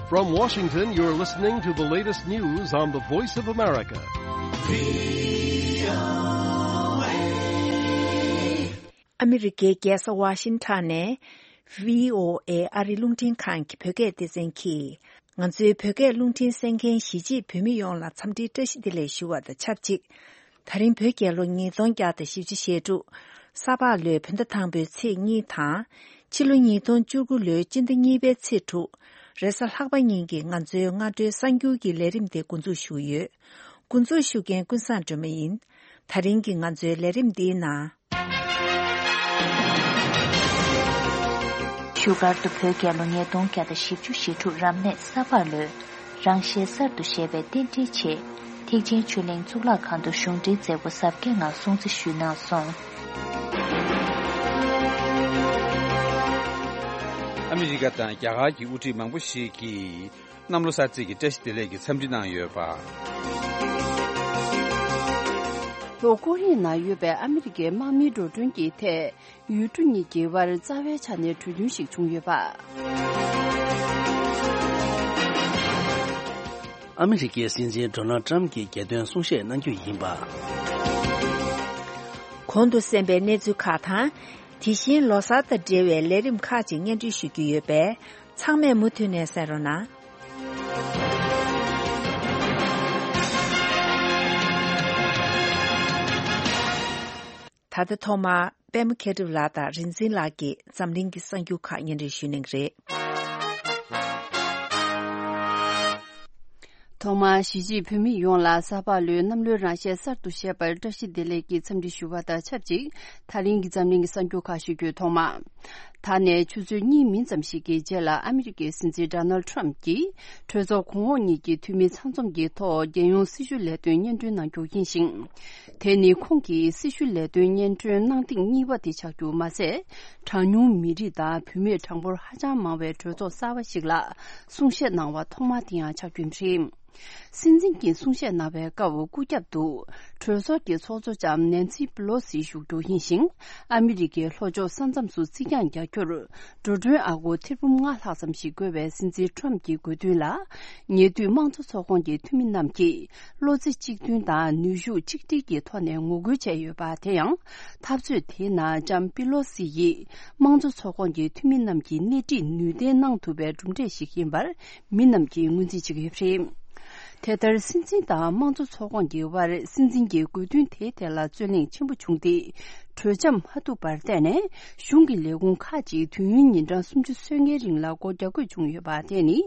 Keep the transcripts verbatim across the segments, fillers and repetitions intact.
From Washington, you're listening to the latest news on the Voice of America. ཨ་མི་རི་ཀའི་རྒྱལ་ས་ཝ་ཤིང་ཊོན་ནས་བྷི་ཨོ་ཨེ་ཨ་རིའི་རླུང་འཕྲིན་ཁང་གི་བོད་སྐད་སྡེ་ཚན་གྱིས། ང་ཚོའི་བོད་སྐད་རླུང་འཕྲིན་གསན་མཁན་གཞིས་བྱེས་བོད་མི་ཡོངས་ལ་འཚམས་འདྲིའི་བཀྲ་ཤིས་བདེ་ལེགས་ཞུ་བ་དང་ཆབས་ཅིག། ད་རིང་བོད་རྒྱལ་ལོ་ཉིས་སྟོང་བརྒྱ་དང་བཞི་བཅུ་ཞེ་དྲུག། ས་ཕག་ལོའི་བོད་ཟླ་དང་པོའི་ཚེས་གཉིས་དང་། ཕྱི་ལོ་ཉིས་སྟོང་བཅུ་དགུ་ལོའི་སྤྱི་ཟླ་གཉིས་པའི་ཚེས་དྲུག། རེས་གཟའ་ལྷག་པ་ཉིན་གྱི་ང་ཚོའི་སྔ་དྲོའི་གསར་འགྱུར་གྱི་ལས་རིམ་དེ་འགོ་འཛུགས་ཞུ་གི་ཡོད། འགོ་འཛུགས་ཞུ་མཁན་ཀུན་བཟང་སྒྲོལ་མ་ཡིན། ད་རིང་གི་ང་ཚོའི་ལས་རིམ་འདིའི་ནང་། བཞུགས་སྒར་དུ་བོད་རྒྱལ་ལོ་ཉིས་སྟོང་བརྒྱ་དང་བཞི་བཅུ་ཞེ་དྲུག་རབ་གནས་ས་ཕག་ལོའི་རང་བཞིན་གསར་དུ་བཞད་པའི་རྟེན་འབྲེལ་ཆེད། ཐེག་ཆེན་ཆོས་གླིང་གཙུག་ལག་ཁང་དུ་གཞུང་འབྲེལ་མཛད་སྒོ་གཟབ་རྒྱས་ངང་སྲུང་བརྩི་ཞུས་གནང་སོང་། ཨ་མི་རི་ཀ་དང་རྒྱ་གར་གྱི་དབུ་ཁྲིད་མང་པོ་ཞིག་གིས། གནམ་ལོ་གསར་ཚེས་ཀྱི་བཀྲ་ཤིས་བདེ་ལེགས་ཀྱི་འཚམས་འདྲི་གནང་ཡོད་པ། ལྷོ་ཀོ་རི་ཡ་ནང་ཡོད་པའི་ཨ་མི་རི་ཀའི་དམག་མིའི་འགྲོ་གྲོན་གྱི་ཐད་ཡུལ་གྲུ་གཉིས་ཀྱི་དབར་རྩ་བའི་ཆ་ནས་གྲོས་མཐུན་ཞིག་བྱུང་ཡོད་པ། ཨ་མི་རི་ཀའི་སྲིད་འཛིན་ཌོ་ནལ་ཊམ་གྱིས་རྒྱལ་དོན་གསུང་བཤད་གནང་རྒྱུ་ཡིན་པ། གོང་དུ་གསན་པའི་གནས་ཚུལ་ཁག་དང་། དེ་བཞིན་ལོ་གསར་དང་འབྲེལ་བའི་ལས་རིམ་ཁག་ཅིག་སྙན་སྒྲོན་ཞུ་རྒྱུ་ཡོད་པས། ཚང་མས་མུ་མཐུད་ནས་གསན་རོགས་གནང་། ད་ལྟ་ཐོག་མར་པད་མ་མཁས་གྲུབ་ལགས་དང་རིག་འཛིན་ལགས་ཀྱིས་འཛམ་གླིང་གི་གསར་འགྱུར་ཁག་སྙན་སྒྲོན་ཞུ་གནང་གི་རེད། ཐོག་མར་གཞིས་བྱེས་བོད་མི་ཡོངས་ལ་ས་ཕག་ལོའི་གནམ་ལོའི་རང་བཞིན་གསར་དུ་བཞད་པར་བཀྲ་ཤིས་བདེ་ལེགས་ཀྱི་འཚམས་འདྲི་ཞུ་བ་དང་ཆབས་ཅིག། ད་རིང་གི་འཛམ་གླིང་གི་གསར་འགྱུར་ཁག་ཞུ་རྒྱུའི་ཐོག་མ། ད་ནས་ཆུ་ཚོད་གཉིས་མིན་ཙམ་ཞིག་གི་རྗེས་ལ་ཨ་མི་རི་ཀའི་སྲིད་འཛིན་ཌོ་ནལ་ཊམ་གྱིས་གྲོས་ཚོགས་གོང་འོག་གཉིས་ཀྱི་འཐུས་མི་ཚང་འཛོམས་ཀྱི་ཐོག་རྒྱལ་ཡོངས་སྲི་ཞུ་ལས་དོན་སྙན་སྒྲོན་གནང་རྒྱུ་ཡིན་ཞིང་། དེ་ནི་ཁོང་གིས་སྲི་ཞུ་ལས་དོན་སྙན་སྒྲོན་གནང་ཐེངས་གཉིས་པ་དེ་ཆགས་རྒྱུ་མ་ཟད། གྲངས་ཉུང་མི་རིགས་དང་བུད་མེད་གྲངས་འབོར་ཧ་ཅང་མང་བའི་གྲོས་ཚོགས་གསར་པ་ཞིག་ལ་གསུང་བཤད་གནང་བ་ཐོག་མ་དེ་ཡང་ཆགས་རྒྱུ་རེད། སྲིད་འཛིན་གྱིས་གསུང་བཤད་གནང་བའི་སྐབས་སྐུ་རྒྱབ་ཏུ་གྲོས་ཚོགས་ཀྱི་ཚོགས་གཙོ་ལྕམ་ནན་སི་པི་ལོ་སི་བཞུགས་རྒྱུ་ཡིན་ཞིང་། ཨ་མི་རི་ཀའི་ལྷོ་ཕྱོགས་ས་མཚམས་སུ་རྩིས་རྒྱག་རྒྱག་རྒྱུར་འགྲོ་གྲོན་ཨ་སྒོར་ཐེར་འབུམ་ལྔ་ལྷག་ཙམ་ཞིག་དགོས་པའི་སྲིད་འཛིན་ཊམ་གྱི་དགོས་འདུན་ལ། ཉེ་དུས་དམངས་གཙོ་ཚོགས་ཁོངས་ཀྱི་འཐུས་མི་རྣམས་ཀྱིས་བློ་རྩེ་གཅིག་མཐུན་དང་ནུས་ཤུགས་གཅིག་སྒྲིལ་གྱི་ཐོག་ནས་ངོ་རྒོལ་བྱས་ཡོད་པ་དེ་ཡང་། འཐབ་རྩོད་དེའི་ནང་ལྕམ་པི་ལོ་སི་ཡིས་དམངས་གཙོ་ཚོགས་ཁོངས་ཀྱི་འཐུས་མི་རྣམས་ཀྱི་སྣེ་ཁྲིད་ནུས་ལྡན་གནང་ཐུབ་པའི་གྲུབ་འབྲས་ཤིག་ཡིན་པར། མི་རྣམས་ཀྱིས་ངོས་འཛིན་བྱེད་ཀྱི་ཡོད་པ་རེད། དེ་ལྟར་སྲིད་འཛིན་དང་དམངས་གཙོ་ཚོགས་ཁོངས་ཀྱི་དབར་སྲིད་འཛིན་གྱི་དགོས་འདུན་དེའི་ཐད་ལ་རྩོད་གླེང་ཆེན་པོ་བྱུང་སྟེ། གྲོས་འཆམ་མ་ཐུབ་པར་བརྟེན་ནས་གཞུང་གི་ལས་ཁུངས་ཁག་ཅིག་དུས་ཡུན་ཉིན་གྲངས་སུམ་ཅུ་སོ་ལྔའི་རིང་ལ་སྒོ་རྒྱག་དགོས་བྱུང་ཡོད་པ་དེ་ནི་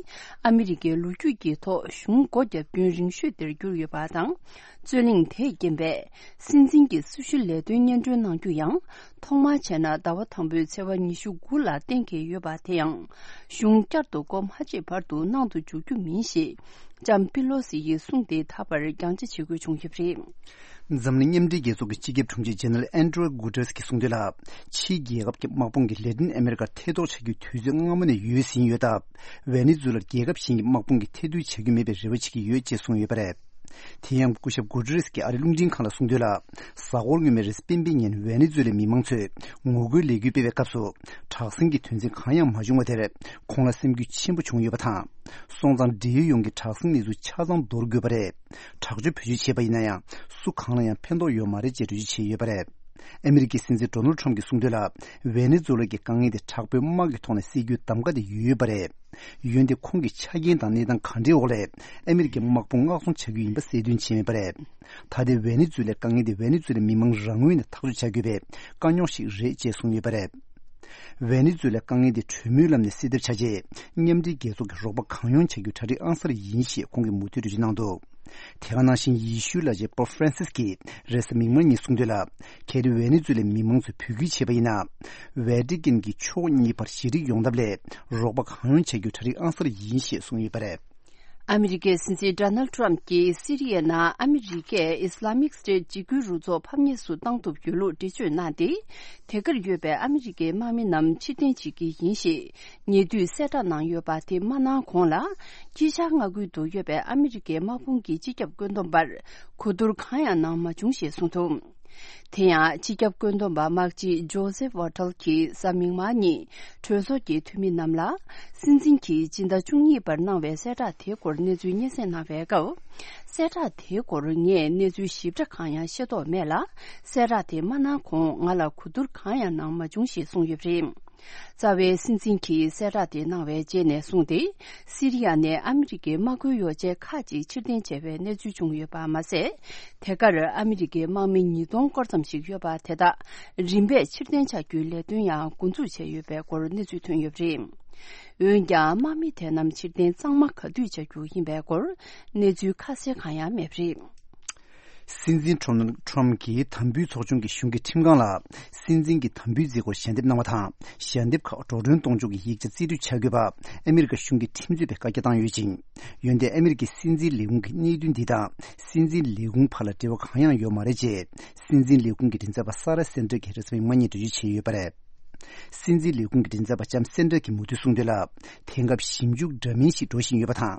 ཨ་མི་རི་ཀའི་ལོ་རྒྱུས་ཀྱི་ཐོག་གཞུང་སྒོ་རྒྱག་རྒྱུན་རིང་ཤོས་དེར་གྱུར་ཡོད་པ་དང་། རྩོད་གླེང་དེས་རྐྱེན་པས་སྲིད་འཛིན་གྱི་སྲི་ཞུ་ལས་དོན་སྙན་སྒྲོན་གནང་རྒྱུ་ཡང་། ཐོག་མར་བྱས་ན་ཟླ་བ་དང་པོའི་ཚེས་པ་ཉི་ཤུ་དགུ་ལ་གཏན་འཁེལ་ཡོད་པ་དེ་ཡང་། གཞུང་བསྐྱར་དུ་སྒོ་མ་ཕྱེ་བར་དུ་གནང་དུ་འཇུག་རྒྱུ་མིན་ཞེས། ལྕམ་པི་ལོ་སི་ཡིས་གསུངས་ཏེ་ད་བར་རྒྱང་བསྒྲགས་བྱེད་དགོས་བྱུང་ཡོད་པ་རེད། འཛམ་གླིང་མཉམ་འབྲེལ་རྒྱལ་ཚོགས་ཀྱི་སྤྱི་ཁྱབ་དྲུང་ཆེ་ཇེ་ནེ་རལ་ཨན་ཏྲོ་གུ་ཏྲེས་ཀྱིས་གསུངས་དོན་ལ། ཕྱིའི་རྒྱལ་ཁབ་ཀྱི་དམག་དཔུང་གིས་ལེ་ཏིན་ཨ་མེ་རི་ཀར་ཐེ་གཏོགས་བྱ་རྒྱུའི་དུས་ཚོད་སྔ་མོ་ནས་ཡོལ་ཟིན་ཡོད་སྟབས། ཝེ་ནེ་ཛུ་ལར་རྒྱལ་ཁབ་གཞན་གྱི་དམག་དཔུང་གིས་ཐེ་བསྡུར་བྱ་རྒྱུ་མེད་པའི་རེ་བ་བྱེད་ཀྱི་ཡོད་ཅེས་གསུངས་ཡོད་པ་རེད། དེ་ཡང་སྐུ་ཞབས་གུ་ཏྲེས་ཀྱིས་ཨ་རིའི་རླུང་འཕྲིན་ཁང་ལ་གསུངས་དོན་ལ། གཟའ་འཁོར་སྔོན་མའི་རེས་གཟའ་སྤེན་པའི་ཉིན་ཝེ་ནེ་ཛུ་ལའི་མི་མང་ཚོས་ངོ་རྒོལ་ལས་འགུལ་སྤེལ་བའི་སྐབས་སུ། དྲག་ཟིང་གི་དོན་ཚན་གང་ཡང་མ་བྱུང་བ་དེར། ཁོང་ལ་སེམས་འགུལ་ཆེན་པོ་བྱུང་ཡོད་པ་དང་། སོང་ཙང་འབྲེལ་ཡོད་ཡོངས་ཀྱིས་དྲག་ཟིང་གནས་ཚུལ་ཆ་ཚང་འདོར་དགོས་པ་རེད། དྲག་སྤྱོད་བེད་སྤྱོད་བྱས་པ་ཡིན་ན་ཡང་སུ་གང་ལ་ཡང་ཕན་ཐོགས་ཡོད་མ་རེད་ཅེས་འགྲེལ་བརྗོད་བྱས་ཡོད་པ་རེད། ཨ་མི་རི་ཀའི་སྲིད་འཛིན་ཌོ་ནལ་ཁྲམ་གྱིས་གསུངས་དོན་ལ། ཝེ་ནེ་ཛུ་ལ་གི་དཀའ་ངལ་དེ་དྲག་པོའི་དམག་གི་ཐོག་ནས་སེལ་རྒྱུའི་གདམ་ག་དེ་ཡོད་ཡོད་པ་རེད། འོན་ཏེ་ཁོང་གིས་ཆ་རྐྱེན་དང་གནས་སྟངས་ག་འདྲའི་འོག་ལས་ཨ་མི་རི་ཀའི་དམག་དཔུང་མངགས་ཚོང་བྱ་རྒྱུ་ཡིན་པ་གསལ་སྟོན་བྱས་མེད་པ་རེད། ད་ལྟའི་ཝེ་ནེ་ཛུ་ལའི་དཀའ་ངལ་དེ་ཝེ་ནེ་ཛུ་ལའི་མི་མང་རང་ངོས་ནས་ཐག་གཅོད་བྱ་དགོས་པའི་དཀའ་རྙོག་ཞིག་རེད་ཅེས་གསུངས་ཡོད་པ་རེད། ཝེ་ནེ་ཛུ་ལའི་དཀའ་ངལ་དེ་གྲོས་མོལ་ལམ་ནས་སེལ་ཐབས་བྱ་ཆེད། མཉམ་འབྲེལ་རྒྱལ་ཚོགས་ཀྱི་རོགས་པ་གང་ཡོང་བྱ་རྒྱུ་གྲ་སྒྲིག་ཨང་གསར་ཡིན་ཞེས་ཁོང་གིས་མུ་མཐུད་འགྲེལ་བརྗོད་གནང་འདུག་དེ་ག་ནང་བཞིན་ཡེ་ཤུའི་བླ་ཆེན་པོབ་ཧྥ་རན་སིས་ཀྱིས་རེས་གཟའ་མིག་དམར་ཉིན་གསུངས་དོན་ལ། གལ་ཏེ་ཝེ་ནེ་ཛུ་ལའི་མི་མང་ཚོས་འབོད་སྐུལ་བྱས་པ་ཡིན་ན། ཝེ་ཏི་ཀན་གྱིས་ཕྱོགས་གཉིས་བར་ཞི་འགྲིག་ཡོང་ཐབས་ལ་རོགས་པ་གང་ཡོང་བྱ་རྒྱུ་གྲ་སྒྲིག་ཨང་གསར་ཡིན་ཞེས་གསུངས་ཡོད་པ་རེད། ཨ་མི་རི་ཀའི་སྲིད་འཛིན་ཌོ་ནལ་ཊམ་གྱིས་སི་རི་ཡའི་ནང་ཨ་མི་རི་ཀས་ཨི་སི་ལ་མིག་སི་ཊེཊ་འཇིགས་སྐུལ་རུ་ཚོགས་ཕམ་ཉེས་སུ་བཏང་ཐུབ་ཡོད་ལུགས་འགྲེལ་བརྗོད་གནང་སྟེ། དེ་གར་ཡོད་པའི་ཨ་མི་རི་ཀའི་དམག་མི་རྣམས་ཕྱིར་འཐེན་བྱེད་ཀྱི་ཡིན་ཞེས་ཉེ་དུས་གསལ་བསྒྲགས་གནང་ཡོད་པ་དེ་མ་གནང་གོང་ལ། དཀྱིལ་ཤར་མངའ་ཁུལ་དུ་ཡོད་པའི་ཨ་མི་རི་ཀའི་དམག་དཔུང་གི་སྤྱི་ཁྱབ་བཀོད་འདོམས་པར་གོ་བསྡུར་གང་ཡང་གནང་མ་བྱུང་ཞེས་གསུངས་འདུག་དེ་ཡང་སྤྱི་ཁྱབ་བཀོད་འདོམས་པ་དམག་སྤྱི་ཇོ་སེབ་ཝ་ཊལ་གྱིས་གཟའ་མིག་དམར་ཉིན་གྲོས་ཚོགས་ཀྱི་འཐུས་མི་རྣམས་ལ། སྲིད་འཛིན་གྱིས་སྤྱི་ཟླ་བཅུ་གཉིས་པར་གནང་བའི་གསལ་བསྒྲགས་དེའི་སྐོར་གནས་ཚུལ་སྙན་སེང་གནང་བའི་སྐབས། གསལ་བསྒྲགས་དེའི་སྐོར་ངས་གནས་ཚུལ་ཞིབ་ཕྲ་གང་ཡང་ཤེས་རྟོགས་མེད་ལ། གསལ་བསྒྲགས་དེ་མ་གནང་གོང་ང་ལ་གོ་བསྡུར་གང་ཡང་གནང་མ་བྱུང་ཞེས་གསུངས་ཡོད་པ་རེད། རྩ་བའི་སྲིད་འཛིན་གྱིས་གསལ་བསྒྲགས་དེ་གནང་བའི་རྗེས་ནས་བཟུང་སྟེ། སི་རི་ཡ་ནས་ཨ་མི་རི་ཀའི་དམག་ཁུལ་ཡོ་བྱད་ཁག་ཅིག་ཕྱིར་འཐེན་བྱས་པའི་གནས་ཚུལ་བྱུང་ཡོད་པ་མ་ཟད། དེ་གར་ཨ་མི་རི་ཀའི་དམག་མི་ཉིས་སྟོང་སྐོར་ཙམ་ཞིག་ཡོད་པ་དེ་དག་རིམ་པས་ཕྱིར་འཐེན་བྱ་རྒྱུའི་ལས་དོན་ཡང་འགོ་འཛུགས་བྱས་ཡོད་པའི་སྐོར་གནས་ཚུལ་ཐོན་ཡོད་པ་རེད། འོན་ཀྱང་དམག་མི་དེ་རྣམས་ཕྱིར་འཐེན་གཙང་མ་ག་དུས་བྱ་རྒྱུ་ཡིན་པའི་སྐོར་གནས་ཚུལ་ཁ་གསལ་གང་ཡང་མེད་པ་རེད། སྲིད་འཛིན་ཁྲོམ་ཁྲོམ་གྱིས་དམ་འབུལ་ཚོགས་ཆུང་གི་གཞུང་གི་ཁྲིམས་ཁང་ལ། སྲིད་འཛིན་གྱི་དམ་འབུལ་མཛད་སྒོར་ཞལ་འདེབས་གནང་བ་དང་། ཞལ་འདེབས་ཁག་འགྲོ་གྲོན་གཏོང་ཕྱོགས་ཀྱི་ཡིག་ཆ་རྩིས་སྤྲོད་བྱ་དགོས་པ། ཨ་མི་རི་ཀ་གཞུང་གི་ཁྲིམས་རྩོད་པས་བཀའ་རྒྱ་བཏང་ཡོད་ཅིང་། འོན་ཏེ་ཨ་མི་རི་ཀའི་སྲིད་འཛིན་ལས་ཁུངས་ཀྱི་གནད་དོན་འདི་དང་། སྲིད་འཛིན་ལས་ཁུངས་བར་ལ་འབྲེལ་བ་གང་ཡང་ཡོད་མ་རེད་ཅེས། སྲིད་འཛིན་ལས་ཁུངས་ཀྱི་མགྲིན་ཚབ་པ་ས་ར་སན་ཏྲ་གིས་རེས་གཟའ་མིག་དམར་ཉིན་འགྲེལ་བརྗོད་བྱས་ཡོད་པ་རེད། སྲིད་འཛིན་ལས་ཁུངས་ཀྱི་མགྲིན་ཚབ་པ་ལྕམ་སན་ཏྲ་གིས་མུ་མཐུད་གསུངས་དོན་ལ། དེང་སྐབས་ཞིབ་འཇུག་འདྲ་མིན་ཞིག་འགྲོ་བཞིན་ཡོད་པ་དང་།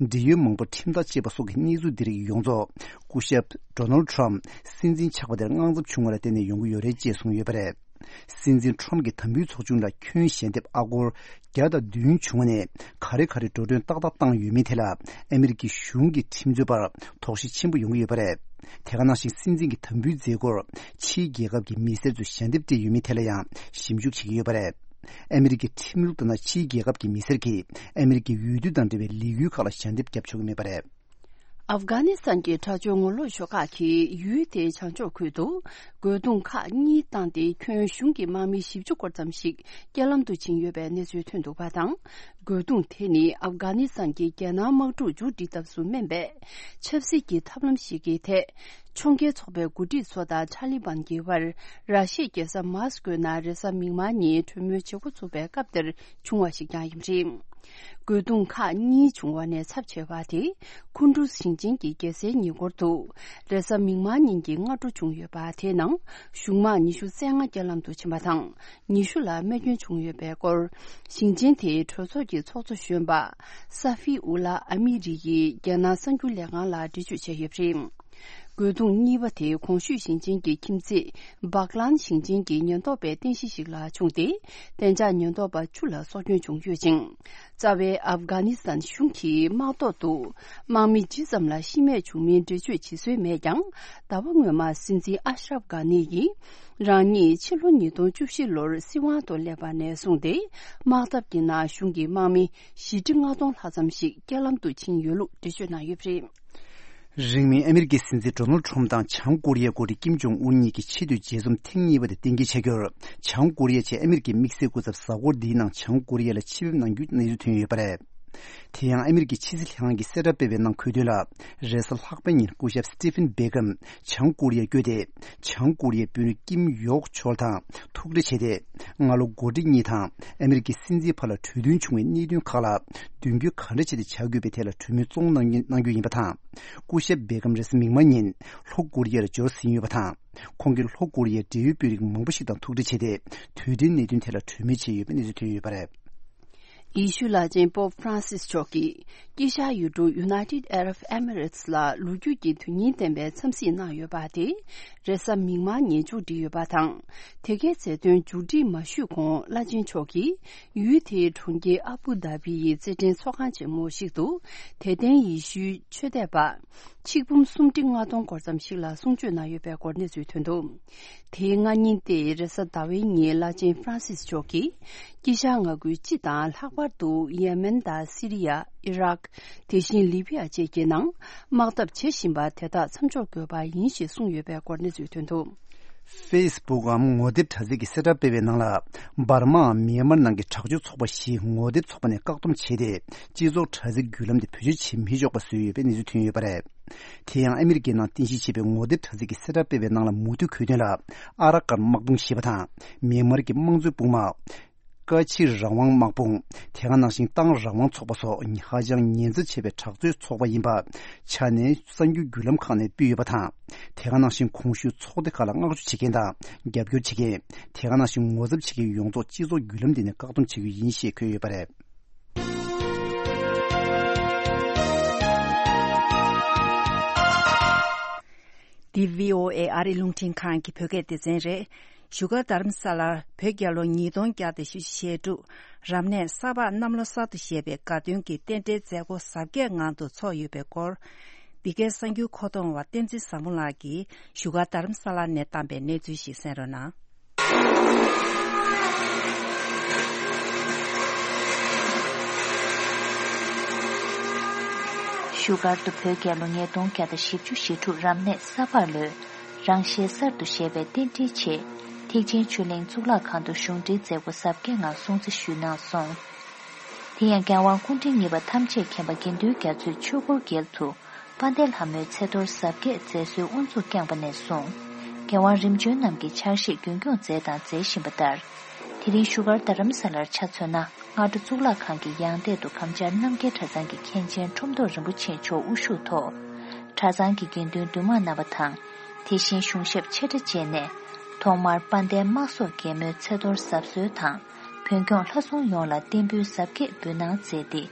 འབྲེལ་ཡོད་མང་པོ་ཁྲིམས་ཐག་བཅད་པ་སོགས་ཀྱི་གནས་ཚུལ་འདི་རིགས་ཡོངས་རྫོགས་སྐུ་ཞབས་ཌོ་ནལ་ཁྲམ་སྲིད་འཛིན་ཆགས་པ་དེར་དངངས་འཚབ་བྱུང་བ་ལ་བརྟེན་ནས་ཡོང་གི་ཡོད་རེད་ཅེས་གསུངས་ཡོད་པ་རེད། སྲིད་འཛིན་ཁྲམ་གྱིས་དམ་འབུལ་ཚོགས་ཆུང་ལ་ཁྱོན་ཞལ་འདེབས་ཨ་སྒོར་བརྒྱ་དང་བདུན་བྱུང་བ་ནས་ག་རེ་ག་རེ་འགྲོ་གྲོན་ཏག་ཏག་བཏང་ཡོད་མེད་ཐད་ལ་ཨ་མི་རི་ཀའི་གཞུང་གི་ཁྲིམས་རྩོད་པར་དོགས་གཞི་ཆེན་པོ་ཡོང་གི་ཡོད་པ་རེད། དེ་ག་ནང་བཞིན་སྲིད་འཛིན་གྱི་དམ་འབུལ་མཛད་སྒོར་ཕྱིའི་རྒྱལ་ཁབ་ཀྱི་མི་སེར་ཚོས་ཞལ་འདེབས་སྤྲད་ཡོད་མེད་ཐད་ལ་ཡང་ཞིབ་འཇུག་བྱེད་ཀྱི་ཡོད་པ་རེད། ཨ་མི་རི་ཀའི་ཁྲིམས་ལུགས་ལྟར་ན་ཕྱིའི་རྒྱལ་ཁབ་ཀྱི་མི་སེར་གྱིས་ཨ་མི་རི་ཀའི་འོས་བསྡུ་དང་འབྲེལ་བའི་ལས་འགུལ་ཁག་ལ་ཞལ་འདེབས་བརྒྱབ་ཆོག་གི་མེད་པ་རེད། ཨབ་གྷ་ནི་སི་ཐན་གྱི་དྲག་སྤྱོད་ངོ་ལོག་ཤོག་ཁག་གིས་ཡུལ་དེའི་བྱང་ཕྱོགས་ཁུལ་དུ་རྒོལ་རྡུང་ཁག་གཉིས་བཏང་སྟེ། ཁྱོན་གཞུང་གི་དམག་མི་བཞི་བཅུ་སྐོར་ཙམ་ཞིག་རྐྱེན་ལམ་དུ་ཕྱིན་ཡོད་པའི་གནས་ཚུལ་ཐོན་འདུག་པ་དང་། རྒོལ་རྡུང་དེ་ནི་ཨབ་གྷ་ནི་སི་ཐན་གྱི་རྒྱལ་ནང་དམག་འཁྲུག་མཇུག་སྒྲིལ་ཐབས་སུ་སྨན་པའི་ཆབ་སྲིད་ཀྱི་ཐབས་ལམ་ཞིག་གི་ཐད། ཕྱོགས་འགལ་ཚོགས་པའི་འགོ་ཁྲིད་ཚོ་དང་ཐ་ལི་བན་གྱི་བར་ར་ཤི་ཡའི་རྒྱལ་ས་མཱ་སི་ཀོའི་ནང་རེས་གཟའ་མིག་དམར་ཉིན་གྲོས་མོལ་བྱེད་འགོ་ཚུགས་པའི་སྐབས་དེར་བྱུང་བ་ཞིག་ཀྱང་ཡིན་པ་རེད། རྒོལ་རྡུང་ཁག་གཉིས་བྱུང་བ་ནས་ཚབས་ཆེ་བ་དེ་ཁུན་ཏུ་ཞིང་ཆེན་གྱི་རྒྱལ་སའི་ཉེ་འཁོར་དུ་རེས་གཟའ་མིག་དམར་ཉིན་གྱི་སྔ་དྲོ་བྱུང་ཡོད་པ། དེའི་ནང་གཞུང་དམག་ཉི་ཤུ་རྩ་ལྔ་རྐྱེན་ལམ་དུ་ཕྱིན་པ་དང་། ཉི་ཤུ་ལ་རྨས་སྐྱོན་བྱུང་ཡོད་པའི་སྐོར། ཞིང་ཆེན་དེའི་གྲོས་ཚོགས་ཀྱི་ཚོགས་གཙོ་གཞོན་པ་ས་ཧྥི་ཨུ་ལ་ཨ་མི་རི་ཡིས་རྒྱལ་ནང་གསར་འགྱུར་ལས་ཁང་ལ་འགྲེལ་བརྗོད་བྱས་ཡོད་པ་རེད། རྒོལ་རྡུང་གཉིས་པ་དེ་གོང་ཞུས་ཞིང་ཆེན་གྱི་ཁྱིམ་མཚེས་བྷག་ལན་ཞིང་ཆེན་གྱི་ཉེན་རྟོག་པའི་རྟེན་གཞི་ཞིག་ལ་བྱུང་སྟེ། གཏན་འཇགས་ཉེན་རྟོག་པ་བཅུ་ལ་སྲོག་སྐྱོན་བྱུང་ཡོད་ཅིང་། རྩ་བའི་ཨབ་གྷ་ནི་སི་ཐན་གཞུང་གིས་དམག་ཐོག་ཏུ་དམག་མི་ཇི་ཙམ་ལ་ཤི་རྨས་བྱུང་མིན་འགྲེལ་བརྗོད་བྱེད་སྲོལ་མེད་ཀྱང་། ཟླ་བ་སྔོན་མ་སྲིད་འཛིན་ཨ་ཤ་རབ་གྷ་ནི་ཡིས་རང་ཉིད་ཕྱི་ལོ་ཉིས་སྟོང་བཅུ་བཞི་ལོར་སྲིད་དབང་དུ་སླེབས་པ་ནས་བཟུང་སྟེ། དམག་འཐབ་ཀྱི་ནང་གཞུང་གི་དམག་མི་བཞི་ཁྲི་ལྔ་སྟོང་ལྷག་ཙམ་ཞིག་རྐྱེན་ལམ་དུ་ཕྱིན་ཡོད་ལུགས་འགྲེལ་བརྗོད་གནང་ཡོད་པ་རེད། རིང་མིན་ཨ་མི་རི་ཀའི་སྲིད་འཛིན་ཌོ་ནལ་ཁྲོམ་དང་བྱང་ཀོ་རི་ཡའི་འགོ་ཁྲིད་ཀིམ་ཇོང་ཨུན་གཉིས་ཀྱི་ཆེས་མཐོའི་མཇལ་འཛོམས་ཐེངས་གཉིས་པ་དེ་གཏན་འཁེལ་བྱ་རྒྱུར། བྱང་ཀོ་རི་ཡ་བཅས་ཨ་མི་རི་ཀའི་དམིགས་བསལ་སྐུ་ཚབ་གཟའ་འཁོར་འདིའི་ནང་བྱང་ཀོ་རི་ཡ་ལ་ཆེད་ཕེབས་གནང་རྒྱུའི་གནས་ཚུལ་ཐོན་ཡོད་པ་རེད། དེ་ཡང་ཨ་མི་རི་ཀའི་ཕྱི་སྲིད་ལྷན་ཁང་གིས་གསལ་བསྒྲགས་སྤེལ་བའི་ནང་འཁོད་དོན་ལ། རེས་གཟའ་ལྷག་པའི་ཉིན་སྐུ་ཞབས་སི་ཏི་ཕིན་བྷེ་ཀམ་བྱང་ཀོ་རི་ཡར་བསྐྱོད་དེ། བྱང་ཀོ་རི་ཡའི་དཔོན་རིགས་ཀིམ་ཡོག་ཆོལ་དང་ཐུག་འཕྲད་བྱས་ཏེ། སྔ་ལོ་འགོ་ཁྲིད་གཉིས་དང་ཨ་མི་རི་ཀའི་སྲིད་འཛིན་བར་ལ་གྲོས་མཐུན་བྱུང་བའི་གནད་དོན་ཁག་ལ་མདུན་སྐྱོད་ག་འདྲ་བྱས་ཏེ་བྱ་དགོས་པའི་ཐད་ལ་གྲོས་མོལ་བཙོང་གནང་གནང་རྒྱུ་ཡིན་པ་དང་། སྐུ་ཞབས་བྷེ་ཀམ་རེས་གཟའ་མིག་དམར་ཉིན་ལྷོ་ཀོ་རི་ཡར་འབྱོར་ཟིན་ཡོད་པ་དང་། ཁོང་གིས་ལྷོ་ཀོ་རི་ཡའི་འབྲེལ་ཡོད་དཔོན་རིགས་མང་པོ་ཞིག་དང་ཐུག་འཕྲད་བྱས་ཏེ། དུས་དྲན་གནད་དོན་ཐད་ལ་གྲོས་མོལ་བྱས་ཡོད་པའི་གནས་ཚུལ་ཐོན་ཡོད་པ་རེད། ཡེ་ཤུ་བླ་ཆེན་པོབ་ཧྥ་རན་སིས་མཆོག་གིས་དཀྱིལ་ཤར་ཡུལ་གྲུ་United Arab Emirates ལ་ལོ་རྒྱུས་ཀྱི་དོན་སྙིང་ལྡན་པའི་འཚམས་གཟིགས་གནང་ཡོད་པ་དེ་རེས་གཟའ་མིག་དམར་ཉིན་མཇུག་སྒྲིལ་ཡོད་པ་དང་། དེ་གའི་མཛད་དོན་མཇུག་སྒྲིལ་མ་ཞུས་གོང་བླ་ཆེན་མཆོག་གིས་ཡུལ་དེའི་གྲོང་ཁྱེར་ཨ་བུ་དྷ་བི་ཡི་རྩེད་འགྲན་ཚོགས་ཁང་ཆེན་མོ་ཞིག་ཏུ་དད་ལྡན་ཡེ་ཤུའི་ཆོས་དད་པ་ཆིག་འབུམ་སུམ་ཁྲི་ལྔ་སྟོང་སྐོར་ཙམ་ཞིག་ལ་གསུང་ཆོས་གནང་ཡོད་པའི་སྐོར་གནས་ཚུལ་ཐོན་འདུག་དེའི་སྔ་ཉིན་ཏེ་རེས་གཟའ་ཟླ་བའི་ཉིན་བླ་ཆེན་ཧྥ་རན་སིས་མཆོག་གིས་དཀྱིལ་ཤར་མངའ་ཁུལ་སྤྱི་དང་ལྷག་པར་དུ་ཡེ་མེན་དང་སི་རི་ཡ། ཨི་རག་དེ་བཞིན་ལི་བི་ཡ་བཅས་ཀྱི་ནང་དམག་འཐབ་བྱེད་བཞིན་པ་དེ་དག་མཚམས་འཇོག་དགོས་པ་ཡིན་ཞེས་གསུངས་ཡོད་པའི་སྐོར་གནས་ཚུལ་ཐོན་འདུག་ཧྥེ་སི་བུག་གམ་ངོ་དེབ་དྲ་ཚིགས་ཀྱི་གསལ་བསྒྲགས་སྤེལ་བའི་ནང་ལ། འབར་མའམ་མེན་མར་ནང་གི་དྲག་སྤྱོད་ཚོགས་པ་བཞིས་ངོ་དེབ་ཚོགས་པ་ནས་བཀག་སྡོམ་བྱས་ཏེ། སྤྱི་ཚོགས་དྲ་ཚིགས་བརྒྱུད་ལམ་དེ་བེད་སྤྱོད་བྱེད་མི་ཆོག་པ་བཟོས་ཡོད་པའི་གནས་ཚུལ་ཐོན་ཡོད་པ་རེད། དེ་ཡང་ཨ་མི་རི་ཀའི་ནང་རྟེན་གཞི་བྱས་པའི་ངོ་དེབ་དྲ་ཚིགས་ཀྱི་གསལ་བསྒྲགས་སྤེལ་བའི་ནང་ལ་མུ་མཐུད་འཁོད་དོན་ལ། ཨ་ར་ཀན་དམག་དཔུང་ཞེས་པ་དང་། མེན་མར་གྱི་དམངས་གཙོའི་དཔུང་དམག་ཀ་ཆི་རང་དབང་དམག་དཔུང་། དེ་ག་ནང་བཞིན་ཏང་རང་དབང་ཚོགས་པ་སོགས་ཧ་ཅང་ཉེན་ཚབས་ཆེ་བའི་དྲག་རྩལ་ཚོགས་པ་ཡིན་པ་ཆ་ནས་གསར་འགྱུར་བརྒྱུད་ལམ་ཁག་ནས་སྤེལ་ཡོད་པ་དང་། དེ་ག་ནང་བཞིན་གོང་ཞུས་ཚོགས་སྡེ་ཁག་ལ་མངགས་བཅོལ་བྱེད་མཁན་དང་རྒྱབ་སྐྱོར་བྱེད་མཁན། དེ་ག་ནང་བཞིན་ངོ་ཚབ་བྱེད་མཁན་ཡོངས་རྫོགས་སྤྱི་ཚོགས་བརྒྱུད་ལམ་འདི་ནས་བཀག་སྡོམ་བྱེད་རྒྱུ་ཡིན་ཞེས་འཁོད་ཡོད་པ་རེད། འདི་བྷི་ཨོ་ཨེ་ཨ་རིའི་རླུང་འཕྲིན་ཁང་གི་བོད་སྐད་སྡེ་ཚན་རེད། བཞུགས་སྒར་རྡ་རམ་ས་ལར་བོད་རྒྱལ་ལོ་ཉིས་སྟོང་བརྒྱ་དང་བཞི་བཅུ་ཞེ་དྲུག་རབ་གནས་ས་ཕག་གནམ་ལོ་གསར་དུ་བཞད་པའི་དགའ་སྟོན་གྱི་རྟེན་འབྲེལ་མཛད་སྒོ་གཟབ་རྒྱས་ངང་དུ་ཚོགས་ཡོད་པའི་སྐོར། འདི་གའི་གསར་འགྱུར་མཁོ་གཏོང་བ་བསྟན་འཛིན་བཟང་མོ་ལགས་ཀྱིས་བཞུགས་སྒར་རྡ་རམ་ས་ལ་ནས་བཏང་པའི་གནས་ཚུལ་ཞིག་གསན་རོགས་གནང་། བཞུགས་སྒར་དུ་བོད་རྒྱལ་ལོ་ཉིས་སྟོང་བརྒྱ་དང་བཞི་བཅུ་ཞེ་དྲུག་རབ་གནས་ས་ཕག་ལོའི་རང་བཞིན་གསར་དུ་བཞད་པའི་རྟེན་འབྲེལ་ཆེད། ཐེག་ཆེན་ཆོས་གླིང་གཙུག་ལག་ཁང་དུ་གཞུང་འབྲེལ་མཛད་སྒོ་གཟབ་རྒྱས་ངང་སྲུང་བརྩི་ཞུས་གནང་སོང་། དེ་ཡང་རྒྱལ་དབང་སྐུ་ཕྲེང་གཉིས་པ་ཐམས་ཅད་མཁྱེན་པ་དགེ་འདུན་རྒྱ་མཚོས་ཆོས་འཁོར་རྒྱལ་དུ་དཔལ་ལྡན་ལྷ་མོའི་ཚེ་གཏོར་གཟབ་རྒྱས་མཛད་སྲོལ་དབུ་འཛུགས་བསྐྱངས་པ་ནས་བཟུང་། རྒྱལ་དབང་རིམ་བྱོན་རྣམས་ཀྱིས་ཕྱག་བཞེས་རྒྱུན་སྐྱོང་མཛད་དང་མཛད་བཞིན་པ་ལྟར། དེ་རིང་བཞུགས་སྒར་རྡ་རམ་ས་ལར་ཆ་མཚོན་ན། སྔ་དྲོ་གཙུག་ལག་ཁང་གི་ཡང་སྟེང་དུ་གམ་བཅར་རྣམ་རྒྱལ་གྲྭ་ཚང་གི་མཁན་ཆེན་ཁྲོམ་ཐོག་རིན་པོ་ཆེ་མཆོག་དབུ་བཞུགས་ཐོག་གྲྭ་ཚང་གི་དགེ་འདུན་འདུས་མང་རྣམ་པ་དང་། དེ་བཞིན་གཞུང་ཞབས་ཆེ་གྲས་བཅས་ནས། ཐོག་མར་དཔལ་ལྡན་དམག་ཟོར་རྒྱལ་མོའི་ཚེ་གཏོར་གཟབ་གསོལ་དང་། བོན་སྐྱོང་ལྷ་སྲུང་ཡོངས་ལ་རྟེན་འབུལ་གཟབ་རྒྱས་འབུལ་གནང་མཛད་དེ།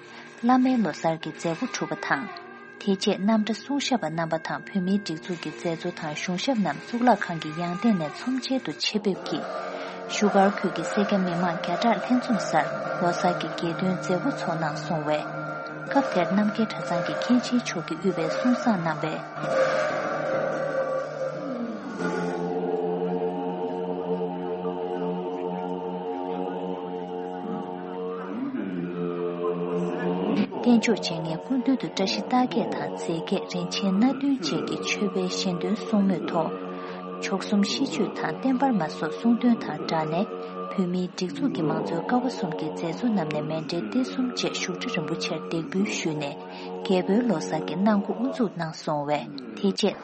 བླ་མའི་ལོ་གསར་གྱི་མཛད་སྒོ་གྲུབ་པ་དང་། དེ་རྗེས་རྣམ་གྲྭ་སྲུང་ཞབས་པ་རྣམ་པ་དང་བོད་མིའི་སྒྲིག་འཛུགས་ཀྱི་མཛད་གཙོ་དང་གཞུང་ཞབས་རྣམས་གཙུག་ལག་ཁང་གི་ཡང་སྟེང་ནས་ཚོམས་ཆེན་དུ་ཆེད་ཕེབས་ཀྱིས། བཞུགས་སྒར་ཁུལ་གྱི་སེར་སྐྱ་མི་མང་བརྒྱ་ཕྲག་ལྷན་འཛོམས་སར་ལོ་གསར་གྱི་རྒྱལ་སྟོན་མཛད་སྒོ་ཚོགས་གནང་སོང་བས། སྐབས་དེར་རྣམ་རྒྱལ་གྲྭ་ཚང་གི་མཁན་ཆེན་མཆོག་གིས་དབུས་པའི་གསུང་བསངས་གནང་བས། རྟེན་མཆོག་བྱེད་མཁན་སྐུ་མདུན་དུ་བཀྲ་ཤིས་རྟགས་བརྒྱད་དང་རྫས་བརྒྱད་རིན་ཆེན་སྣ་བདུན་བཅས་ཀྱི་མཆོད་པའི་ཞལ་འདོན་གསུང་མོས་ཐོག་མཆོག་གསུམ་ཤིས་བརྗོད་དང་བརྟན་པར་མ་སོགས་གསུང་འདོན་དང་སྦྲགས་ནས་བོད་མིའི་སྒྲིག་འཛུགས་ཀྱི་མང་གཙོའི་ཀ་བ་གསུམ་གྱི་མཛད་གཙོ་རྣམས་ནས་མཎྜལ་སྟེགས་གསུམ་བཅས་བཞུགས་ཁྲི་རིན་པོ་ཆེར་འདེགས་འབུལ་ཞུས་ནས་རྒྱལ་པོའི་ལོ་གསར་གྱི་གནང་སྒོ་དབུ་འཛུགས་གནང་སོང་བས་དེ་རྗེས།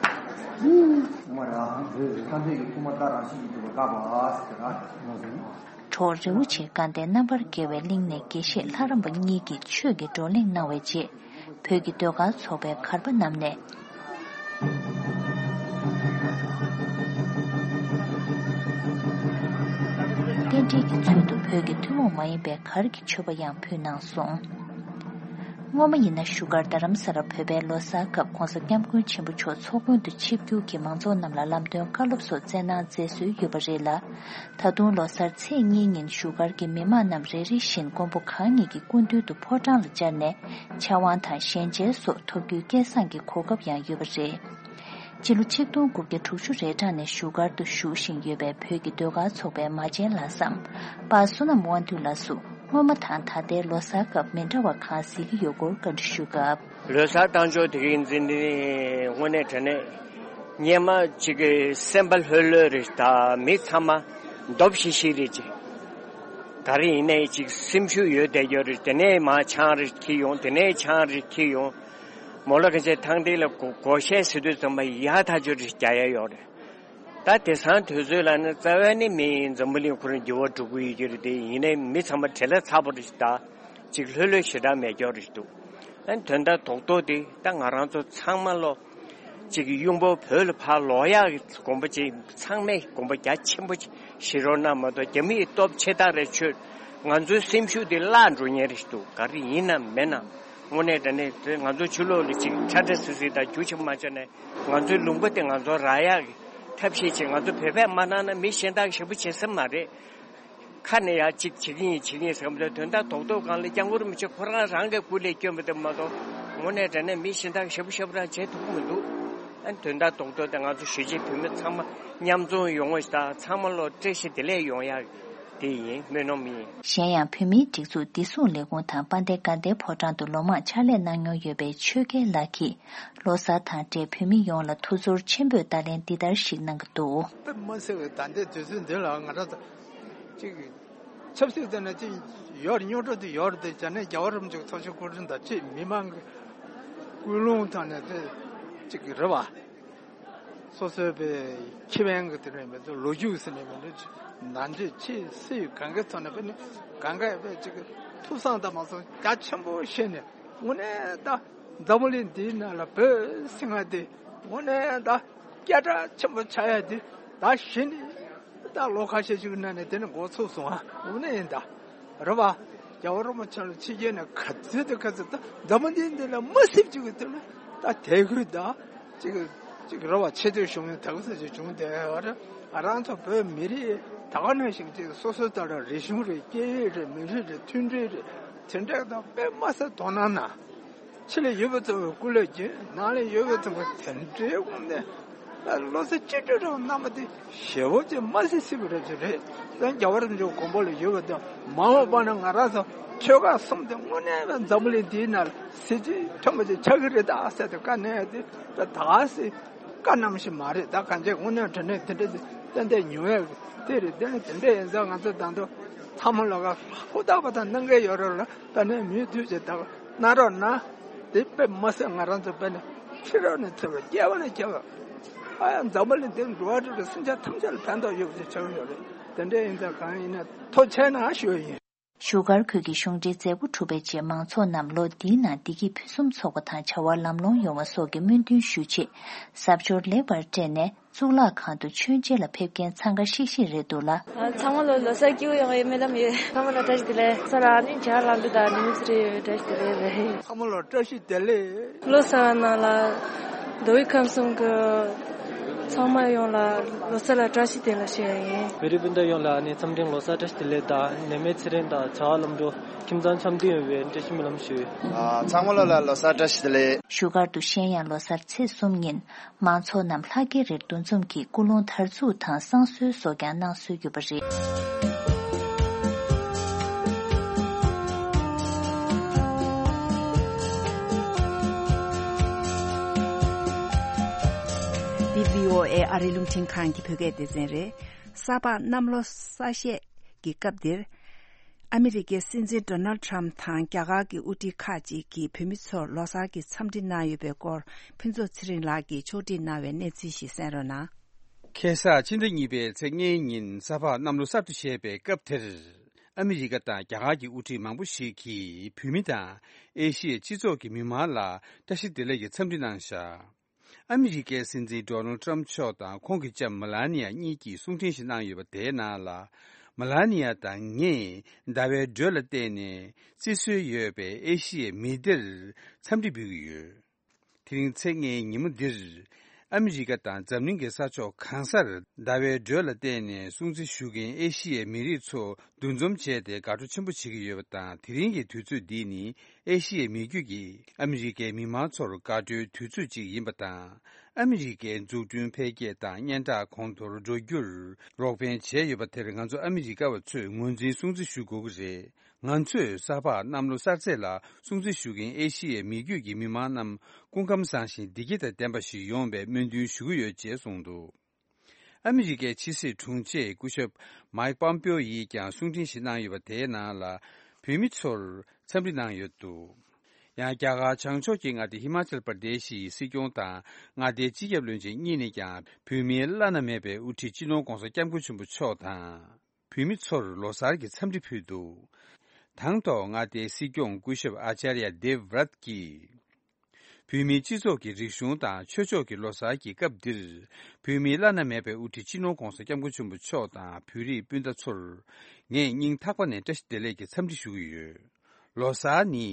གྲོགས་རི་བོ་ཆེ་དགའ་ལྡན་རྣམ་པར་རྒྱལ་བའི་གླིང་ནས་དགེ་བཤེས་ལྷ་རམས་པ་གཉིས་ཀྱིས་ཆོས་ཀྱི་བགྲོ་གླེང་གནང་བའི་རྗེས། བོད་ཀྱི་ཟློས་གར་ཚོགས་པའི་གར་པ་རྣམས་ནས། རྟེན་འབྲེལ་གྱི་ཚུལ་དུ་བོད་ཀྱི་ཐུན་མོང་མ་ཡིན་པའི་གར་གྱི་མཆོད་པ་ཡང་ཕུལ་གནང་སོང་། སྔོན་མ་ཡིན་ན་བཞུགས་སྒར་རྡ་རམ་ས་ལར་བོད་པའི་ལོ་གསར་སྐབས་༧གོང་ས་༧སྐྱབས་མགོན་ཆེན་པོ་མཆོག་ཚོགས་དགོན་དུ་ཆིབས་བསྒྱུར་གྱིས་མང་ཚོགས་རྣམས་ལ་ལམ་སྟོན་བཀའ་སློབ་སོགས་སྩལ་གནང་མཛད་སྲོལ་ཡོད་པ་རེད་ལ། ད་དུང་ལོ་གསར་ཚེས་གཉིས་ཉིན་བཞུགས་སྒར་གྱི་མི་མང་རྣམས་རེ་རེ་བཞིན་མགོན་པོ་གང་ཉིད་ཀྱི་སྐུ་མདུན་དུ་ཕོ་བྲང་ལ་བཅར་ནས་ཕྱག་དབང་དང་ཞལ་མཇལ་སོགས་ཐོབ་རྒྱུའི་སྐལ་བཟང་གི་གོ་སྐབས་ཡང་ཡོད་པ་རེད། སྤྱི་ལོ་ཆིག་སྟོང་དགུ་བརྒྱ་དྲུག་ཅུ་རེ་གྲངས་ནས་བཞུགས་སྒར་དུ་བཞུགས་བཞིན་ཡོད་པའི་བོད་ཀྱི་ཟློས་གར་ཚོགས་པའི་མ་བྱན་ལྷ་བསམ་པ་བསོད་ནམས་དབང་འདུས་ལགས་སུ་སྔོན་མ་དང་ད་ལྟའི་ལོ་གསར་སྐབས་མི་འདྲ་བ་གང་གཟིགས་ཀྱི་ཡོད་སྐོར་བཀའ་འདྲི་ཞུས་སྐབས། ལོ་གསར་བཏང་ཕྱོགས་དེ་གའི་འཛིན་དེ་དངོས་གནས་དྲང་གནས་སྔོན་མ་ཅིག་གི་སེམས་པ་ལྷོད་ལྷོད་རེད། ད་མི་ཚང་མ་འདོད་ཤེས་ཤེས་རེད་ཅིག་ག་རེ་ཡིན་ནའི་ཅིག་སེམས་ཤུགས་ཡོད་བསྡད་རྒྱུ་རེད། དེ་ནས་མར་ཆང་རེ་འཁྱེར་ཡོང་། དེ་ནས་ཆང་རེ་འཁྱེར་ཡོང་། མོ་ལ་ག་ཚད་ཐང་སྟེང་ལ་སྒོ་སྒོ་ཤད་ཟེར་དུས་ཙམ་པ་ཡག་ཐག་ཆོད་རེ་རྒྱག་ཡ་ཡོད་རེད། ད་དེང་སང་དུས་ཚོད་ལ་ནི་རྩ་བའི་ནི་མི་འཛམ་བུ་གླིང་ཁོ་རང་འགྱུར་བ་འགྲོ་གི་ཡོད་ཀྱི་རེད། དེ་ཡིན་ནའི་མི་ཚང་མ་བྲེལ་བ་ཚ་པོ་རེད་ད། ཅིག་ལྷོད་ལྷོད་ཞེ་དྲག་མེད་སྐྱོ་རེད་འདུག་ཨ་ནི་དོན་དག་རྡོག་རྡོག་དེ་ད་ང་རང་ཚོ་ཚང་མ་ལོ་ཅིག་གི་གཡུང་པོ་བོད་ལ་ཕར་ལོག་ཡག་གི་དགོངས་པ་ཅིག་ཚང་མས་དགོངས་པ་རྒྱ་ཆེན་པོ་ཅིག་བཞེས་རོགས་གནང་མ་གཏོགས། རྒྱ་མི་ཡི་སྟོབས་ཆེ་ཐག་རེད་ཆོད། ང་ཚོའི་སེམས་ཤུགས་དེ་བརླག་འགྲོ་ཉེན་རེད་འདུག་ག་རེ་ཡིན་ནམ་མིན་ནམ་དངོས་གནས་དྲང་གནས་དེ་ང་ཚོ་ཕྱི་ལོགས་ལ་ཅིག་ཁྲ་ཁྲ་སིལ་སིལ་དང་རྒྱུ་ཆེན་པོ་མ་བྱས་ནས། ང་ཚོའི་ལུང་པ་དེ་ང་ཚོ་རག་ཡག་གི་ཐབས་ཤེས་བྱེད། ང་ཚོ་བོད་པས་མ་གནང་ན་མི་གཞན་དག་གིས་ཞེ་པོ་བྱེད་ས་མ་རེད། ཁ་ནས་ཡ་གཅིག་བྱེད་ཀྱི་ཡིན་བྱེད་ཀྱི་ཡིན་ཟེར་གྱི་མི་འདུག་དོན་དག་རྡོག་རྡོག་སྒང་ལ་སྐྱབས་མགོན་རིན་པོ་ཆེ་ཁོ་རང་རང་གི་སྐུ་ལས་བསྐྱོན་པ་དེ་མ་གཏོགས། དངོས་གནས་དྲང་གནས་མི་གཞན་དག་གིས་ཞེ་པོ་ཞེ་པོ་རང་བྱེད་ཐུབ་ཀྱི་མི་འདུག་ཨ་ནི་དོན་དག་རྡོག་རྡོག་དེ་ང་ཚོ་གཞིས་བྱེས་བོད་མི་ཚང་མ་མཉམ་འཛོམས་ཡོང་བ་ཞིག་དང་། ཚང་མ་ལོ་བཀྲ་ཤིས་བདེ་ལེགས་ཡོང་ཡག་དེ་ཡིན། སྨོན་ལམ་ཡིན། གཞན་ཡང་བོད་མིའི་སྒྲིག་འཛུགས་བདེ་སྲུང་ལས་ཁུངས་དང་དཔལ་ལྡན་དགའ་ལྡན་ཕོ་བྲང་དུ་ལོ་མང་ཕྱག་ལས་གནང་མྱོང་ཡོད་པའི་ཆོས་རྒྱལ་ལགས་ཀྱིས་ལོ་གསར་དང་འབྲེལ་བོད་མི་ཡོངས་ལ་ཐུགས་ཚོར་ཆེན་པོས་བརྡ་ལན་འདི་ལྟར་ཞིག་གནང་གི་འདུག་དཔེ་མི་སྲིད་པའི་ད་ལྟའི་དུས་ཚོད་འདི་ལ་ང་རང་ཚོ་ཅིག་ཆབ་སྲིད་དེ་ནས་ཅིག་ཡོད་རེད། རྙོག་དྲ་དེ་ཡོད་རེད་དེ། བྱས་ནས་རྒྱལ་བ་རིན་པོ་ཆེའི་ཚོགས་ཆེན་སྐུ་ཕྲེང་དང་ཅིག་མི་མང་གི་ཀུན་སློང་དང་ནས་དེ་ཅིག་རེད་བ། སོ་སོའི་པའི་ཁེ་ཕན་གྱི་དེ་ནས་མི་ཚོ་ལོ་རྒྱུས་ཟེར་ནས་མི་འདུག་ནང་ཆོས་ཆེས་སྲིད་གང་གའི་ཐོག་ནས་པའི་ནི་གང་ག་པའི་ཅིག་ཐུགས་བསམ་དང་མ་སོང་རྒྱ་ཆེན་པོ་བཞེས་ནས་དངོས་གནས་ད་འཛམ་བུ་གླིང་འདིའི་ནང་ལ་བོད་ཟེར་མཁན་དེ་དངོས་གནས་ད་སྐད་གྲགས་ཆེན་པོ་ཆགས་ཡ་དེ་ད་གཞི་ནས་ད་ལོ་ཁ་ཤས་ཤིག་གི་ནང་ནས་དེ་ནི་འགོ་ཚུགས་སོང་ཨ། དངོས་གནས་ཡིན་ད། རེད་བ། རྒྱལ་བ་རིན་པོ་ཆེ་ལ་ཕྱི་རྒྱལ་ནས་ག་ཚོད་དང་ག་ཚོད་ད་འཛམ་བུ་གླིང་འདི་ལ་མི་སེར་གཅིག་གི་དེ་ལ་ད་དད་གུས་དང་གཅིག་གི་ ཅིག་རེ་བ་ཆེ་བསྟོད་ཞུ་མཁན་དག་ས་ཅིག་བྱུང་བསྡད་ཡོད་རེད། ང་རང་ཚོ་བོད་མི་རིགས་ད་ག་ནང་བཞིན་ཅིག་སོ་སོ་ལྟར་རིག་གཞུང་རེད། སྐད་ཡིག་རེད། མི་རིགས་རེད། མཐུན་སྒྲིལ་རེད། དེ་འདྲ་དང་དཔེ་མ་སྲིད་དོ་སྣང་གནང་། ཕྱི་ལ་ཡོད་པ་ཚོ་གི་སྐུ་ལས་བསྐྱོན། ནང་ལ་ཡོད་པ་ཚོ་གི་དེ་འདྲའི་དབང་ནས་བློ་རྩེ་གཅིག་སྒྲིལ་རང་གནང་བ་དེ་ཞེ་པོ་ཅིག་མ་སྲིད་སྲིད་པ་རེད་ཅིག་རེད། ད་རྒྱལ་བ་རིན་པོ་ཆེ་དགོངས་པ་ལ་ཡོད་པ་དང་མ་འོངས་པ་ན་ང་རང་ཚོ་ཆོལ་ཁ་གསུམ་དེ་དངོས་གནས་པའི་འཛམ་བུ་གླིང་འདིའི་ནང་ལ་གཟི་བརྗིད་ཕྲ་མོ་ཅིག་ཆགས་ཀྱི་རེད་ད་ཟེར་ཏེ་བཀའ་གནང་ཡ་དེ་ད་ད་སྲིད་བཀའ་གནང་ཞིག་མ་རེད། ད་གང་ཅི་དངོས་གནས་དྲང་གནས་དེ་འདྲ་ཏན་ཏན་ཉུང་བས་དེ་རེད། དེ་ནི་དེ་འདྲ་ཡིན་ཙང་ང་ཚོ་ད་དུང་ཚང་མ་ལོག་ག་ཧུར་ཐག་པ་དང་གནང་གི་ཡོད་རེད་ལ། ད་ནས་མུ་མཐུད་བྱས་ད་གནང་རོགས་གནང་། དེ་དཔེ་མ་སྲིད་ང་རང་ཚོ་དཔེ་ནས་ཕྱི་རོལ་ནས་ཚོར་བ་སྐྱེ་བ་ནས་སྐྱེ་བ། ཨ་ཡ་འཛམ་བུ་གླིང་འདིར་འགྲོ་བ་རིགས་དྲུག་སེམས་ཅན་ཐམས་ཅད་ལ་ཕན་ཐོགས་ཡོད་པ་ཅིག་ཆགས་ཡོད་རེད། དེ་འདྲ་ཡིན་ཙང་གང་ཡིན་ན་ཐུགས་རྗེ་གནང་ཞུ་ཡ་ཡིན། བཞུགས་སྒར་ཁུལ་གྱི་གཞུང་འབྲེལ་མཛད་སྒོ་གྲུབ་པའི་རྗེས་མང་ཚོགས་རྣམས་ལོ་འདིའི་ནང་བདེ་སྐྱིད་ཕུན་སུམ་ཚོགས་པ་དང་བྱ་བ་ལམ་ལྷོང་ཡོང་བ་སོགས་ཀྱི་སྨོན་འདུན་ཞུ་ཆེད་གཟབ་མཆོར་ལེགས་པར་སྤྲས་ནས་གཙུག་ལག་ཁང་དུ་མཆོད་མཇལ་ལ་ཕེབས་མཁན་འཚང་ཁ་ཤིག་ཤིག་རེད་འདུག་ལ། ཚང་མ་ལ་ལོ་གསར་སྐྱིད་པོ་ཡོང་བའི་སྨོན་ལམ་ཡོད། ཚང་མ་ལ་བཀྲ་ཤིས་བདེ་ལེགས། ས་ར་ནི་ཇ་ལ་འདུ་དང་ནི་མི་ཚེ་རེ་ཡོད་བཀྲ་ཤིས་བདེ་ལེགས་རེད། ཚང་མ་ལ་བཀྲ་ཤིས་བདེ་ལེགས། ལོ་གསར་ནང་ལ་མདོ་དབུས་ཁམས་གསུམ་གྱི་ཚང་མ་ཡོངས་ལ་ལོ་གསར་ལ་བཀྲ་ཤིས་བདེ་ལེགས་ཞུ་ཡ་ཡིན། བོད་རིགས་སྤུན་ཟླ་ཡོངས་ལ་ཨ་ནི་འཚམས་འཕྲིན་ལོ་གསར་བཀྲ་ཤིས་བདེ་ལེགས་དང་ནད་མེད་ཚེ་རིང་དང་བྱ་བ་ལམ་འགྲོ་ཁྱིམ་ཚང་འཆམ་མཐུན་ཡོང་བའི་བཀྲ་ཤིས་སྨོན་ལམ་ཞུ། ཨ། ཚང་མ་ལོ་ལ་ལོ་གསར་བཀྲ་ཤིས་བདེ་ལེགས། བཞུགས་སྒར་དུ་གཞན་ཡང་ལོ་གསར་ཚེས་གསུམ་ཉིན་མང་ཚོགས་རྣམས་ལྷ་རྒྱལ་རིར་འདུ་འཛོམས་ཀྱིས་སྐུ་རླུང་དར་འཛུགས་དང་བསང་གསོལ་སོགས་ཀྱང་གནང་སྲོལ་ཡོད་པ་རེད། འདི་བྷི་ཨོ་ཨེ་ཨ་རིའི་རླུང་འཕྲིན་ཁང་གི་བོད་སྐད་སྡེ་ཚན་རེད། ས་ཕག་གནམ་ལོ་གསར་བཞད་ཀྱི་སྐབས་འདིར། ཨ་མི་རི་ཀའི་སྲིད་འཛིན་ཌོ་ནལ་ཊམ་དང་རྒྱ་གར་གྱི་དབུ་ཁྲིད་ཁག་ཅིག་གིས་བོད་མི་ཚོར་ལོ་གསར་གྱི་འཚམས་འདྲི་གནང་ཡོད་པའི་སྐོར་ཕུན་ཚོགས་ཚེ་རིང་ལགས་ཀྱིས་ཕྱོགས་སྒྲིག་གནང་བའི་གནས་ཚུལ་ཞིག་གསན་རོགས་གནང་། ཁ་སང་ཕྱི་ཟླ་གཉིས་པའི་ཚེས་ལྔའི་ཉིན་ས་ཕག་གནམ་ལོ་གསར་དུ་བཞད་པའི་སྐབས་དེར། ཨ་མི་རི་ཀ་དང་རྒྱ་གར་གྱི་དབུ་ཁྲིད་མང་པོ་ཞིག་གིས་བོད་མི་དང་ཨེ་ཤི་ཡའི་སྤྱི་ཚོགས་ཀྱི་མི་མང་ལ་བཀྲ་ཤིས་བདེ་ལེགས་ཀྱི་འཚམས་འདྲི་གནང་བཞག་ཨ་མི་རི་ཀའི་སྲིད་འཛིན་ཌོ་ནལ་ཊམ་མཆོག་དང་ཁོང་གི་ལྕམ་མེ་ལ་ནི་ཡ་གཉིས་ཀྱིས་གསུང་འཕྲིན་ཞིག་གནང་ཡོད་པ་དེའི་ནང་ལ། མེ་ལ་ནི་ཡ་དང་ངས་ཟླ་བའི་འགྲོས་ལ་བརྟེན་ནས་བརྩི་སྲོལ་ཡོད་པའི་ཨེ་ཤི་ཡའི་མི་སྡེར་འཚམས་འདྲི་འབུལ་གྱི་ཡོད། དེ་རིང་ཚེས་ལྔའི་ཉིན་མོ་འདིར། ཨ་མི་རི་ཀ་དང་འཛམ་གླིང་གི་ས་ཕྱོགས་གང་སར་ཟླ་བའི་འགྲོས་ལ་བརྟེན་ནས་སྲུང་བརྩི་ཞུ་མཁན་ཨེ་ཤི་ཡའི་མི་རིགས་ཚོ་འདུ་འཛོམས་བྱས་ཏེ་དགའ་སྤྲོ་ཆེན་པོ་བྱེད་ཀྱི་ཡོད་པ་དང་། དེ་རིང་གི་དུས་ཚོད་འདི་ནི་ཨེ་ཤི་ཡའི་མི་རྒྱུད་ཀྱིས་ཨ་མི་རི་ཀའི་མི་མང་ཚོར་དགའ་སྤྲོའི་དུས་ཚོད་ཅིག་ཡིན་པ་དང་། ཨ་མི་རི་ཀའི་འཛུགས་སྐྲུན་འཕེལ་རྒྱས་དང་སྙན་གྲགས་གོང་མཐོར་འགྲོ་རྒྱུར་རོགས་ཕན་བྱས་ཡོད་པ་དེར་ང་ཚོ་ཨ་མི་རི་ཀ་བ་ཚོས་ངོས་འཛིན་སྲུང་བརྩི་ཞུ་དགོས་ཀྱི་རེད། ང་ཚོས་ས་ཕག་གནམ་ལོ་གསར་ཚེས་ལ་སྲུང་བརྩི་ཞུ་མཁན་ཨེ་ཤི་ཡའི་མི་རྒྱུད་ཀྱི་མི་མང་རྣམས་སྐུ་ཁམས་བཟང་ཞིང་བདེ་སྐྱིད་དང་ལྡན་པ་ཞིག་ཡོང་བའི་སྨོན་འདུན་ཞུ་གི་ཡོད་ཅེས་གསུངས་འདུག་ཨ་མི་རི་ཀའི་ཕྱི་སྲིད་དྲུང་ཆེ་སྐུ་ཞབས་མའིག་པོམ་པེའོ་ཡིས་ཀྱང་གསུང་འཕྲིན་ཞིག་གནང་ཡོད་པ་དེའི་ནང་ལ། བོད་མི་ཚོར་འཚམས་འདྲི་གནང་ཡོད་འདུག་ཡང་རྒྱ་གར་བྱང་ཕྱོགས་ཀྱི་མངའ་སྡེ་ཧི་མ་ཅལ་པར་དེ་ཤི་ཡི་སྲིད་སྐྱོང་དང་མངའ་སྡེའི་སྤྱི་ཁྱབ་བློན་ཆེན་གཉིས་ནས་ཀྱང་བོད་མིའི་བླ་ན་མེད་པའི་དབུ་ཁྲིད་སྤྱི་ནོར་༧གོང་ས་༧སྐྱབས་མགོན་ཆེན་པོ་མཆོག་དང་། བོད་མི་ཚོར་ལོ་གསར་གྱི་འཚམས་འདྲི་ཕུལ་འདུག་དང་ཐོག་མངའ་སྡེའི་སྲིད་སྐྱོང་སྐུ་ཞབས་ཨ་ཅཱརྱ་དེབ་རཱཐ་ཀྱིས། བོད་མིའི་སྤྱི་ཚོགས་ཀྱི་རིག་གཞུང་དང་ཆོས་ཕྱོགས་ཀྱི་ལོ་གསར་གྱི་སྐབས་འདིར། བོད་མིའི་བླ་ན་མེད་པའི་དབུ་ཁྲིད་སྤྱི་ནོར་༧གོང་ས་༧སྐྱབས་མགོན་ཆེན་པོ་མཆོག་དང་བོད་རིགས་སྤུན་ཟླ་ཚོར། ངས་སྙིང་ཐག་པ་ནས་བཀྲ་ཤིས་བདེ་ལེགས་ཀྱི་འཚམས་འདྲི་ཞུ་གི་ཡོད། ལོ་གསར་ནི་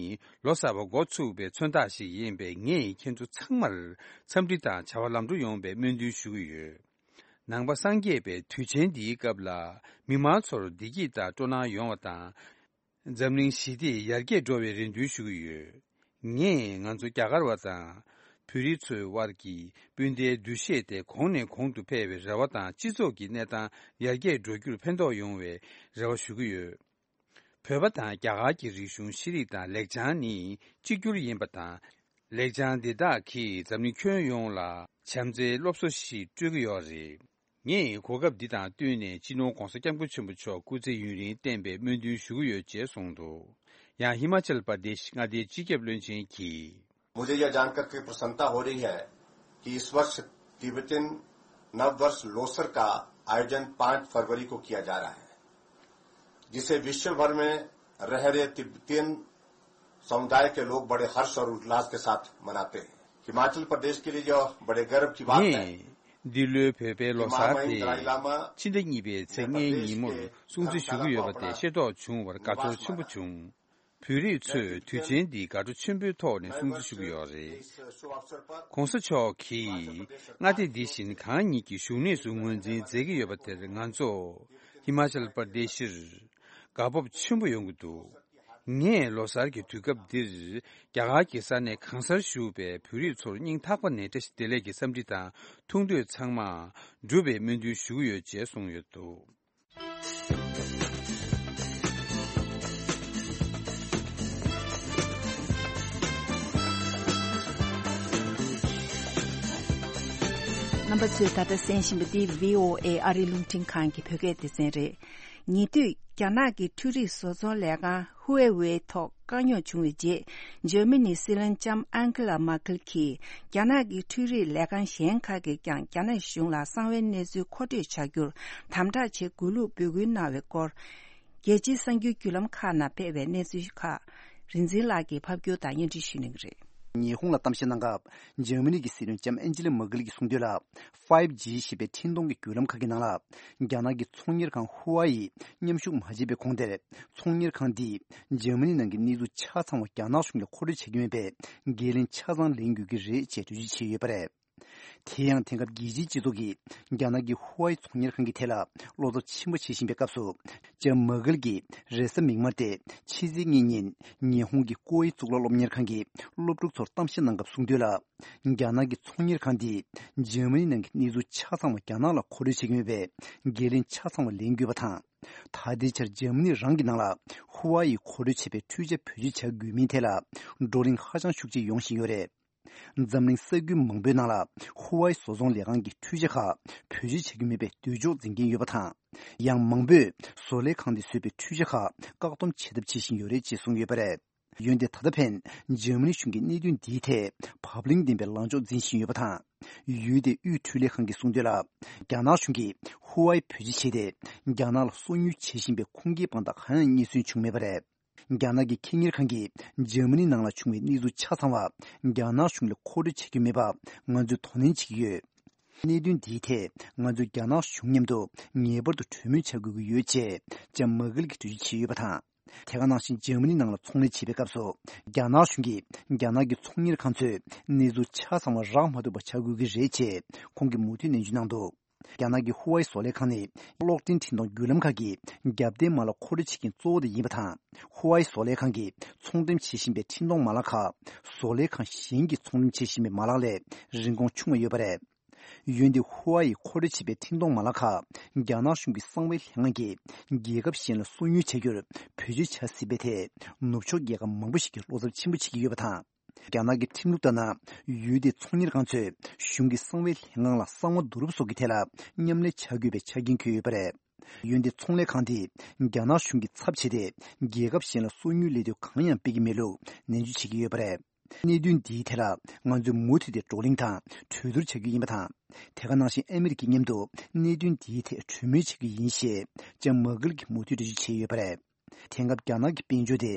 ལོ་གསར་པ་འགོ་ཚུགས་པའི་མཚོན་རྟགས་ཤིག་ཡིན་པས། ངས་ཁྱེད་ཚོ་ཚང་མར་འཚམས་འདྲི་དང་བྱ་བ་ལམ་འགྲོ་ཡོང་བའི་སྨོན་འདུན་ཞུ་གི་ཡོད། ནང་པ་སངས་རྒྱས་པའི་དུས་ཆེན་འདིའི་སྐབས་ལ་མི་མང་ཚོར་བདེ་སྐྱིད་དང་སྤྲོ་སྣང་ཡོང་བ་དང་། འཛམ་གླིང་ཞི་བདེ་ཡར་རྒྱས་འགྲོ་བའི་རེ་འདུན་ཞུ་གི་ཡོད། ངས་ང་ཚོ་རྒྱ་གར་བ་དང་བོད་རིགས་ཚོའི་དབར་གྱི་སྤུན་ཟླའི་འདུ་ཤེས་དེ་གོང་ནས་གོང་དུ་འཕེལ་བའི་རེ་བ་དང་། སྤྱི་ཚོགས་ཀྱི་གནས་སྟངས་ཡར་རྒྱས་འགྲོ་རྒྱུར་ཕན་ཐོགས་ཡོང་བའི་རེ་བ་ཞུ་གི་ཡོད། བོད་པ་དང་རྒྱ་གར་གྱི་རིག་གཞུང་ཤེས་རིག་དང་ལེགས་བྱང་ནི་གཅིག་གྱུར་ཡིན་པ་དང་། ལེགས་བྱང་འདི་དག་གིས་འཛམ་གླིང་ཁྱོན་ཡོངས་ལ་བྱམས་བརྩེའི་སློབ་གསོ་ཞིག་སྤྲོད་ཀྱི་ཡོད་རེད། ངས་གོ་སྐབས་འདི་དང་བསྟུན་ནས་སྤྱི་ནོར་༧གོང་ས་༧སྐྱབས་མགོན་ཆེན་པོ་མཆོག་སྐུ་ཚེ་ཡུན་རིང་བརྟན་པའི་སྨོན་འདུན་ཞུ་གི་ཡོད་ཅེས་གསུངས་འདུག་ཡང་ཧི་མ་ཅལ་པར་དེ་ཤི་མངའ་སྡེའི་སྤྱི་ཁྱབ་བློན་ཆེན་གྱིས། मुझे यह जानकर के प्रसन्नता हो रही है कि इस वर्ष तिब्बतियन नववर्ष लोसर का आयोजन पाँच फरवरी को किया जा रहा है, जिसे विश्व भर में रह रहे तिब्बतियन समुदाय के लोग बड़े हर्ष और उल्लास के साथ मनाते हैं। हिमाचल प्रदेश के लिए यह बड़े गर्व की बात है। ངས་འདི་ལོའི་བོད་པའི་ལོ་གསར་དེ་ཕྱི་ཟླ་གཉིས་པའི་ཚེས་ལྔའི་ཉིན་མོར་སྲུང་བརྩི་ཞུ་གི་ཡོད་པ་དེ་ཤེས་རྟོགས་བྱུང་བར་དགའ་ཚོར་ཆེན་པོ་བྱུང་། བོད་རིགས་ཚོས་དུས་ཆེན་འདི་དགའ་སྤྲོ་ཆེན་པོའི་ཐོག་ནས་སྲུང་བརྩི་ཞུ་གི་ཡོད་རེད། ༸གོང་ས་མཆོག་གིས་མངའ་སྡེ་འདི་བཞིན་གང་ཉིད་ཀྱི་བཞུགས་གནས་སུ་ངོས་འཛིན་མཛད་ཀྱི་ཡོད་པ་དེར་ང་ཚོ་ཧི་མ་ཅལ་པར་དེ་ཤིར་དགའ་སྤོབས་ཆེན་པོ་ཡོང་གི་འདུག་ངས་ལོ་གསར་གྱི་དུས་སྐབས་འདིར་རྒྱ་གར་གྱི་ས་གནས་གང་སར་བཞུགས་པའི་བོད་རིགས་ཚོར་སྙིང་ཐག་པ་ནས་བཀྲ་ཤིས་བདེ་ལེགས་ཀྱི་འཚམས་འདྲི་དང་ཐུགས་འདོད་ཚང་མ་འགྲུབ་པའི་སྨོན་འདུན་ཞུ་གི་ཡོད་ཅེས་གསུངས་ཡོད་འདུག་རྣམ་པ་ཚོས་ད་ལྟ་གསན་བཞིན་པ་འདི་བྷི་ཨོ་ཨེ་ཨ་རིའི་རླུང་འཕྲིན་ཁང་གི་བོད་སྐད་སྡེ་ཚན་རེད། ཉེ་དུས་རྒྱ་ནག་གི་འཕྲུལ་རིག་བཟོ་ཚོང་ལས་ཁང་ཧུའེ་ཝེ་ཐོག་དཀའ་རྙོག་བྱུང་བའི་རྗེས། འཇར་མ་ནིའི་སྲིད་བློན་ལྕམ་ཨན་ཁེ་ལ་མར་ཁེལ་གྱིས་རྒྱ་ནག་གི་འཕྲུལ་རིག་ལས་ཁང་གཞན་ཁག་གིས་ཀྱང་རྒྱ་ནག་གཞུང་ལ་གསང་བའི་གནས་ཚུལ་མཁོ་སྤྲོད་བྱ་རྒྱུར་དམ་དྲག་བྱེད་དགོས་ལུགས་འབོད་སྐུལ་གནང་བའི་སྐོར། རྒྱལ་སྤྱིའི་གསར་འགྱུར་བརྒྱུད་ལམ་ཁག་ནང་སྤེལ་བའི་གནས་ཚུལ་ཁག་རིག་འཛིན་ལགས་ཀྱིས་ཕབ་སྒྱུར་དང་སྙན་སྒྲོན་ཞུ་གནང་གི་རེད། ཉི་ཧོང་ལ་གཏམ་བཤད་གནང་སྐབས། འཇར་མ་ནི་གི་སྲིད་བློན་ལྕམ་ཨན་ཇི་ལ་མར་ཀེལ་གྱིས་གསུངས་དོན་ལ། ཕའིབ་ཇི་ཞེས་པའི་འཕྲིན་གཏོང་གི་བརྒྱུད་ལམ་ཁག་གི་ནང་ལ། རྒྱ་ནག་གི་ཚོང་གཉེར་ཁང་ཧུ་ཝ་ཡིས་མཉམ་ཞུགས་མ་བྱས་པའི་གོང་དེར། ཚོང་གཉེར་ཁང་འདིས་འཇར་མ་ནི་ནང་གི་གནས་ཚུལ་ཆ་ཚང་བ་རྒྱ་ནག་གཞུང་ལ་མཁོ་སྤྲོད་བྱེད་ཀྱི་མེད་པས། འགན་ལེན་ཆ་ཚང་ལེན་དགོས་ཀྱི་རེད་ཅེས་གྲོས་ཆོད་བྱས་ཡོད་པ་རེད། དེ་ཡང་དེང་སྐབས་རྒྱལ་སྤྱིའི་སྤྱི་ཚོགས་ཀྱིས་རྒྱ་ནག་གི་ཧུ་ཝའི་ཚོང་གཉེར་ཁང་གི་ཐད་ལ་བློ་འཚབ་ཆེན་པོ་བྱེད་བཞིན་པའི་སྐབས་སུ། ལྕམ་མར་ཀེལ་གྱིས་རེས་གཟའ་མིག་དམར་སྟེ་ཕྱི་ཚེས་གཉིས་ཉིན་ཉི་ཧོང་གི་ཀོ་ཝེ་གཙུག་ལག་སློབ་གཉེར་ཁང་གི་སློབ་ཕྲུག་ཚོར་གཏམ་བཤད་གནང་སྐབས་གསུངས་དོན་ལ། རྒྱ་ནག་གི་ཚོང་གཉེར་ཁང་འདིས་འཇར་མ་ནི་ནང་གི་གནས་ཚུལ་ཆ་ཚང་བ་རྒྱ་ནག་ལ་མཁོ་སྤྲོད་བྱེད་ཀྱི་མེད་པས། འགན་ལེན་ཆ་ཚང་བ་ལེན་དགོས་པ་དང་། ད་ལྟའི་ཆར་འཇར་མ་ནི་རང་གི་ནང་ལ་ཧུ་ཝའི་ཡིས་མཁོ་སྤྲོད་བྱས་པའི་འཕྲུལ་ཆས་བེད་སྤྱོད་བྱ་དགོས་མིན་ཐད་ལ་བགྲོ་གླེང་ཧ་ཅང་ཤུགས་ཆེ་ཡོང་བཞིན་ཡོད་རེད། འཛམ་གླིང་ས་ཁུལ་མང་པོའི་ནང་ལ་ཧུ་ཝའི་བཟོ་ཚོང་ལས་ཁང་གི་འཕྲུལ་ཆས་ཁག་བེད་སྤྱོད་བྱ་རྒྱུ་མེད་པའི་འདོད་འཇོག་འཛིན་མཁན་ཡོད་པ་དང་། ཡང་མང་པོས་བཟོ་ལས་ཁང་དེས་བཟོས་པའི་འཕྲུལ་ཆས་ཁག་བཀག་སྡོམ་བྱེད་ཐབས་བྱེད་བཞིན་ཡོད་རེད་ཅེས་གསུངས་ཡོད་པ་རེད། འོན་ཏེ་ད་ལྟ་ཕན་འཇར་མ་ནི་གཞུང་གིས་གནད་དོན་འདིའི་ཐད་བབ་བརླིང་ལྡན་པའི་ལངས་ཕྱོགས་འཛིན་བཞིན་ཡོད་པ་དང་། ཡུལ་དེའི་དབུས་འཕྲུལ་ལས་ཁང་གིས་གསུངས་དོན་ལ། རྒྱ་ནག་གཞུང་གིས་ཧུ་ཝའི་བེད་སྤྱོད་བྱས་ཏེ་རྒྱ་ནག་ལ་སོ་ཉུལ་བྱེད་བཞིན་པའི་ཁུངས་སྐྱེལ་དཔང་རྟགས་གང་ཡང་རྙེད་སོན་བྱུང་མེད་པ་རེད། རྒྱ་ནག་གི་ཁེ་གཉེར་ཁང་གིས་འཇར་མ་ནི་ནང་ལ་བྱུང་བའི་གནས་ཚུལ་ཆ་ཚང་བ་རྒྱ་ནག་གཞུང་ལ་མཁོ་སྤྲོད་བྱེད་ཀྱི་མེད་པ་ང་ཚོས་དོ་ནན་བྱེད་ཀྱི་ཡོད། གནད་དོན་འདིའི་ཐད་ང་ཚོས་རྒྱ་ནག་གཞུང་མཉམ་དུ་ངེས་པར་དུ་གྲོས་མོལ་བྱ་དགོས་ཀྱི་ཡོད་ཅེས་ལྕམ་མར་ཀེལ་གྱིས་འགྲེལ་བརྗོད་བྱས་ཡོད་པ་དང་། དེ་ག་ནང་བཞིན་འཇར་མ་ནི་ནང་ལ་ཚོང་ལས་བྱེད་པའི་སྐབས་སུ་རྒྱ་ནག་གཞུང་གིས་རྒྱ་ནག་གི་ཚོང་གཉེར་ཁང་ཚོས་གནས་ཚུལ་ཆ་ཚང་བ་རག་མ་ཐུབ་པ་བྱ་དགོས་ཀྱི་རེད་ཅེས་ཁོང་གིས་མུ་མཐུད་ནན་བརྗོད་གནང་འདུག་རྒྱ་ནག་གི་ཧུ་ཝའི་བཟོ་ལས་ཁང་ནི་གློག་འཕྲིན་འཕྲིན་གཏོང་བརྒྱུད་ལམ་ཁག་གི་རྒྱབ་རྟེན་མ་ལག་མཁོ་སྤྲོད་བྱེད་མཁན་གཙོ་བོ་དེ་ཡིན་པ་དང་། ཧུ་ཝའི་བཟོ་ལས་ཁང་གིས་ཚོང་འགྲེམས་བྱེད་བཞིན་པའི་འཕྲིན་གཏོང་མ་ལག་ཁག་བཟོ་ལས་ཁང་གཞན་གྱིས་ཚོང་འགྲེམས་བྱེད་བཞིན་པའི་མ་ལག་ལས་རིན་གོང་ཆུང་བ་ཡོད་པ་རེད། འོན་ཏེ་ཧུ་ཝའི་མཁོ་སྤྲོད་བྱེད་པའི་འཕྲིན་གཏོང་མ་ལག་ཁག་རྒྱ་ནག་གཞུང་གི་གསང་བའི་ལྷན་ཁང་གིས་རྒྱལ་ཁབ་གཞན་ལ་སོ་ཉུལ་བྱ་རྒྱུར་བེད་སྤྱོད་བྱ་སྲིད་པའི་ཐད་ནུབ་ཕྱོགས་རྒྱལ་ཁབ་མང་པོ་ཞིག་གིས་བློ་འཚབ་ཆེན་པོ་བྱེད་ཀྱི་ཡོད་པ་དང་། རྒྱ་ནག་གི་ཁྲིམས་ལུགས་ལྟར་ན། ཡུལ་དེའི་ཚོང་གཉེར་ཁང་ཚོས་གཞུང་གི་གསང་བའི་ལྷན་ཁང་ལ་གསང་བ་བསྡུ་རུབ་སོགས་ཀྱི་ཐད་ལ་མཉམ་ལས་བྱ་དགོས་པའི་ཆ་རྐྱེན་འཁོད་ཡོད་པ་རེད། འོན་ཏེ་ཚོང་ལས་ཁང་དེས་རྒྱ་ནག་གཞུང་གི་ཚབ་བྱས་ཏེ་རྒྱལ་ཁབ་གཞན་ལ་སོ་ཉུལ་ལས་དོན་གང་ཡང་སྤེལ་གྱི་མེད་ལུགས་ནན་བརྗོད་བྱེད་ཀྱི་ཡོད་པ་རེད། གནད་དོན་འདིའི་ཐད་ལ་ང་ཚོས་མུ་མཐུད་དེ་བགྲོ་གླེང་དང་གྲོས་བསྡུར་བྱ་རྒྱུ་ཡིན་པ་དང་། དེ་ག་ནང་བཞིན་ཨ་མི་རི་ཀའི་མཉམ་དུ་གནད་དོན་འདིའི་ཐད་གྲོས་མོལ་བྱ་རྒྱུ་ཡིན་ཞེས་ལྕམ་མར་ཀེལ་གྱིས་མུ་མཐུད་འགྲེལ་བརྗོད་བྱས་ཡོད་པ་རེད། དེང་སྐབས་རྒྱ་ནག་གི་དཔལ་འབྱོར་དེ་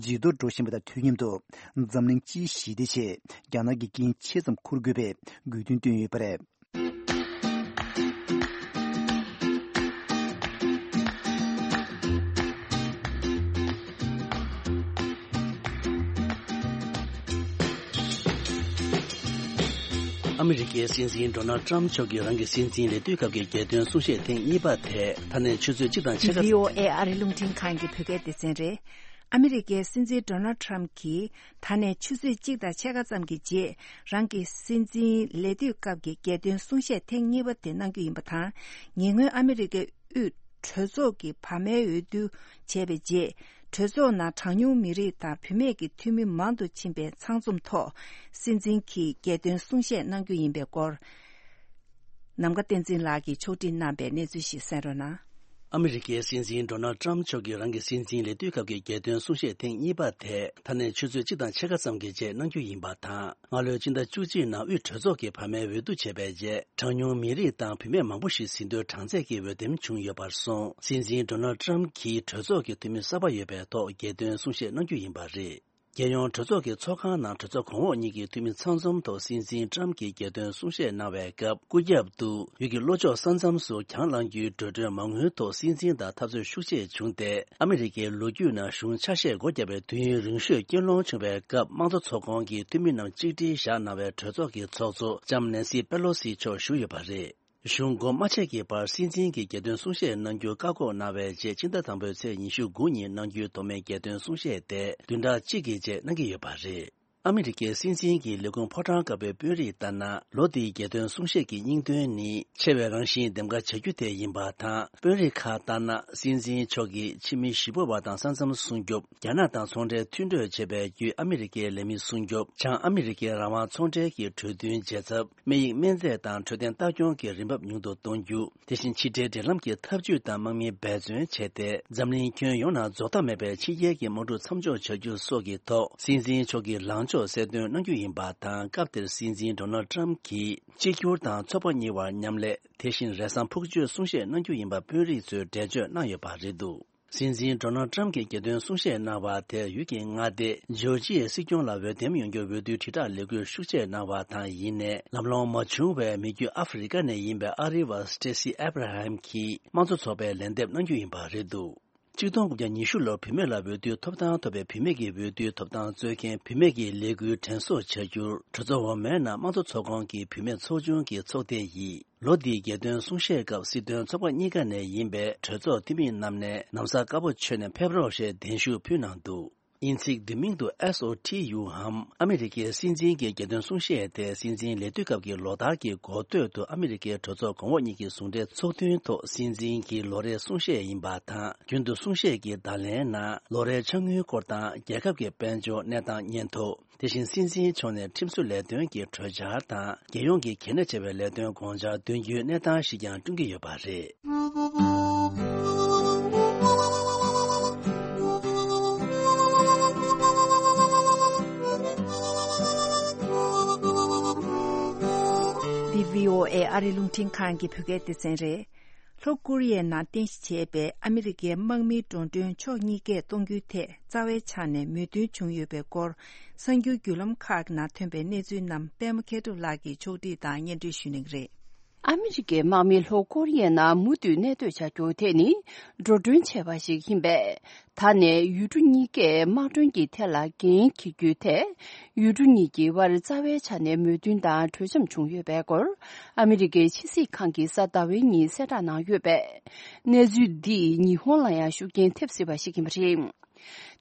ཇེ་མཐོར་འགྲོ་བཞིན་པ་དང་དུས་མཉམ་དུ་འཛམ་གླིང་སྤྱིའི་ཞི་བདེ་ཆེད་རྒྱ་ནག་གིས་འགན་ཆེ་ཙམ་འཁུར་དགོས་པའི་དགོས་འདུན་བཏོན་ཡོད་པ་རེད། ཨ་མི་རི་ཀའི་སྲིད་འཛིན་ཌོ་ནལ་ཊམ་མཆོག་གིས་རང་གི་སྲིད་འཛིན་ལས་དུས་སྐབས་ཀྱི་རྒྱལ་དོན་གསུང་བཤད་ཐེངས་གཉིས་པ་དེ་ད་ནས་ཆུ་ཚོད་གཅིག་དང་ཕྱེད་ཀ་བྷི་ཨོ་ཨེ་ཨ་རིའི་རླུང་འཕྲིན་ཁང་གི་བོད་སྐད་སྡེ་ཚན་རེད། ཨ་མི་རི་ཀའི་སྲིད་འཛིན་ཌོ་ནལ་ཊམ་གྱིས་ད་ནས་ཆུ་ཚོད་གཅིག་དང་ཕྱེད་ཀ་ཙམ་གྱི་རྗེས་རང་གི་སྲིད་འཛིན་ལས་དུས་སྐབས་ཀྱི་རྒྱལ་དོན་གསུང་བཤད་ཐེངས་གཉིས་པ་དེ་གནང་རྒྱུ་ཡིན་པ་དང་། ཉེ་སྔོན་ཨ་མི་རི་ཀའི་དབུས་གྲོས་ཚོགས་ཀྱི་བར་མའི་འོས་བསྡུ་བྱས་པའི་རྗེས། གྲོས་ཚོགས་ནང་གྲངས་ཉུང་མི་རིགས་དང་བུད་མེད་ཀྱི་འཐུས་མི་མང་དུ་ཕྱིན་པའི་ཚང་འཛོམས་ཐོག་སྲིད་འཛིན་གྱིས་རྒྱལ་དོན་གསུང་བཤད་གནང་རྒྱུ་ཡིན་པའི་སྐོར། ནམ་མཁའ་བསྟན་འཛིན་ལགས་ཀྱིས་ཕྱོགས་སྒྲིག་གནང་པའི་གནས་ཚུལ་ཞིག་གསན་རོགས་གནང་། ཨ་མི་རི་ཀའི་སྲིད་འཛིན་ཌོ་ནལ་ཊམ་མཆོག་གིས་རང་གི་སྲིད་འཛིན་ལས་དུས་སྐབས་ཀྱི་རྒྱལ་དོན་གསུང་བཤད་ཐེངས་གཉིས་པ་དེ་ད་ནས་ཆུ་ཚོད་གཅིག་དང་ཕྱེད་ཀ་ཙམ་གྱི་རྗེས་གནང་རྒྱུ་ཡིན་པ་དང་། སྔ་ལོའི་སྤྱི་ཟླ་བཅུ་གཅིག་ནང་དབུས་གྲོས་ཚོགས་ཀྱི་བར་མའི་འོས་བསྡུ་བྱས་པའི་རྗེས། གྲངས་ཉུང་མི་རིགས་དང་བུད་མེད་མང་པོ་ཞིག་ཟིན་ཐོའི་གྲངས་ཚད་ཀྱི་འོས་འདེམས་བྱུང་ཡོད་པར་སོང་། སྲིད་འཛིན་ཌོ་ནལ་ཊམ་གྱིས་གྲོས་ཚོགས་ཀྱི་འཐུས་མི་གསར་པ་ཡོད་པའི་ཐོག་རྒྱལ་དོན་གསུང་བཤད་གནང་རྒྱུ་ཡིན་པ་རེད། རྒྱལ་ཡོངས་གྲོས་ཚོགས་ཀྱི་ཚོགས་ཁང་ནང་གྲོས་ཚོགས་གོང་འོག་གཉིས་ཀྱི་འཐུས་མི་ཚང་འཛོམས་ཐོག་སྲིད་འཛིན་ཊམ་གྱིས་རྒྱལ་དོན་གསུང་བཤད་གནང་བའི་སྐབས། སྐུ་རྒྱབ་ཏུ་ཡུལ་གྱི་ལྷོ་ཕྱོགས་ས་མཚམས་སུ་གྱང་བསླང་རྒྱུའི་འགྲོ་གྲོན་མ་དངུལ་ཐོག་སྲིད་འཛིན་དང་འཐབ་རྩོད་ཤུགས་ཆེ་བྱུང་སྟེ། ཨ་མི་རི་ཀའི་ལོ་རྒྱུས་ནང་གཞུང་ཆ་ཤས་སྒོ་བརྒྱབ་པའི་དུས་ཡུན་རིང་ཤོས་རྐྱེན་སློང་བྱུང་བའི་སྐབས། དམངས་གཙོ་ཚོགས་ཁོངས་ཀྱི་འཐུས་མི་རྣམས་གཅིག་སྒྲིལ་བཞག་གནང་བའི་གྲོས་ཚོགས་ཀྱི་ཚོགས་གཙོ་ལྕམ་ནེན་སི་པེ་ལོ་སི་མཆོག་བཞུགས་ཡོད་པ་རེད། གཞུང་སྒོ་མ་ཕྱེ་གི་བར་སྲིད་འཛིན་གྱིས་རྒྱལ་དོན་གསུང་བཤད་གནང་རྒྱུ་བཀག་འགོག་གནང་བའི་རྗེས། ཕྱི་ཟླ་དང་པོའི་ཚེས་ཉི་ཤུ་དགུ་ཉིན་གནང་རྒྱུའི་ཐོག་མའི་རྒྱལ་དོན་གསུང་བཤད་དེ་བདུན་ཕྲག་གཅིག་གི་རྗེས་གནང་གི་ཡོད་པ་རེད། ཨ་མི་རི་ཀའི་སྲིད་འཛིན་གྱི་ལས་ཁུངས་ཕོ་བྲང་དཀར་པོའི་དཔོན་རིགས་ལྟར་ན། ལོ་འདིའི་རྒྱལ་དོན་གསུང་བཤད་ཀྱི་སྙིང་དོན་ནི་ཆེ་བའི་རང་བཞིན་འདེམས་ཀ་བྱ་རྒྱུ་དེ་ཡིན་པ་དང་། དཔོན་རིགས་ཁག་ལྟར་ན། སྲིད་འཛིན་མཆོག་གིས་ཕྱི་མི་ཞི་བ་བ་དང་ས་མཚམས་སྲུང་སྐྱོབ། རྒྱ་ནག་དང་ཚོང་འབྲེལ་མཐུན་གྲོས་བྱེད་པའི་བརྒྱུད་ཨ་མི་རི་ཀའི་ལས་མི་སྲུང་སྐྱོབ། བྱང་ཨ་མི་རི་ཀའི་རང་དབང་ཚོང་འབྲེལ་གྱི་གྲོས་མཐུན་བརྗེ་ཚབ། སྨན་ཡིག་སྨན་རྫས་དང་འཕྲོད་བསྟེན་ལྟ་སྐྱོང་གི་རིན་འབབ་ཉུང་དུ་གཏོང་རྒྱུ། དེ་བཞིན་ཕྱི་འབྲེལ་འབྲེལ་ལམ་གྱི་འཐབ་ཇུས་དང་དམག་མིའི་འབད་བརྩོན་བྱས་ཏེ། འཛམ་གླིང་ཁྱོན་ཡོངས་ནང་རྫོགས་མཐའ་མེད་པའི་ཕྱི་རྒྱལ་གྱི་དམག་འཁྲུག་མཚམས་འཇོག་བྱ་རྒྱུ་སོགས་ཀྱི་ཐོག་སྲིད་འཛིན་མཆོག་གིས་ལངས་ཕྱོགས་གསལ་སྟོན་གནང་རྒྱུ་ཡིན་པ་དང་། སྐབས་དེར་སྲིད་འཛིན་ཌོ་ནལ་ཊམ་གྱིས་གཅིག་གྱུར་དང་ཚོགས་པ་གཉིས་བར་མཉམ་ལས། དེ་བཞིན་རེས་གཟའ་ཕུག་མཆོད་གསུང་བཤད་གནང་རྒྱུ་ཡིན་པ་དཔོན་རིགས་ཚོས་འགྲེལ་བརྗོད་གནང་ཡོད་པ་རེད་འདུག། སྲིད་འཛིན་ཌོ་ནལ་ཊམ་གྱིས་རྒྱལ་དོན་གསུང་བཤད་གནང་བ་དེར་ཡུལ་གྱི་མངའ་སྡེ་ཇོར་ཇི་ཡའི་སྲིད་སྐྱོང་ལ་འོས་འདེམས་ཡོང་རྒྱུར་འོས་བསྡུའི་དྲིལ་བསྒྲགས་ལས་འགུལ་ཤུགས་ཆེ་གནང་བ་དང་། ཡིན་ནའི་ལམ་ལྷོང་མ་བྱུང་བའི་མི་རྒྱུད་ཨ་ཧྥེ་རི་ཀ་ནས་ཡིན་པའི་ཨ་རི་བ་སི་ཊེ་སི་ཨེབ་ར་ཧམ་གྱིས་དམངས་གཙོ་ཚོགས་པའི་ལན་འདེབས་གནང་རྒྱུ་ཡིན་པ་རེད་འདུག། ཆིག་སྟོང་དགུ་བརྒྱ་ཉི་ཤུ་ལོར་བུད་མེད་ལ་འོས་བསྡུའི་ཐོབ་ཐང་ཐོབ་པའི་བུད་མེད་ཀྱི་འོས་བསྡུའི་ཐོབ་ཐང་རྩོད་མཁན་བུད་མེད་ཀྱི་ལས་འགུལ་དྲན་གསོ་བྱ་རྒྱུར། གྲོས་ཚོགས་འོག་མའི་ནང་དམངས་གཙོ་ཚོགས་ཁོངས་ཀྱི་བུད་མེད་ཚོགས་ཆུང་གི་ཚོགས་སྡེ་ཡིས། ལོ་འདིའི་རྒྱལ་དོན་གསུང་བཤད་སྐབས་སྲིད་དོན་ཚོགས་པ་གཉིས་ཀ་ནས་ཡིན་པའི་གྲོས་ཚོགས་འཐུས་མི་རྣམས་ནས་ན་བཟའ་དཀར་པོ་མཆོད་ནས་ཕེབས་རོགས་ཞེས་གདན་ཞུ་ཕུལ་གནང་འདུག། དབྱིན་ཚིག་བསྡུས་མིང་དུ་ཨེས་ཨོ་ཊི་ཡུ་འམ། ཨ་མི་རི་ཀའི་སྲིད་འཛིན་གྱི་རྒྱལ་དོན་གསུང་བཤད་དེ། སྲིད་འཛིན་ལས་དུས་སྐབས་ཀྱི་ལོ་ལྟར་གྱི་འགོ་སྟོད་དུ་ཨ་མི་རི་ཀའི་གྲོས་ཚོགས་གོང་འོག་གཉིས་ཀྱི་ཟུང་འབྲེལ་ཚོགས་ཐུན་ཐོག་སྲིད་འཛིན་གྱི་ལོ་རེའི་གསུང་བཤད་ཡིན་པ་དང་། རྒྱུན་དུ་གསུང་བཤད་ཀྱི་བརྡ་ལན་ནང་ལོ་རེའི་འཆར་དངུལ་སྐོར་དང་། རྒྱལ་ཁབ་ཀྱི་དཔལ་འབྱོར་གནས་སྟངས་སྙན་ཐོ། དེ་བཞིན་སྲིད་འཛིན་མཆོག་ནས་ཁྲིམས་བཟོ་ལས་དོན་གྱི་གྲོས་འཆར་དང་། རྒྱལ་ཡོངས་ཀྱི་གལ་གནད་ཆེ་བའི་ལས་དོན་དགོངས་འཆར་འདོན་རྒྱུའི་གནས་སྟངས་ཤིག་ཀྱང་བསྐྲུན་གྱི་ཡོད་པ་རེད། འདི་བྷི་ཨོ་ཨེ་ཨ་རིའི་རླུང་འཕྲིན་ཁང་གི་བོད་སྐད་སྡེ་ཚན་རེད། ལྷོ་ཀོ་རི་ཡའི་ནང་རྟེན་གཞི་བྱས་པའི་ཨ་མི་རི་ཀའི་དམག་མིའི་འགྲོ་གྲོན་ཕྱོགས་གཉིས་ཀས་གཏོང་རྒྱུའི་ཐད་རྩ་བའི་ཆ་ནས་མོས་མཐུན་བྱུང་ཡོད་པའི་སྐོར། གསར་འགྱུར་བརྒྱུད་ལམ་ཁག་ནང་ཐོན་པའི་གནས་ཚུལ་རྣམས་པད་མ་མཁས་གྲུབ་ལགས་ཀྱིས་ཕྱོགས་སྒྲིག་དང་སྙན་སྒྲོན་ཞུ་གནང་གི་རེད། ཨ་མི་རི་ཀའི་དམག་མི་ལྷོ་ཀོ་རི་ཡའི་ནང་མུ་མཐུད་གནས་སྡོད་བྱ་རྒྱུ་དེ་ནི་འགྲོ་གྲོན་ཆེ་བ་ཞིག་ཡིན་པས། ད་ནས་ཡུལ་གྲུ་གཉིས་ཀས་དམག་གྲོན་གྱི་ཐད་ལ་འགན་འཁྱེར་རྒྱུའི་ཐད། ཡུལ་གྲུ་གཉིས་ཀྱི་དབར་རྩ་བའི་ཆ་ནས་མོས་མཐུན་དང་གྲོས་འཆམ་བྱུང་ཡོད་པའི་སྐོར། ཨ་མི་རི་ཀའི་ཕྱི་སྲིད་ཁང་གིས་གཟའ་ཟླ་བའི་ཉིན་གསལ་བསྒྲགས་གནང་ཡོད་པས། གནས་ཚུལ་འདིས་ཉི་ཧོང་ལ་ཡང་ཤུགས་རྐྱེན་ཐེབས་སྲིད་པ་ཞིག་ཡིན་པ་རེད།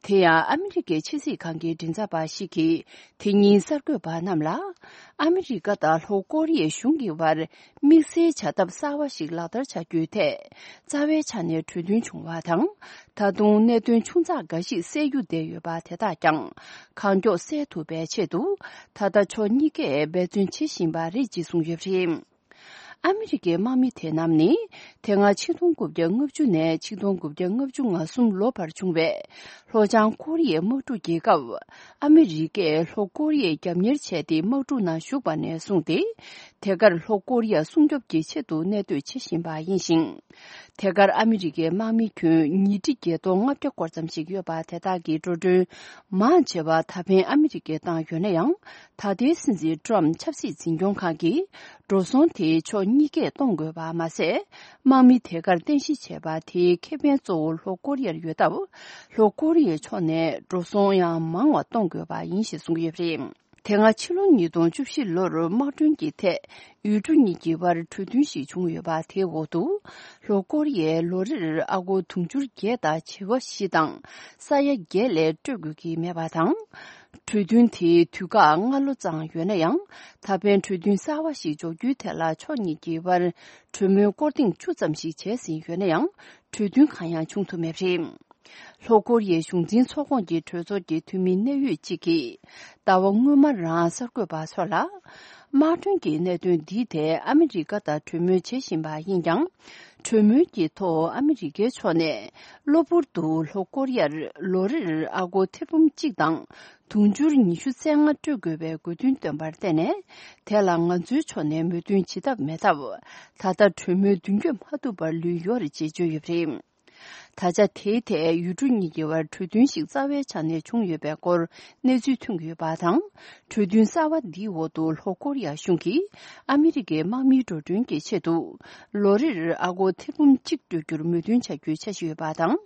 དེ་ཡང་ཨ་མི་རི་ཀའི་ཕྱི་སྲིད་ཁང་གི་མགྲིན་ཚབ་པ་ཞིག་གིས་དེ་ཉིན་གསར་འགོད་པ་རྣམས་ལ། ཨ་མི་རི་ཀ་དང་ལྷོ་ཀོ་རི་ཡའི་གཞུང་གི་དབར་དམིགས་བསལ་བྱ་ཐབས་གསར་བ་ཞིག་ལག་བསྟར་བྱ་རྒྱུའི་ཐད། རྩ་བའི་ཆ་ནས་གྲོས་མཐུན་བྱུང་བ་དང་། ད་དུང་གནད་དོན་ཆུང་ཙག་འགའ་ཞིག་སེལ་རྒྱུ་བསྡད་ཡོད་པ་དེ་དག་ཀྱང་གང་མགྱོགས་སེལ་ཐུབ་པའི་ཆེད་དུ། ད་ལྟ་ཕྱོགས་གཉིས་ཀས་འབད་བརྩོན་བྱེད་བཞིན་པ་རེད་ཅེས་གསུངས་ཡོད་པ་རེད། ཨ་མི་རི་ཀའི་དམག་མི་དེ་རྣམས་ནི། དེ་སྔ་ཆིག་སྟོང་དགུ་བརྒྱ་ལྔ་བཅུ་ནས་ཆིག་སྟོང་དགུ་བརྒྱ་ལྔ་བཅུ་ང་གསུམ་ལོ་བར་བྱུང་བའི་ལྷོ་བྱང་ཀོ་རི་ཡའི་དམག་འཁྲུག་རྒྱལ་སྐབས། ཨ་མི་རི་ཀས་ལྷོ་ཀོ་རི་ཡའི་རྒྱབ་གཉེར་བྱས་ཏེ་དམག་འཁྲུག་ནང་ཞུགས་པ་ནས་བཟུང་སྟེ། དེ་གར་ལྷོ་ཀོ་རི་ཡ་སྲུང་སྐྱོབ་ཀྱི་ཆེད་དུ་གནས་སྡོད་བྱེད་བཞིན་པ་ཡིན་ཞིང་། དེ་གར་ཨ་མི་རི་ཀའི་དམག་མི་ཁྱོན་ཉིས་ཁྲི་བརྒྱད་སྟོང་ལྔ་བརྒྱ་སྐོར་ཙམ་ཞིག་ཡོད་པ་དེ་དག་གི་འགྲོ་གྲོན་མང་ཆེ་བ་ད་ཕན་ཨ་མི་རི་ཀས་བཏང་ཡོད་ན་ཡང་། ད་ལྟའི་སྲིད་འཛིན་ཏྲམ་ཆབ་སྲིད་འཛིན་སྐྱོང་ཁང་གིས། འགྲོ་སོང་དེ་ཕྱོགས་གཉིས་ཀས་གཏོང་དགོས་པ་མ་ཟད། དམག་མི་དེ་གར་རྟེན་གཞི་བྱས་པ་དེའི་ཁེ་ཕན་གཙོ་བོ་ལྷོ་ཀོ་རི་ཡར་ཡོད་སྟབས། ལྷོ་ཀོ་རི་ཡའི་ཕྱོགས་ནས་འགྲོ་སོང་ཡང་མང་བ་གཏོང་དགོས་པ་ཡིན་ཞེས་གསུངས་ཡོད་པ་རེད། དེ་སྔ་ཕྱི་ལོ་ཉིས་སྟོང་བཅུ་བཞི་ལོར་དམག་གྲོན་གྱི་ཐད་ཡུལ་གྲུ་གཉིས་ཀྱི་དབར་གྲོས་མཐུན་ཞིག་བྱུང་ཡོད་པ་དེའི་འོག་ཏུ། ལྷོ་ཀོ་རི་ཡས་ལོ་རེར་ཨ་སྒོར་དུང་ཕྱུར་བརྒྱད་དང་བྱེ་བ་བཞི་དང་ས་ཡ་བརྒྱད་ལས་སྤྲོད་དགོས་ཀྱི་མེད་པ་དང་། གྲོས་མཐུན་དེའི་དུས་བཀག་སྔ་ལོ་ཙམ་ཡོད་ན་ཡང་། ད་ཕན་གྲོས་མཐུན་གསར་བ་ཞིག་འཇོག་རྒྱུའི་ཐད་ལ་ཕྱོགས་གཉིས་ཀྱི་དབར་གྲོས་མོལ་སྐོར་ཐེངས་བཅུ་ཙམ་ཞིག་བྱས་ཟིན་ཡོད་ན་ཡང་། གྲོས་མཐུན་གང་ཡང་བྱུང་ཐུབ་མེད་པ་རེད། ལྷོ་ཀོ་རི་ཡའི་གཞུང་འཛིན་ཚོགས་ཁོངས་ཀྱི་གྲོས་ཚོགས་ཀྱི་འཐུས་མི་གནད་ཡོད་ཅིག་གིས། ཟླ་བ་སྔོན་མ་རང་གསར་འགོད་པ་ཚོ་ལ། དམག་གྲོན་གྱི་གནད་དོན་འདིའི་ཐད་ཨ་མི་རི་ཀ་དང་གྲོས་མོལ་བྱེད་བཞིན་པ་ཡིན་ཀྱང་། གྲོས་མོལ་གྱི་ཐོག་ཨ་མི་རི་ཀའི་ཕྱོགས་ནས། གློ་བུར་དུ་ལྷོ་ཀོ་རི་ཡར་ལོ་རེར་ཨ་སྒོར་ཐེར་འབུམ་གཅིག་དང་དུང་ཕྱུར་ཉི་ཤུ་རྩ་ལྔ་སྤྲོད་དགོས་པའི་དགོས་འདུན་བཏོན་པར་བརྟེན་ནས། དེ་ལ་ང་ཚོའི་ཕྱོགས་ནས་མོས་མཐུན་བྱེད་ཐབས་མེད་སྟབས། ད་ལྟ་གྲོས་མོལ་མདུན་སྐྱོད་མ་ཐུབ་པར་ལུས་ཡོད་རེད་ཅེས་བརྗོད་ཡོད་པ་རེད། ད་ཆ་དེའི་ཐད་ཡུལ་གྲུ་གཉིས་ཀྱི་བར་གྲོས་མཐུན་ཞིག་རྩ་བའི་ཆ་ནས་བྱུང་ཡོད་པའི་སྐོར་གནས་ཚུལ་ཐོན་གྱི་ཡོད་པ་དང་། གྲོས་མཐུན་གསར་བ་འདིའི་འོག་ཏུ་ལྷོ་ཀོ་རི་ཡ་གཞུང་གིས་ཨ་མི་རི་ཀའི་དམག་མིའི་འགྲོ་གྲོན་གྱི་ཆེད་དུ་ལོ་རེར་ཨ་སྒོར་ཐེར་འབུམ་གཅིག་སྤྲོད་རྒྱུར་མོས་མཐུན་བྱ་རྒྱུའི་འཆར་གཞི་ཡོད་པ་དང་།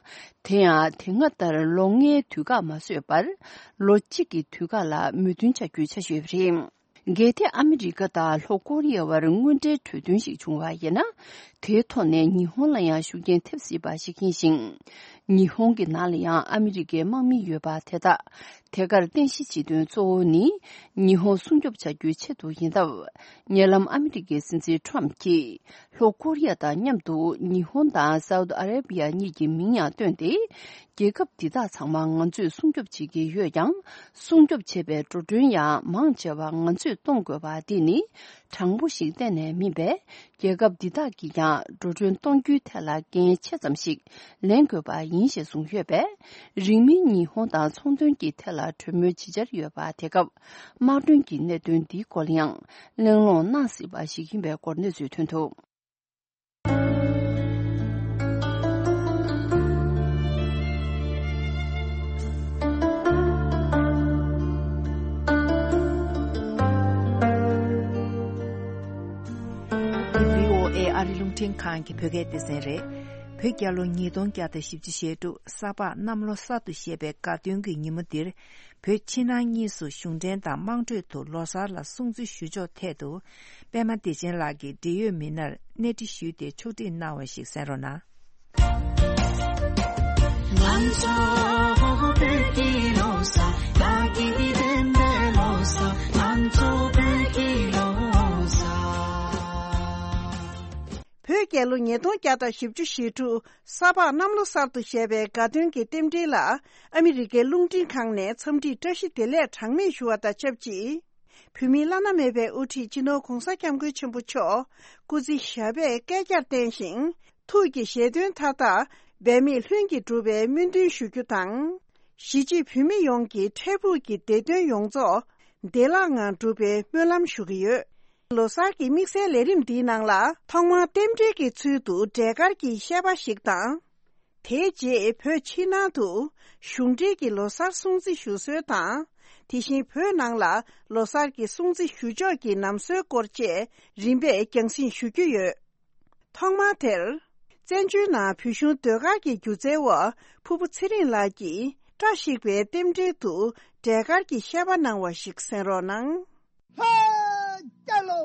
དེ་ཡང་དེ་སྔ་ལྟར་ལོ་ལྔའི་དུས་བཀག་མ་བཟོས་པར་ལོ་གཅིག་གི་དུས་བཀག་ལ་མོས་མཐུན་བྱ་རྒྱུའི་འཆར་གཞི་ཡོད་པ་རེད། གལ་ཏེ་ཨ་མི་རི་ཀ་དང་ལྷོ་ཀོ་རི་ཡ་བར་དངོས་འབྲེལ་གྲོས་མཐུན་ཞིག་བྱུང་བ་ཡིན་ན། དེའི་ཐོག་ནས་ཉི་ཧོང་ལ་ཡང་ཤུགས་རྐྱེན་ཐེབས་སྲིད་པ་ཞིག་ཡིན་ཞིང་། ཉི་ཧོང་གི་ནང་ལ་ཡང་ཨ་མི་རི་ཀའི་དམག་མི་ཡོད་པ་དེ་དག་དེ་གར་རྟེན་གཞི་བྱེད་དོན་གཙོ་བོ་ནི་ཉི་ཧོང་སྲུང་སྐྱོབ་བྱ་རྒྱུའི་ཆེད་དུ་ཡིན་སྟབས། ཉེ་ལམ་ཨ་མི་རི་ཀའི་སྲིད་འཛིན་ཁྲོམ་གྱིས་ལྷོ་ཀོ་རི་ཡ་དང་མཉམ་དུ་ཉི་ཧོང་དང་སའུ་ཏི་ཨ་རེ་བི་ཡ་གཉིས་ཀྱི་མིང་ཡང་བཏོན་ཏེ། རྒྱལ་ཁབ་འདི་དག་ཚང་མ་ང་ཚོས་སྲུང་སྐྱོབ་བྱེད་ཀྱི་ཡོད་ཀྱང་། སྲུང་སྐྱོབ་བྱེད་པའི་འགྲོ་གྲོན་ཡང་མང་ཆེ་བ་ང་ཚོས་གཏོང་དགོས་པ་འདི་ནི་དྲང་པོ་ཞིག་གཏན་ནས་མིན་པས། རྒྱལ་ཁབ་འདི་དག་གིས་ཀྱང་འགྲོ་གྲོན་གཏོང་རྒྱུའི་ཐད་ལ་འགན་ཆེ་ཙམ་ཞིག་ལེན་དགོས་པ་ཡིན་ཞེས་གསུངས་ཡོད་པས། རིང་མིན་ཉི་ཧོང་དང་ཚོང་དོན་གྱི་ཐད་ལ་གྲོས་མོལ་ཇི་བྱར་ཡོད་པ་དེ་སྐབས། དམག་གྲོན་གྱི་གནད་དོན་འདིའི་སྐོར་ལ་ཡང་གླེང་སློང་གནང་སྲིད་པ་ཞིག་ཡིན་པའི་སྐོར་གནས་ཚུལ་ཐོན་འདུག་བྷི་ཨོ་ཨེ་ཨ་རི་རླུང་འཕྲིན་ཁང་གི་བོད་སྐད་སྡེ་ཚན་རེད། བོད་རྒྱལ་ལོ་ཉིས་སྟོང་བརྒྱ་དང་བཞི་བཅུ་ཞེ་དྲུག་ས་ཕག་གནམ་ལོ་གསར་དུ་བཞད་པའི་དགའ་སྟོན་གྱི་ཉིན་མོ་འདིར། བོད་ཕྱི་ནང་གཉིས་སུ་གཞུང་འབྲེལ་དང་དམངས་ཁྲོད་དུ་ལོ་གསར་ལ་སྲུང་བརྩི་ཞུ་ཕྱོགས་ཐད་དུ། པད་མ་བདེ་ཆེན་ལགས་ཀྱིས་འབྲེལ་ཡོད་མི་སྣར་གནས་འདྲི་ཞུས་ཏེ་ཕྱོགས་སྒྲིག་གནང་བ་ཞིག་གསན་རོགས་གནང་། ང་ཚོ་བོད་ཀྱི་ལོ་གསར་དགའ་སྐྱིད་ལྡན་པའི་ལོ་གསར། ང་ཚོ་བོད་ཀྱི་ལོ་གསར། བོད་རྒྱལ་ལོ་ཉིས་སྟོང་བརྒྱ་དང་བཞི་བཅུ་ཞེ་དྲུག་ས་ཕག་གནམ་ལོ་གསར་དུ་བཞད་པའི་དགའ་སྟོན་གྱི་རྟེན་འབྲེལ་ལ། ཨ་མི་རི་ཀའི་རླུང་འཕྲིན་ཁང་ནས་འཚམས་འདྲིའི་བཀྲ་ཤིས་བདེ་ལེགས་གྲངས་མེད་ཞུ་བ་དང་ཆབས་ཅིག་བོད་མིའི་བླ་ན་མེད་པའི་དབུ་ཁྲིད་སྤྱི་ནོར་༧གོང་ས་༧སྐྱབས་མགོན་ཆེན་པོ་མཆོག་སྐུ་ཚེ་ཞབས་པད་བསྐལ་བརྒྱར་བརྟན་ཞིང་། ཐུགས་ཀྱི་བཞེད་དོན་མཐའ་དག་འབད་མེད་ལྷུན་གྱིས་འགྲུབ་པའི་སྨོན་འདུན་ཞུ་རྒྱུ་དང་། གཞིས་བྱེས་བོད་མི་ཡོངས་ཀྱི་འཕྲལ་ཕུགས་ཀྱི་བདེ་དོན་ཡོངས་རྫོགས་བདེ་བླག་ངང་འགྲུབ་པའི་སྨོན་ལམ་ཞུ་གི་ཡོད། ལོ་གསར་གྱི་དམིགས་བསལ་ལས་རིམ་འདིའི་ནང་ལ། ཐོག་མར་རྟེན་འབྲེལ་གྱི་ཚུལ་དུ་འབྲས་དཀར་གྱི་བཤད་པ་ཞིག་དང་། དེའི་རྗེས་བོད་ཕྱི་ནང་དུ་གཞུང་འབྲེལ་གྱི་ལོ་གསར་སྲུང་བརྩི་ཞུ་སྲོལ་དང་། དེ་བཞིན་བོད་ནང་ལ་ལོ་གསར་གྱི་སྲུང་བརྩི་ཞུ་ཕྱོགས་ཀྱི་ལམ་སྲོལ་སྐོར་བཅས་རིམ་པས་རྒྱང་སྲིང་ཞུ་རྒྱུ་ཡོད། ཐོག་མར་དེར། བཙན་བྱོལ་ནང་བོད་གཞུང་ཟློས་གར་གྱི་སྒྱུ་རྩལ་བ་ཕུར་བུ་ཚེ་རིང་ལགས་ཀྱིས་བཀྲ་ཤིས་པའི་རྟེན་འབྲེལ་དུ་འབྲས་དཀར་གྱི་བཤད་པ་གནང་བ་ཞིག་གསན་རོགས་གནང་། ལྷ་རྒྱལ་ལོ།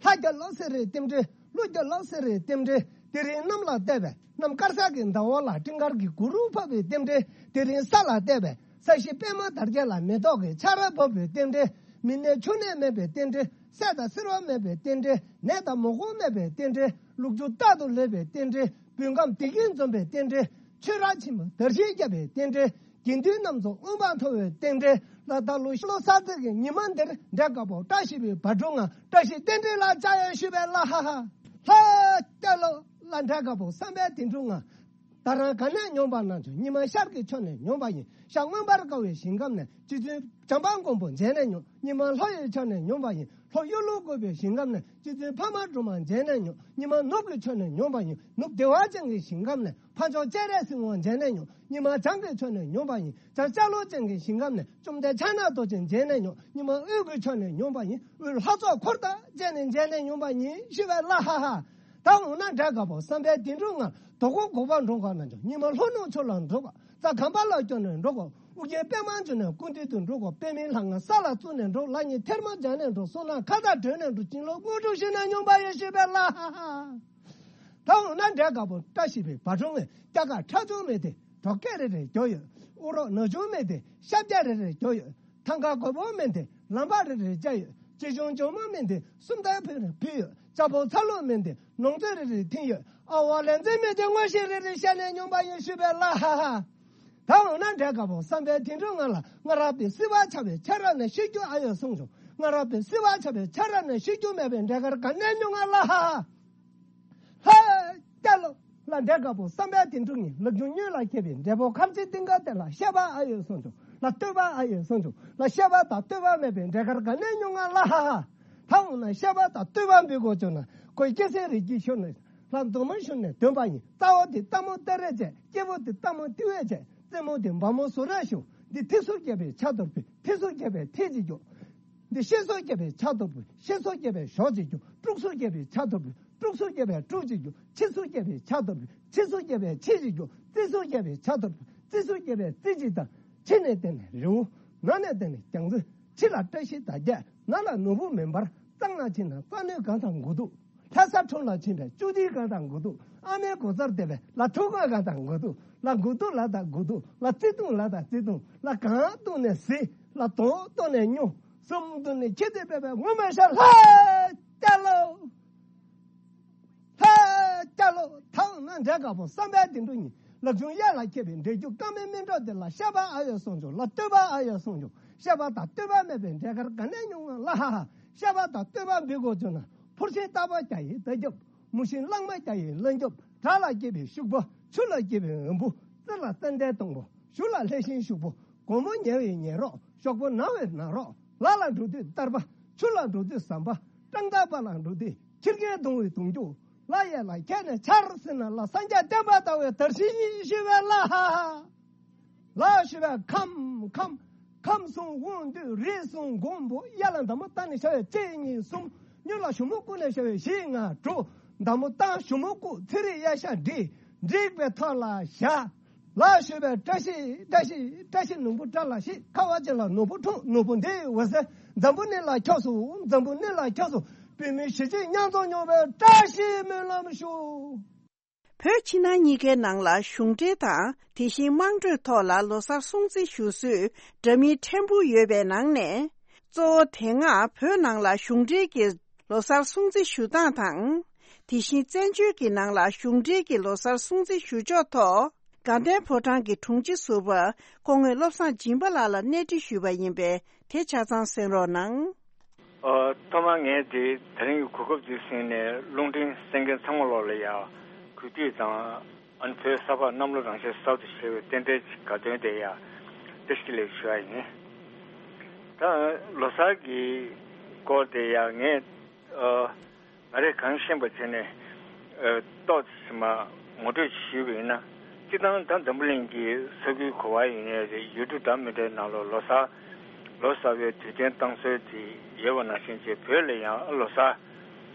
ལྷ་རྒྱལ་ལོ་ཟེར་རེད་རྟེན་འབྲེལ། ཀླུ་རྒྱལ་ལོ་ཟེར་རེད་རྟེན་འབྲེལ། དེ་རིང་གནམ་ལ་བལྟས་པས་གནམ་དཀར་ས་གི་ཟླ་བ་ལ་སྤྲིན་དཀར་གྱི་གུར་ཕབ་པའི་རྟེན་འབྲེལ། དེ་རིང་ས་ལ་བལྟས་པས་ས་གཞི་པད་མ་དར་རྒྱས་ལ་མེ་ཏོག་གི་ཆར་ཕབ་པའི་རྟེན་འབྲེལ། མི་ནད་ཕྱུགས་ནད་མེད་པའི་རྟེན་འབྲེལ། སད་དང་སེར་བ་མེད་པའི་རྟེན་འབྲེལ། ནད་དང་མུ་གེ་མེད་པའི་རྟེན་འབྲེལ། ལུག་ཁྱུ་རྟག་ཏུ་ལེགས་པའི་རྟེན་འབྲེལ། བོད་ཁམས་བདེ་སྐྱིད་འཛོམས་པའི་རྟེན་འབྲེལ། ཆོས་ར་ཆེན་པོ་དར་ཞིང་རྒྱས་པའི་རྟེན་འབྲེལ། དགེ་འདུན་རྣམས་ཚོ་མངོན་པར་མཐོ་བའི་རྟེན་འབྲེལ། ལ་ད་ལོ་ཤི་ལོ་གསར་ཚེས་ཀྱི་ཉི་མ་འདིར་འབྲས་དཀར་པོ་བཀྲ་ཤིས་པའི་བ་དྲུག་ང་བཀྲ་ཤིས་རྟེན་འབྲེལ་ལ་བཅར་ཡང་ཞུས་པའི་ལ་ཧ་ཧ། ལྷ་རྒྱལ་ལོ་ལ་འབྲས་དཀར་པོ་བསམ་པའི་དེ་དྲུག་ང་། ད་རང་ག་ནས་མྱོང་པ་ན་ཆོག་ཉི་མ་ཤར་གྱི་ཕྱོགས་ནས་མྱོང་པ་ཡིན། ཤར་མངོན་པར་དཀར་བའི་ཞིང་ཁམས་ནས་རྗེ་བཙུན་བྱམས་པ་མགོན་པོ་མཇལ་ནས་མྱོང་། ཉི་མ་ལྷོ་ཡི་ཕྱོགས་ནས་མྱོང་པ་ཡིན། ལྷོ་གཡུ་ལོ་བཀོད་པའི་ཞིང་ཁམས་ནས་རྗེ་བཙུན་འཕགས་མ་སྒྲོལ་མ་མཇལ་ནས་མྱོང་། ཉི་མ་ནུབ་ཀྱི་ཕྱོགས་ནས་མྱོང་པ་ཡིན། ནུབ་བདེ་བ་ཅན་གྱི་ཞིང་ཁམས་ནས་འཕགས་མཆོག་སྤྱན་རས་གཟིགས་དབང་མཇལ་ནས་མྱོང་། ཉི་མ་བྱང་གི་ཕྱོགས་ནས་མྱོང་པ་ཡིན། བྱང་ཤར་ལྷོ་ཅན་གྱི་ཞིང་ཁམས་ནས་བཅོམ་ལྡན་ཕྱག་ན་རྡོ་རྗེ་མཇལ་ནས་མྱོང་། ཉི་མ་དབུས་ཀྱི་ཕྱོགས་ནས་མྱོང་པ་ཡིན། དབུས་ལྷ་ཚོགས་འཁོར་དང་བཅས་ནས་མཇལ་ནས་མྱོང་པ་ཡིན་ཞུས་པའི་ལ་ཧ་ཧ། ད་འོ་ན་འབྲས་དཀར་པོ་བསམ་པའི་དེ་དྲུག་ང་། དོ་དགོང་དགོང་པ་འགྲོ་ག་ན་འགྲོ། ཉི་མ་ལྷོ་ནུབ་ཕྱོགས་ལ་འགྲོ་ག་རྩྭ་གམ་པ་ལ་སྐྱོར་ནས་འགྲོ་ག་ཨུ་རྒྱན་པད་མ་འབྱུང་གནས་སྐུ་མདུན་དུ་འགྲོ་ག་པད་མའི་ལྷ་ང་ས་ལ་བཙུགས་ནས་འགྲོ། ལག་གཉིས་ཐལ་མོ་སྦྱར་ནས་འགྲོ། གསུང་ནག་ཁ་བཏགས་གྲོལ་ནས་འགྲོ། བྱིན་རླབས་དངོས་གྲུབ་ཞུས་ན་མྱོང་པ་ཡོད་ཞུས་པའི་ལ་ཧ་ཧ། ད་འོ་ན་འབྲས་དཀར་པོ་བཀྲ་ཤིས་པའི་བ་དྲུག་ངས། སྐྱ་ཀ་ཁྲ་ཆུང་མེད་དེ་གྲོག་སྐད་རེ་རེ་རྒྱོབ་ཡོད། ཨུ་རོག་ནག་ཆུང་མེད་དེ་ཤ་བརྒྱ་རེ་རེ་རྒྱོབ་ཡོད། ཐང་ག་རྒོད་པོ་མེད་དེ་ལམ་བག་རེ་རེ་བཅག་ཡོད། ཅི་བྱུང་ཇོ་མོ་མེད་དེ་སུམ་རྟགས་ཕུལ་རེ་ཕུལ་ཡོད། ལྕགས་ཕོ་ཚ་ལུ་མེད་དེ་ནོར་རྫས་རེ་རེ་འཐེན་ཡོད། ཨ་ཝ་ལན་རྫས་མེད་དེ་མངོན་ཤེས་རེ་རེ་བཤད་ནས་མྱོང་པ་ཡིན་ཞུས་པའི་ལ་ཧ་ཧ། ད་འོ་ན་འབྲས་དཀར་པོ་བསམ་པའི་དེ་དྲུག་ང་ལ། སྔ་རབས་པའི་སྲིད་པ་ཆགས་པའི་ཆ་ར་ནས་ཤི་རྒྱུ་ཨ་ཡོད་གསུངས་བྱུང་། སྔ་རབས་པའི་སྲིད་པ་ཆགས་པའི་ཆ་ར་ནས་ཤི་རྒྱུ་མེད་པའི་འབྲས་དཀར་ག་ནས་མྱོང་ང་ལ་ཧ་ཧ། ཧ། ལ་འབྲས་དཀར་པོ་བསམ་པའི་དེ་དྲུག་ཉིད། ལག་འཇུ་སྨྱོན་ལ་མཁས་པའི་འབྲས་བུ་ཁམ་ཆེ་ཏིང་ཀ་དེ་ལ་བཤད་པ་ཨ་ཡོད་གསུངས་བྱུང་། ལ་བསྟོད་པ་ཨ་ཡོད་གསུངས་བྱུང་། ལ་བཤད་པ་དང་བསྟོད་པ་མེད་པའི་འབྲས་དཀར་ག་ནས་མྱོང་ང་ལ་ཧ་ཧ། ད་འོ་ན་བཤད་པ་དང་བསྟོད་པ་འབུལ་དགོས་བྱུང་ན། ཁོའི་སྐྱེ་སའི་རི་སྐྱེས་ཤོར་ནས། ལྷ་མདོ་མོ་ཞུ་ནས་འདོན་པ་ཡིན། རྩ་བ་དེ་སྟག་མོ་སྟ་རེ་བྱས། སྐྱེ་བོ་དེ་སྟག་མོ་ཏི་བས་བྱས། རྩེ་མོ་དེ་འབར་མོ་སོ་ར་ཞུ། འདི་ཐི་སུ་རྒྱལ་པོའི་ཕྱག་རྡོར་བུ། ཐི་སུ་རྒྱལ་པོའི་ཐི་ཅི་རྒྱུ། འདི་ཤེ་སུ་རྒྱལ་པོའི་ཕྱག་རྡོར་བུ། ཤེ་སུ་རྒྱལ་པོའི་ཞོ་ཅི་རྒྱུ། ཀྲུག་སུ་རྒྱལ་པོའི་ཕྱག་རྡོར་བུ། ཀྲུག་སུ་རྒྱལ་པོའི་ཀྲུག་ཅི་རྒྱུ། ཆི་སུ་རྒྱལ་པོའི་ཕྱག་རྡོར་བུ། ཆི་སུ་རྒྱལ་པོའི་ཆི་ཅི་རྒྱུ། རྩི་སུ་རྒྱལ་པོའི་ཕྱག་རྡོར་བུ། རྩི་སུ་རྒྱལ་པོའི་རྩི་ཅི་དང་། ཕྱི་ནས་བལྟས་ནས་རི་བོ། ནང་ནས་བལྟས་ནས་རྒྱ་མཚོ། ཕྱི་ལ་བཀྲ་ཤིས་དར་རྒྱས། ནང་ལ་ནོར་བུ་མེ་འབར། གཙང་ལ་ཕྱིན་ན་རྩ་གནོན་གང་དང་དགུ་ཐུག་ལྷ་ས་ཁྲོམ་ལ་ཕྱིན་པའི་བཅུ་ཐིག་གང་དང་དགུ་ཐུག་ཨ་མའི་གོ་སར་བསྡད་པའི་ལ་ཁྲོ་ག་གང་དང་དགུ་ཐུག་ལ་དགུ་ཐུག་ལ་དང་དགུ་ཐུག་ལ་བརྩེ་དུང་ལ་དང་བརྩེ་དུང་། ལ་གང་བཏུང་ནས་ཟི། ལ་དོང་བཏུང་ནས་སྨྱོ། གསུམ་བཏུང་ནས་ཁྱེར་ཏེ་སྦས་པའི་ངོ་མ་ཤ་ལྷ་སྐྱ་ལོ། ལྷ་སྐྱ་ལོ། ཐང་ན་འདྲེ་དཀར་པོ་བསམ་པའི་དེ་འགྲོ་ཉིད། ལག་ཆུང་གཡས་ལ་འཁྱེར་བའི་འདྲེ་རྒྱུག་ཀ་མའི་སྨིན་གྲོགས་དེ་ལ་བཤད་པ་ཨ་ཡོད་གསུང་བྱུང་། ལ་བསྟོད་པ་ཨ་ཡོད་གསུང་བྱུང་། བཤད་པ་དང་བསྟོད་པ་མེད་པའི་འདྲེ་དཀར་ག་ནས་ཉུང་བ་ལ་ཧ་ཧ། བཤད་པ་དང་བསྟོད་པ་འབུལ་དགོས་བྱུང་ན། ཕུར་ཤིང་སྟག་པ་རྒྱ་ཡི་རྟ་རྒྱབ། མུ་ཤིང་གླང་མ་རྒྱ་ཡི་གླང་རྒྱབ། བྲག་ལ་སྐྱེས་པའི་ཤུག་པ། ཆུ་ལ་སྐྱེས་པའི་འོམ་བུ། རྩི་ལ་ཙན་དན་སྡོང་པོ། ཞུ་ལ་ལྷས་ཤིང་ཤུག་པོ། སྒོར་མོ་ཉལ་བའི་ཉལ་རོགས། ཤོག་པོ་ན་བའི་ན་རོགས། ལ་ལ་འགྲོ་དུས་གཏར་པ། ཆུ་ལ་འགྲོ་དུས་ཟམ་པ། སྤྲང་ཐང་པ་ལ་འགྲོ་དུས་ཁྱི་རྒན་གདོང་བའི་གདོང་རྒྱུག་ལ་ཡས་ལ་ཁྱེར་ནས་འཕྱར་ཟེར་ན། ལ་སངས་རྒྱས་བསྟན་པ་དར་བའི་དར་ཤིང་ཡིན་ཞུ་བའི་ལ་ཧ་ཧ། ལ་ཞུ་བའི་ཁམས་ཁམས། ཁམས་གསུམ་དབང་སྡུད་རིགས་གསུམ་མགོན་པོ། གཡས་ལ་མདའ་མོ་བཏང་ནས་ཤར་བའི་གཅིག་གཉིས་གསུམ། གཉུག་ལ་ཞུ་མོ་བཀུག་ནས་ཤར་བའི་བཞི་ལྔ་དྲུག་མདའ་མོ་བཏང་ཞུ་མོ་བཀུག་ཚེ་རིང་གཡས་ཤ་འགྲིག་འགྲིག་པའི་ཐོག་ལ་བཞག་ལ་ཞུ་བའི་བཀྲ་ཤིས་བཀྲ་ཤིས་བཀྲ་ཤིས་ནོར་བུ་བཀྲ་ལ་ཤིས། ཁ་བ་ཅན་ལ་ནོར་བུ་འཁྲུངས། ནོར་བུ་འདི་འོད་ཟེར་འཛམ་བུ་གླིང་ལ་ཁྱབ་སོང་། འཛམ་བུ་གླིང་ལ་ཁྱབ་སོང་། བོད་མི་གཞིས་བྱེས་མཉམ་འཛོམས་ཡོང་བའི་བཀྲ་ཤིས་སྨོན་ལམ་ཞུ། བོད་ཕྱི་ནང་གཉིས་ཀའི་ནང་ལ་གཞུང་འབྲེལ་དང་དེ་བཞིན་དམངས་ཁྲོད་ཐོག་ལ་ལོ་གསར་སྲུང་བརྩི་ཞུ་སྲོལ་འདྲ་མིན་ཕྲན་བུ་ཡོད་པའི་ནང་ནས། གཙོ་བོ་དེ་སྔ་བོད་ནང་ལ་གཞུང་འབྲེལ་གྱི་ལོ་གསར་སྲུང་བརྩི་ཞུ་སྟངས་དང་། དེ་བཞིན་བཙན་བྱོལ་གྱི་ནང་ལ་གཞུང་འབྲེལ་གྱི་ལོ་གསར་སྲུང་བརྩི་ཞུ་ཕྱོགས་ཐོག་དགའ་ལྡན་ཕོ་བྲང་གི་དྲུང་ཆེ་ཟུར་པ་སྐུ་ངོ་བློ་བཟང་སྦྱིན་པ་ལགས་ལ་གནས་འདྲི་ཞུས་པ་ཡིན་པས། དེ་ཆ་ཚང་གསན་རོགས་གནང་། ཨ། ཐོག་མར་ངས་དེ་དེ་རིང་གི་གོ་སྐབས་འདི་ཟིན་ནས་རླུང་འཕྲིན་གསན་མཁན་ཚང་མ་ལོག་ལ་ཡ་གུས་བཏུད་དང་། ཨ་ནི་བོད་གསར་པ་གནམ་ལོ་རང་ཆས་གསར་དུ་བཞད་པའི་རྟེན་འབྲེལ་གྱི་དགའ་སྟོན་དེ་ཡ་བཀྲ་ཤིས་བདེ་ལེགས་ཞུ་ཡ་ཡིན། ད་ལོ་གསར་གྱི་སྐོར་དེ་ཡ་ངས་ཨ། ང་རས་གང་ཤེས་པ་བྱས་ནས་ཨ། ཏོག་ཙམ་མ་ངོ་སྤྲོད་ཞུས་པ་ཡིན་ན། སྤྱིར་བཏང་ད་འཛམ་བུ་གླིང་གི་ས་ཁུལ་ག་པར་ཡིན་ནའི་རེད། ཡུལ་གྲུ་འདྲ་མི་འདྲའི་ནང་ལ་ལོ་གསར་ལོ་གསར་པའི་དུས་སྟོན་གཏོང་སྲོལ་དེ་ཡོད་པ་ནང་བཞིན་བྱས། བོད་ལ་ཡང་ལོ་གསར་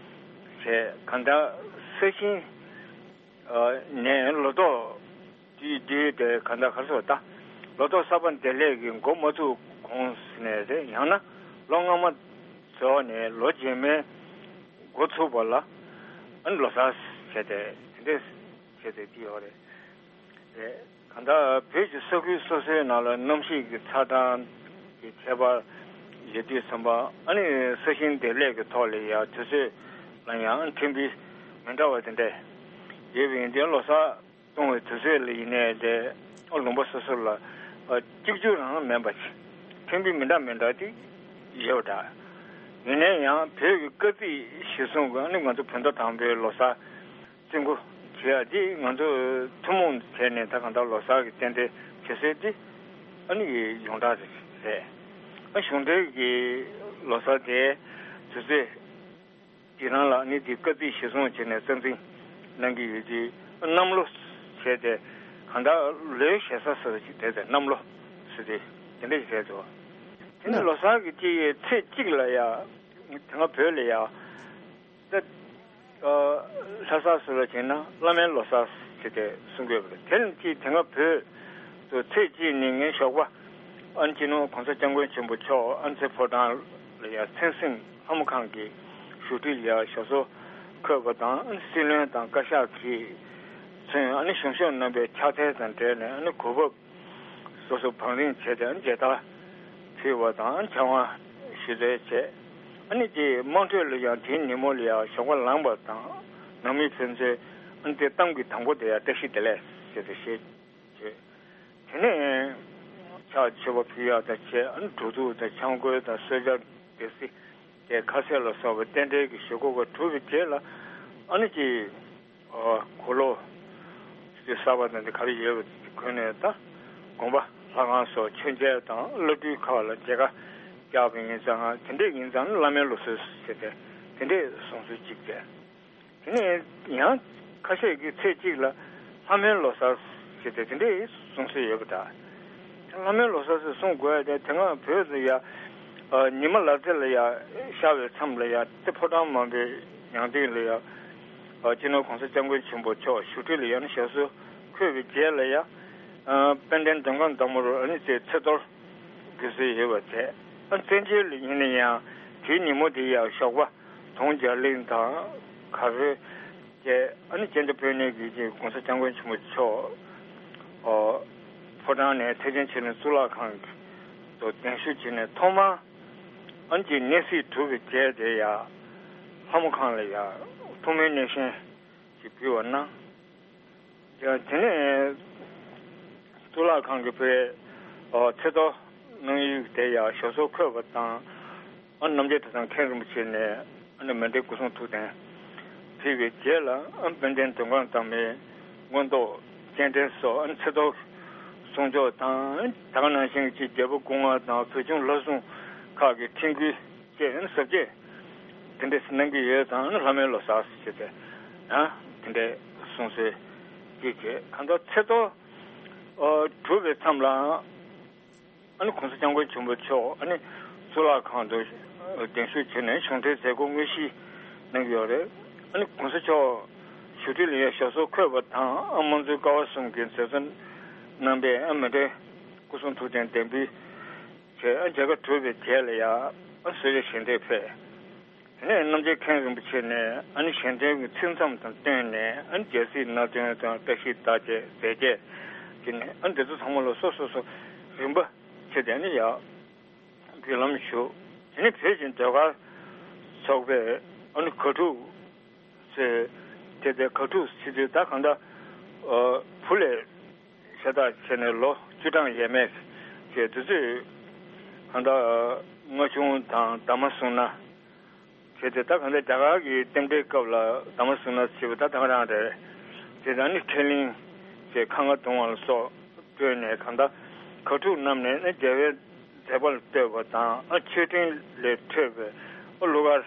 བྱས། གང་ལྟར་ས་ཞིང་ཨ། ནས་ལོ་ཏོག་དུས་དུས་དེ་གང་ལྟར་ག་རེ་ཟེར། ད་ལོ་ཏོག་གསར་པ་འདི་ལས་ཀྱི་འགོ་མ་ཚུགས་གོང་ནས་རེད། ཡང་ན་ལོ་སྔ་མ་རྫོགས་ནས་ལོ་རྗེས་མའི་འགོ་ཚུགས་པ་ལ་ཨ་ནི་ལོ་གསར་བྱས་ཏེ་དེ་འདྲས་བྱས་ཏེ་དེ་ཡོད་རེད། རེད། གང་ལྟར་བོད་ཀྱི་ས་ཁུལ་སོ་སོའི་ནང་ལ་གནམ་གཤིས་ཀྱི་ཆགས་སྡང་གི་ཁྱད་པར་ཡོད་དུས་ཙམ་པ། ཨ་ནི་ས་ཞིང་འདེབས་ལས་ཀྱི་ཐོག་ལ་ཡང་དུས་ཚོད་ལ་ཡང་ཁྲིམས་དཔེ་མི་འདྲ་བ་དེ་འདྲས་ཡོད་པ་ཡིན་དུས། ལོ་གསར་གཏོང་བའི་དུས་ཚོད་ལ་ཡིན་ནའི་རེད། ཨ། ལུང་པ་སོ་སོ་ལ་ཨ། གཅིག་གྱུར་རང་མིན་པ་ཅིག་ཁྲིམས་དཔེ་མི་འདྲ་མི་འདྲ་དེ་ཡོད་པ་འདྲ། ཡིན་ནའི་ཡང་བོད་ཀྱི་སྐར་རྩིས་གཞིར་བཟུང་གི་ཨ་ནི་ང་ཚོ་བོད་ཟླ་དང་པོའི་ལོ་གསར་རྩི་འགོ་བྱེད་ཡ་དེ་ང་ཚོ་ཐུན་མོང་བྱས་ནས་ད་གང་ལྟར་ལོ་གསར་གྱི་རྟེན་འབྲེལ་བྱེད་སྲོལ་དེ་ཨ་ནི་ཡོངས་གྲགས་རེད། ཨ། གཞུང་འབྲེལ་གྱི་ལོ་གསར་དེ་དུས་ཚོད་དེ་རང་ལ་ནི་དེ་སྐར་རྩིས་གཞིར་བཟུང་བྱས་ནས་རྩ་འཛིན་གནང་གི་ཡོད་དུས། གནམ་ལོ་བྱས་ཏེ་གང་ལྟར་ལོའི་ཞེ་ས་ཟེར་བ་ཅིག་དེ་དེ་གནམ་ལོ་ཟེར་ཏེ་དེ་འདྲ་ཞིག་བྱས་འདུག་དེ་ནི་ལོ་གསར་གྱི་དཀྱིལ་ཡའི་ཚེས་གཅིག་ལ་ཡ་དེ་སྔ་བོད་ལ་ཡ་ད་ཨ། ལྷ་གསར་ཟེར་བ་བྱས་ན་བླ་མའི་ལོ་གསར་ཟེར་ཏེ་གསུང་གི་ཡོད་པ་རེད། དེ་ནི་དེ་སྔ་བོད་དུ་ཚེས་གཅིག་ནི་ངའི་ཞོགས་པ་ཨ་ནི་སྤྱི་ནོར་༸གོང་ས་༸སྐྱབས་མགོན་ཆེན་པོ་མཆོག་ཨ་ནི་ཚེ་ཕོ་བྲང་ལ་ཡ་མཚན་སྲིང་ལྷ་མོ་ཁང་གི་བཞུགས་ཁྲི་ལ་ཡ་ཞབས་སོར་འཁོད་པ་དང་། ཨ་ནི་སྲིད་བློན་དང་བཀའ་ཤག་གིས་མཚོན་ཨ་ནི་གཞུང་ཞབས་རྣམ་པའི་ཕྱག་འཚལ་དང་འབྲེལ་ནས་ཨ་ནི་གོ་བབ་སོ་སོ་བང་རིམ་བྱས་ཏེ་ཨ་ནི་མཇལ་དར་ཕུལ་བ་དང་། ཨ་ནི་ཕྱག་དབང་ཞུ་སྩལ་བྱས། ཨ་ནི་དེ་དམངས་ཁྲོད་ལ་ཡང་དེའི་ཉིན་མོ་ལ་ཡང་ཞོགས་པ་ལངས་པ་དང་། ནང་མི་ཕན་ཚུན་ཨ་ནི་དེ་གཏམ་གྱི་དང་པོ་དེ་ཡང་བཀྲ་ཤིས་བདེ་ལེགས་ཟེར་ཏེ་བཤད་བྱས། དེ་ནས་ཕྱག་མཆོད་པ་ཕུལ་ཡག་དང་བཅས། ཨ་ནི་འབྲུ་གདུགས་དང་ཆང་བསྐོལ་དང་གསོལ་ཇ་སྡེ་སྲིད་དེ་ཁ་ཟས་ལ་སོགས་པའི་རྟེན་འབྲེལ་གྱི་བཞེས་སྒོ་ག་གྲུབ་པའི་རྗེས་ལ། ཨ་ནི་ཅིག་ཨ། གོས་ལོག་གསར་པ་དང་དེ་ག་རེ་ཡོད་པ་དེ་གོན་ནས། ད་དགོན་པ་ལྷ་ཁང་སོགས་མཆོད་མཇལ་དང་། བླ་སྤྲུལ་ཁག་ལ་མཇལ་ཁ་བཅར་བ་ཡིན་ཙང་། དེ་འདྲས་ཡིན་ཙང་བླ་མའི་ལུགས་སྲོལ་ཟེར་ཏེ་དེ་འདྲས་བཟུང་སྲོལ་ཅིག་བྱས། དེ་ནས་ཡང་ ཁ་ཤས་ཀྱིས་ཚེས་གཅིག་ལ་ལྷ་མོའི་ལོ་གསར་ཞེས་ཏེ་དེ་འདྲའི་གསུང་སྲོལ་ཡོད་པ་འདྲ། ལྷ་མོའི་ལོ་གསར་ཞེས་གསུང་དགོས་ཡ་དེ་དེ་སྔ་བོད་དུ་ཡ། ཉི་མ་ལ་རྩེ་ལ་ཡ་ཤར་བའི་མཚམས་ལ་ཡ་རྩེ་ཕོ་བྲང་མང་པོའི་ཡང་སྟེང་ལ་ཡ། སྤྱི་ནོར་༸གོང་ས་༸སྐྱབས་མགོན་ཆེན་པོ་མཆོག་བཞུགས་ཁྲི་ལ་ཡ་ནི་ཞབས་སོར་འཁོད་པའི་རྗེས་ལ་ཡ། དཔལ་ལྡན་མགྲོན་ཁང་བདག་མོར་ཨ་ནི་ཚེ་ཚེས་གཏོར་དགོས་སྲོལ་ཡོད་པ་དེ། ཨ་བཙན་བྱོལ་ལ་ཡིན་ན་ཡང་དེའི་ཉིན་མོ་དེ་ཡ་ཞོགས་པ་དུང་རྒྱ་གླིང་དང་གར་ཧོས་བཅས་ཨ་ནི་སྤྱི་ནོར་བོད་གནས་ཀྱི་༸གོང་ས་༸སྐྱབས་མགོན་ཆེན་པོ་མཆོག་ཨོ་ཕོ་བྲང་ནས་ཐེག་ཆེན་ཆོས་གླིང་གཙུག་ལག་ཁང་དུ་གདན་ཞུ་བྱས་ནས་ཐོག་མར་ཨ་ནི་གནས་གཟིགས་གྲུབ་པའི་རྗེས་དེ་ཡ་ལྷ་མོ་ཁང་ལ་ཡ་ཐུགས་སྨོན་གནས་ཆེན་ཞིག་ཕུལ་བ་གནང་། དེ་ནས་གཙུག་ལག་ཁང་གི་བུས་ཚེས་གཏོར་གནང་ཡུལ་དེ་ཡང་ཞབས་སོར་འཁོད་པ་དང་། ཨ་རྣམ་རྒྱལ་གྲྭ་ཚང་མཁན་རིན་པོ་ཆེ་ནས་ཨ་ནི་མཎྜལ་སྐུ་གསུང་ཐུགས་རྟེན་ཕུལ་བའི་རྗེས་ལ། ཨ་དཔལ་ལྡན་མགྲོན་ཁང་བདག་མོའི་མངོན་རྟོགས་སྤྱན་འདྲེན་སོགས་ཨ་ནི་ཚེས་གཏོར་གསུང་ཆོག་དང་། ད་ག་ནང་བཞིན་གྱི་རྒྱལ་པོ་སྐུ་ལྔ་དང་བོད་ཁྱུང་ལྷ་སྲུང་ཁག་གི་ཁྲིད་འགུལ་བཅས་ཟབ་རྒྱས་དེ་འདྲས་གནང་གི་ཡོད་ཙང་། ལྷ་མོའི་ལོ་གསར་ཞེས་ཏེ་ཡང་དེ་འདྲས་གསུང་སྲོལ་ཅིག་བྱས། གང་ལྟར་ཚེས་གཏོར་གྲུབ་པའི་མཚམས་ལ་ཨ་ནི་༸གོང་ས་༸སྐྱབས་མགོན་ཆེན་པོ་མཆོག་ཨ་ནི་གཙུག་ལག་ཁང་དུ་གདན་ཞུ་བྱས་ནས་གཞུང་འབྲེལ་མཛད་སྒོ་དངོས་གཞི་གནང་གི་ཡོད་རེད། ཨ་ནི་༸གོང་ས་མཆོག་བཞུགས་ཁྲི་ལ་ཡང་ཞབས་སོར་འཁོད་པ་དང་། ཨ་དམངས་གཙོའི་ཀ་བ་གསུམ་གྱི་མཛད་གཙོ་རྣམ་པས་ཨ་མཎྜལ་སྐུ་གསུང་ཐུགས་རྟེན་གདན་འབུལ་བྱས། ཨ་མཇལ་ཁ་གྲུབ་པའི་རྗེས་ལ་ཡང་ཨ་གསོལ་རས་ཞལ་འདེབས་ཕེབས། དེ་ནས་རྣམ་རྒྱལ་མཁན་རིན་པོ་ཆེ་ནས་ཨ་ནི་ཞལ་འདོན་གྱི་ཚིག་མཚམས་དང་བསྟུན་ནས་ཨ་ནི་རྒྱལ་སྲིད་སྣ་བདུན་དང་བཀྲ་ཤིས་རྟགས་བརྒྱད་མཛད་རྗེས་ཀྱི་ནས་ཨ་འདི་ཚོ་ཚང་མ་ལ་སོ་སོ་སོ་རིམ་པ་བྱས་ཏེ་ཨ་ནི་ཡང་འབུལ་ལམ་ཞུ། དེ་ནས་བོད་ཀྱི་ཟློས་གར་ཚོགས་པས་ཨ་ནི་གར་ཕྲུག་ཚོས་དེ་ལྟའི་གར་ཕྲུག་ཚེ་དུས་ད་གང་ལྟར་བུ་ལས་ཤ་སྟག་བྱས་ནས་ལོ་བཅུ་གྲངས་ཡས་མས་བྱས། དེ་ཚོས་གང་ལྟར་རྔ་ཆུང་དང་འདབ་མ་བཟུང་ན་བྱས་ཏེ། ད་གང་ལྟར་རྒྱ་གར་གྱི་རྟེན་འབྲེལ་སྐབས་ལ་འདབ་མ་བཟུང་ན་བྱས་པ་ད་ད་ག་རང་རེད། དེ་དང་ནི་ཁྲེ་གླིང་བྱས་ཁ་རྔ་བརྡུང་བ་ལ་སོགས་སྤྲོས་ནས་གང་ལྟར་གར་ཕྲུག་རྣམས་ནས་ནི་རྒྱལ་བའི་མཛད་པ་ལ་བསྟོད་པ་དང་། ཨ་མཆོད་སྤྲིན་ལས་འཕྲོས་པའི་ཨ་གླུ་གར་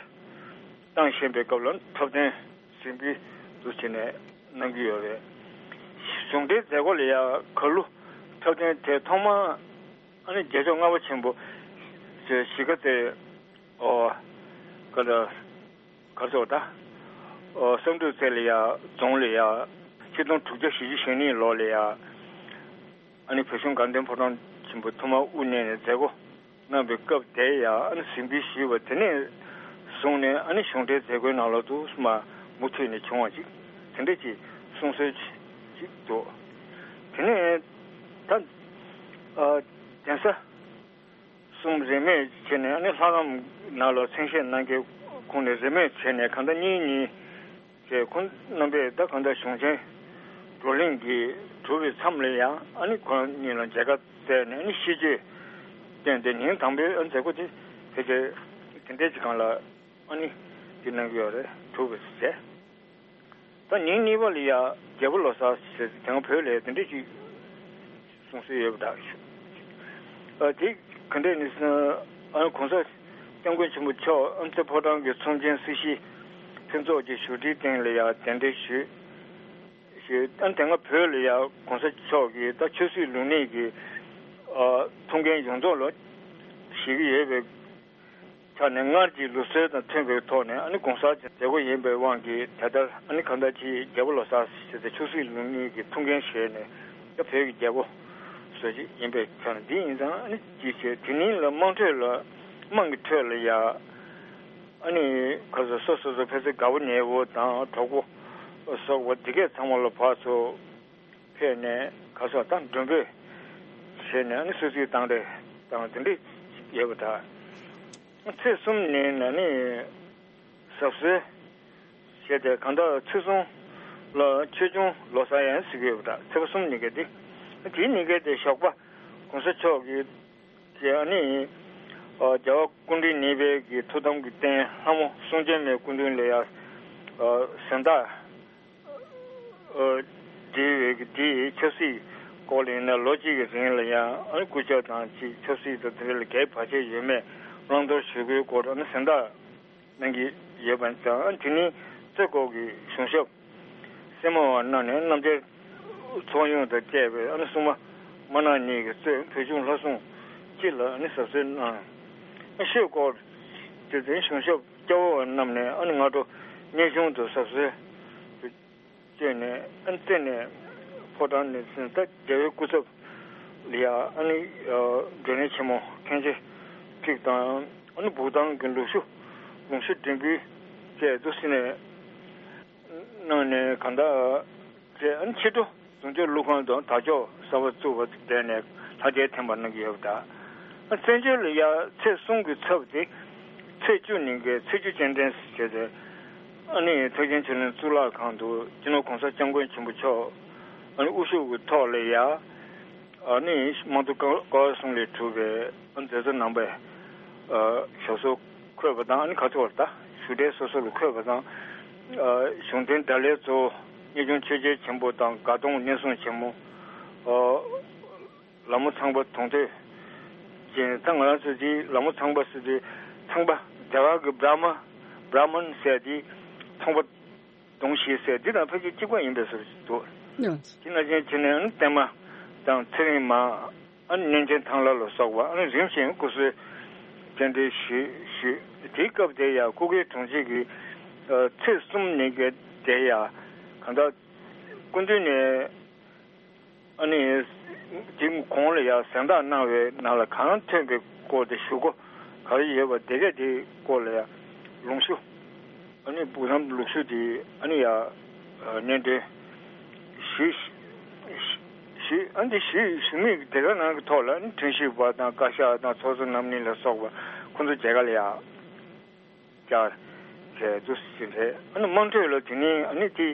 བཏང་བཞིན་པའི་སྐབས་ལ་འཁྲབ་སྟོན་གཟིགས་འབུལ་དུ་བྱས་ནས་གནང་གི་ཡོད་རེད། གཞུང་འབྲེལ་མཛད་སྒོ་ལ་ཡང་གར་གླུ་འཁྲབ་སྟོན་དེ་ཐོག་མར་ཨ་ནི་རྒྱལ་མཆོག་ལྔ་པ་ཆེན་པོ་ཞེས་གཞིས་ཀ་རྩེ་ཨོ་ག་ལ་གར་ཚོགས་ད་ཨོ་བསམ་གྲུབ་རྩེ་ལ་ཡང་རྫོང་ལ་ཡང་ཆིག་སྟོང་དྲུག་བརྒྱ་བཞི་བཅུ་ཞེ་གཉིས་ལོ་ལ་ཡང་ཨ་ནི་བོད་གཞུང་དགའ་ལྡན་ཕོ་བྲང་ཆེན་པོ་ཐོག་མར་དབུ་བརྙེས་ནས་མཛད་སྒོ་གནང་བའི་སྐབས་དེ་ཡང་ཨ་ནི་གཟིགས་འབུལ་ཞུས་པ། དེ་ནས་བཟུང་ནས་ཨ་ནི་གཞུང་འབྲེལ་མཛད་སྒོའི་ནང་ལོགས་སུ་མ་མུ་མཐུད་ནས་བྱུང་བ་ཅིག་དེ་འདྲ་ཅིག་གསུང་སྲོལ་ཅིག་འདུག་དེ་ནས་ད་ཨ་གདན་ས་གསུམ་རིས་མེད་བྱས་ནས་ཨ་ནི་ལྷ་ཁང་ནང་ལ་མཚན་བཞེས་གནང་མཁན་ཁོང་ནས་རིས་མེད་བྱས་ནས་གང་ལྟར་གཉིས་གཉིས་བྱས། ཁོང་རྣམ་པས་ད་གང་ལྟར་གཞུང་ཆེན་བགྲོ་གླེང་གི་གྲུབ་པའི་མཚམས་ལ་ཡང་ཨ་ནི་ཁོང་གཉིས་ལ་མཇལ་ཁ་བསྩལ་ནས་ཨ་ནི་ཤིས་བརྗོད་བསྟན་ཏེ། ཉིན་དང་པོའི་མཛད་སྒོ་དེ་ཕལ་ཆེར་དེ་འདྲའི་ཅིག་སྒང་ལ་ཨ་ནི་དེ་གནང་གི་ཡོད་རེད། གྲུབ་པ་བྱས། ད་ཉིན་གཉིས་པ་ལ་ཡ་རྒྱལ་པོ་ལོ་གསར་ཟེར་ཏེ་དེ་སྔ་བོད་ལ་དེ་འདྲ་ཅིག་གསུང་སྲོལ་ཡོད་པ་འདྲ། ཨ་དེ་ག་འདྲས་ནི་ཨ་༸གོང་ས་༸སྐྱབས་མགོན་ཆེན་པོ་མཆོག་ཨ་རྩེ་ཕོ་བྲང་གི་ཚོམས་ཆེན་སྲིད་ཞིའི་ཕུན་ཚོགས་ཀྱི་བཞུགས་ཁྲིའི་སྟེང་ལ་ཡ་གདན་འདྲེན་ཞུས། ཞུས། ཨ་དེ་སྔ་བོད་ལ་ཡ་༸གོང་ས་མཆོག་གིས་ད་ཆབ་སྲིད་ལུགས་གཉིས་ཀྱི་ཨ་ཐུགས་འགན་ཡོངས་རྫོགས་ལ་བཞེས་ཀྱི་ཡོད་པའི་ཆ་ནས། སྔར་གྱི་ལུགས་སྲོལ་དང་མཐུན་པའི་ཐོག་ནས་ཨ་ནི་གུང་གསར་གྱི་མཛད་སྒོ་ཡིན་པའི་དབང་གིས་ད་ལྟར་ཨ་ནི་གང་ལྟར་གྱི་རྒྱལ་པོ་ལོ་གསར་ཞེས་པའི་ཆབ་སྲིད་ལུགས་གཉིས་ཀྱི་ཐུགས་འགན་བཞེས་ནས་ད་བོད་ཀྱི་རྒྱལ་པོ་བཟོ་ཅིག་ཡིན་པའི་ཆ་ནས་འདི་ཡིན་ཙང་། ཨ་ནི་ཅིའི་ཕྱིར་དེ་ཉིན་ལ་དམངས་ཁྲོད་ལ་དམངས་ཀྱི་ཁྲོད་ལ་ཡ་ཨ་ནི་ག་ཚོད་སོ་སོ་སོ་ཕལ་ཆེར་དགའ་པོ་ཉེ་པོ་དང་གྲོགས་པོ་སོགས་པ་འདི་གས་ཚང་མ་ལ་ཕར་ཚུར་ཕེབས་ནས་ག་ཚོད་དང་མགྲོན་འབོད་བྱས་ནས་ཨ་ནི་གསོལ་ཚིགས་བཏང་རེས་དང་དེ་འདྲས་ཡོད་པ་འདྲ། ཚེས་གསུམ་ཉིན་ཨ་ནི་གཟབ་གསོལ་བྱས་ཏེ་གང་ལྟར་ཚེས་གསུམ་ལ་ཆོས་འབྱུང་ལོ་གསར་ཡང་ཟེར་གྱི་ཡོད་པ་འདྲ། ཚེས་པ་གསུམ་ཉིན་སྐད་དེ། དེའི་ཉིན་སྐད་དེ་ཞོགས་པ་༸གོང་ས་མཆོག་གིས་ཀྱི་ཨ་ནི་ཨ་རྒྱལ་བ་སྐུ་ཕྲེང་གཉིས་པའི་གི་ཐུགས་དམ་གྱི་རྟེན་ལྷ་མོ་གསུང་སྐྱེམས་མའི་སྐུ་མདུན་ལ་ཡ་ཨ་གཟེངས་རྟགས་ཨ་སྒྲིལ་བའི་གི་དེའི་ཆབ་སྲིད་སྐོར་ལ་ཡིན་ན་ལོ་གཅིག་གི་རིང་ལ་ཡང་ཨ་ནི་སྐུ་ཞབས་དང་ཅིག་ཆབ་སྲིད་དང་དེ་འདྲ་ལ་གལ་བར་ཆད་ཡོད་མེད་བླང་དོར་ཞུ་དགོས་སྐོར་ཨ་ནི་གཟེངས་རྟགས་གནང་གི་ཡོད་པ་ཙང་། ཨ་ནི་དེ་ནི་རྩེ་སྐོར་གྱི་གཞུང་ཞབས་ སེར་མོ་བ་གནང་ནས་རྣམ་རྒྱལ་ཚོགས་ཡོངས་དང་བཅས་པའི་ཨ་ནི་སྲུང་མ་མ་ནག་གཉིས་ཀྱིས་གཙོས་བོད་གཞུང་ལྷ་སྲུང་སྤྱི་ལ་ཨ་ནི་ཟབ་གསོལ་གནང་། ཨ་ཤོད་སྐོར་དེ་དོན་བྱང་ཆུབ་སྐྱབས་འོག་རྣམས་ནས་ཨ་ནི་སྔ་དྲོ་སྙན་གཞུང་དུ་ཟབ་གསོལ་བཅས་ནས་ཨ་ནི་རྩེ་ནས་ཕོ་བྲང་ནས་ཟིན་ད་རྒྱལ་བའི་སྐུ་ཚབ་ལ་ཡ་ཨ་ནི་སྒྲོན་ནས་ཆེན་མོ་མཁན་ཆེན་ཁྲིག་དང་ཨ་ནི་བུག་ཐང་གི་ལུག་ཤུ་ལུང་ཤུ་འབྲིང་པོའི་བཅས་དུ་སྲིད་ནས། གནང་ནས་གང་ལྟར་རྗེས་ཕྱི་དྲོ་གདུང་ཆོས་ཀླུ་ཁང་དུ་དར་ལྕོག་གསར་པ་བཙུགས་པ་དེ་ནས་ལྷ་རྒྱལ་ཐེམ་པ་གནང་གི་ཡོད་པ་དང་། བཙན་བྱོལ་ལ་ཡ་ཚེས་གསུམ་གྱི་ཚབ་དེ་ཚེས་བཅུ་ཉིན་གྱི་ཚེས་བཅུ་སྤྱན་འདྲེན་ཟེར་བྱས་ཏེ་ཨ་ནི་ཐེག་ཆེན་ཆོས་གླིང་གཙུག་ལག་ཁང་དུ་སྤྱི་ནོར་༸གོང་ས་༸སྐྱབས་མགོན་ཆེན་པོ་མཆོག་ཨ་ནི་དབུ་བཞུགས་ཀྱི་ཐོག་ལ་ཡ། ཨ་ནི་དམངས་གཙོ་ཀ་ཀ་བ་གསུམ་ལས་གྲུབ་པའི་ཨ་མཛད་གཙོ་རྣམ་པས་ཨ་ཞབས་སོར་འཁོད་པ་དང་ཨ་ནི་ག་ཚོད་བར་ད་ཞུ་འབྲེལ་སོ་སོ་ལ་འཁོད་པ་དང་ཨ་གཞུང་དོན་བརྡ་ལན་གཙོ་བོ་གཉེར་སྐྱོང་ཆོས་རྒྱལ་ཆེན་པོ་དང་དགའ་གདོང་གནས་སྲུང་ཆེན་མོ་ཨ་ལ་མོ་ཚངས་པ་དུང་ཐོས་ཅན། ད་ང་རང་ཚོ་འདི་ལ་མོ་ཚངས་པ་ཟེར་དུས་ཚངས་པ་རྒྱ་གར་གྱི་བྲ་མ་བྲ་མན་ཟེར་དུས་ཚངས་པ། གདོང་བཞི་ཟེར་འདི་དང་ཕལ་ཆེར་གཅིག་པ་ཡིན་པའི་བཟོ་ཞིག་འདུག་ཡང་དེ་ནང་བཞིན་བྱས་ནས་ཨ་ནི་བརྟན་མ་དང་ཚེ་རིང་མ་ཨ་ནི་གནས་ཆེན་ཐང་ལྷ་ལ་སོགས་པ་ཨ་ནི་རིམ་བཞིན་སྐུ་གསོལ་རྟེན་འབྲེལ་ཞུས་ཞུས། དེའི་སྐབས་དེ་ཡང་སྐུ་སྒེར་དྲུང་ཆེ་གིས་ཚེས་གསུམ་ཉིན་གྱི་དེ་ཡང་གང་ལྟར་སྐུ་མདུན་ནས། ཨ་ནི། དེ་གོང་ལ་ཡང་གཟེངས་རྟགས་གནང་བའི་ནང་ལ་གང་ཐོན་པའི་སྐོར་དེ་ཞུ་སྒོ་ག་རེ་ཡོད་པ་དེ་གས་དེའི་སྐོར་ལ་ཡང་ལུང་ཞུ། ཨ་ནི་བུ་རམ་ལུག་ཞུ་དེ་ཨ་ནི་ཡང་སྙན་སྒྲོན་ཞུས་ཞུས། ཨ་ནི་ཞུས་ཞུ་མིག་དེ་ག་ནང་གི་ཐོག་ལ་ཨ་ནི་དྲན་ཤེས་པ་དང་བཀའ་ཤག་དང་ཚོགས་གཙོ་རྣམ་གཉིས་ལ་སོགས་པ་ཁོང་ཚོ་མཇལ་ཁ་ལ་ཡང་བཅར་བྱས་འདུག་ཟིན་རེད། ཨ་ནི་དམངས་ཁྲོད་ལ་དེ་ནི་ཨ་ནི་དེ་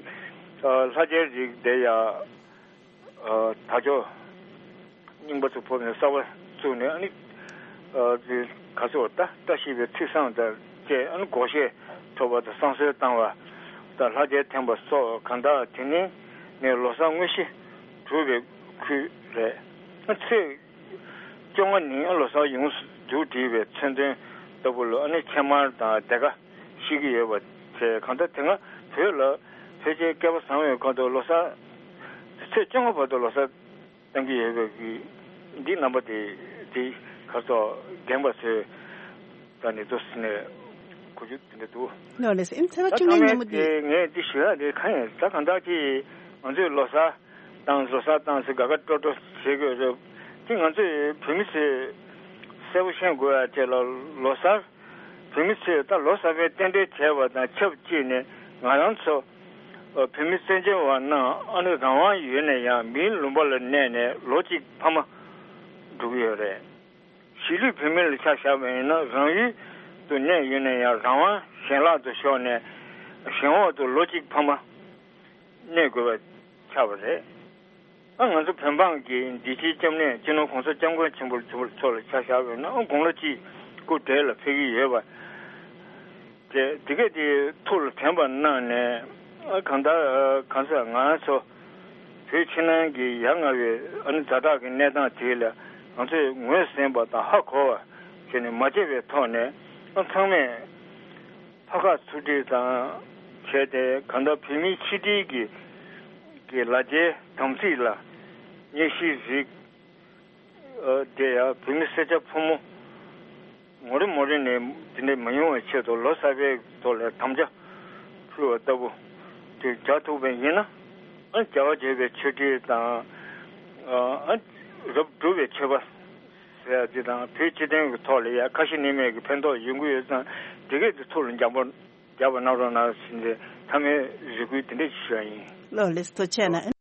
ལྷ་རྒྱལ་རིགས་དེ་ཡང་། དར་ལྕོག་རྙིང་པ་ཚོ་ཕབ་ནས་གསར་པ་བཙུགས་ནས་ཨ་ནི་ག་ཚོད་ད་བཀྲ་ཤིས་པའི་ཚིག་བཟང་དང་བཅས་ཨ་ནི་སྒོར་གཞས་འཁྲབ་པ་དང་བསང་གསོལ་བཏང་བ་དང་ལྷ་རྒྱལ་འཐེན་པ་སོགས་གང་དག་དེ་ནི་ནས་ལོ་གསར་དངོས་གཞི་གྲུབ་པའི་ཁུལ་རེད། ཨ་ཚེས་བཅོ་ལྔ་ཉིན་ལོ་གསར་ཡོངས་སུ་བསྡུ་བསྒྲིགས་པའི་མཚོན་དོན་ལྟ་བུ་ལ་ཨ་ནི་ཕྱེ་མར་དང་སྡེར་ཁ་བཤིག་གི་ཡོད་པ་བཅས་གང་ལྟར་དེ་སྔ་བོད་ལ་ཕལ་ཆེར་བསྐལ་པ་བཟང་བའི་ཁ་ཐོག་ལོ་གསར་ཚེས་བཅོ་ལྔ་བར་དུ་ལོ་གསར་གཏོང་གི་ཡོད་པའི་གི་འདི་རྣམ་པ་དེ་དེ་ག་ཚོད་རྒན་པ་ཚོས་ད་ནི་ཚོ་ཟིན་ནས་གོ་རྒྱུ་དེ་འདྲ་འདུག་ལགས་ལགས་སེ། ཨིམ་ཚེ་བ་ད་བཅུ་ལྔ་ཚང་མས་ཉིན་མོ་དེ་འདི། ངས་འདི་ཞུ་ཡ་དེ་གང་ཡིན་ད་གང་ལྟར་གྱི་ང་ཚོས་ལོ་གསར་བཏང་ལོ་གསར་བཏང་ཟེར་དགའ་དགའ་སྤྲོ་སྤྲོ་བྱེད་དགོས་རེད། དེ་ང་ཚོས་བོད་མི་ཚོས་གསལ་པོ་ཤེས་དགོས་ཡ་དེ་ལ་ལོ་གསར་བོད་མི་ཚོས་ད་ལོ་གསར་པའི་རྟེན་འབྲེལ་བྱས་པ་དང་ཆབས་ཅིག་ནས་ང་རང་ཚོ་བོད་མི་བཙན་བྱོལ་བ་རྣམས་ཨ་ནི་རང་དབང་ཡོད་ན་ཡང་མིའི་ལུང་པ་ལ་གནས་ནས་ལོ་གཅིག་ཕ་མ་འགྲོ་གི་ཡོད་རེད། གཞིས་ལུས་བོད་མི་ལ་ཆ་བཞག་པ་ཡིན་ན་རང་ཡུལ་དུ་གནས་ཡོད་ན་ཡང་རང་དབང་གཞན་ལག་ཏུ་ཤོར་ནས་གཞན་འོག་ཏུ་ལོ་གཅིག་ཕ་མ་གནས་དགོས་པ་ཆགས་པ་རེད། ཨ་ང་ཚོ་བོད་འབངས་ཀྱི་འདི་ཕྱིའི་སྐྱབས་གནས་སྤྱི་ནོར་༸གོང་ས་༸སྐྱབས་མགོན་ཆེན་པོ་མཆོག་ལ་ཆ་བཞག་པ་ཡིན་ན་ཨ་དགུང་ལོ་གཅིག་སྐུ་བགྲེས་ལ་ཕེབས་ཀྱི་ཡོད་པ། དེ་དེ་གས་དེ་ཐུགས་ལ་དྲན་པ་གནང་ནས་ཨ་གང་ལྟར་གང་ཟེར་ང་ཚོ་བོད་ཕྱི་ནང་གི་ཡ་ང་བའི་ཨ་ནི་ཛ་དྲག་གི་གནས་སྟངས་དེ་ལ་ང་ཚོས་ངོས་ཟིན་པ་དང་ཧ་གོ་བ་བྱས་ནས་མ་བརྗེད་པའི་ཐོག་ནས་ཨ་ཚང་མས་ཕ་ཁ་ཚུར་སྒྲིལ་དང་བྱས་ཏེ་གང་ལྟར་བོད་མིའི་ཆིག་སྒྲིལ་གྱི་གི་ལ་རྒྱའི་དམ་ཚིག་ལ་སྙེག་བཞིའི་རིགས། དེ་ཡང་བོད་མི་སེར་སྐྱ་ཕོ་མོ་ངོ་རེ་མོ་རེ་ནས་དེ་འདྲ་མ་ཡོང་བའི་ཆེད་དུ་ལོ་གསར་པའི་ཐོག་ལ་དམ་བཅའ་ཕུལ་བ་ལྟ་བུ་དེ་རྒྱག་ཐུབ་པ་ཡིན་ན་ཨ་རྒྱལ་བ་དགྱེས་པའི་ཆོས་སྒྲིག་དང་ཨ་རབ་སྒྲུབ་པའི་མཆོད་པ་ཟེར་ཡ་དེ་དང་བོད་སྤྱི་དོན་གྱི་ཐོག་ལ་ཡ་ཁ་ཞེ་གནས་མེད་ཀྱི་ཕན་ཐོགས་ཡོང་གི་ཡོད་ཙང་དེ་གས་དེ་ཐུགས་ལ་འཇམ་པོ་རྒྱག་པ་གནང་རོགས་གནང་ཟེར་ནས་མཐའ་མའི་རེ་སྐུལ་དེ་འདྲ་ཞུ་ཡ་ཡིན། ལགས་ལགས་སོ། ཐུགས་རྗེ་ཆེ་གནང་།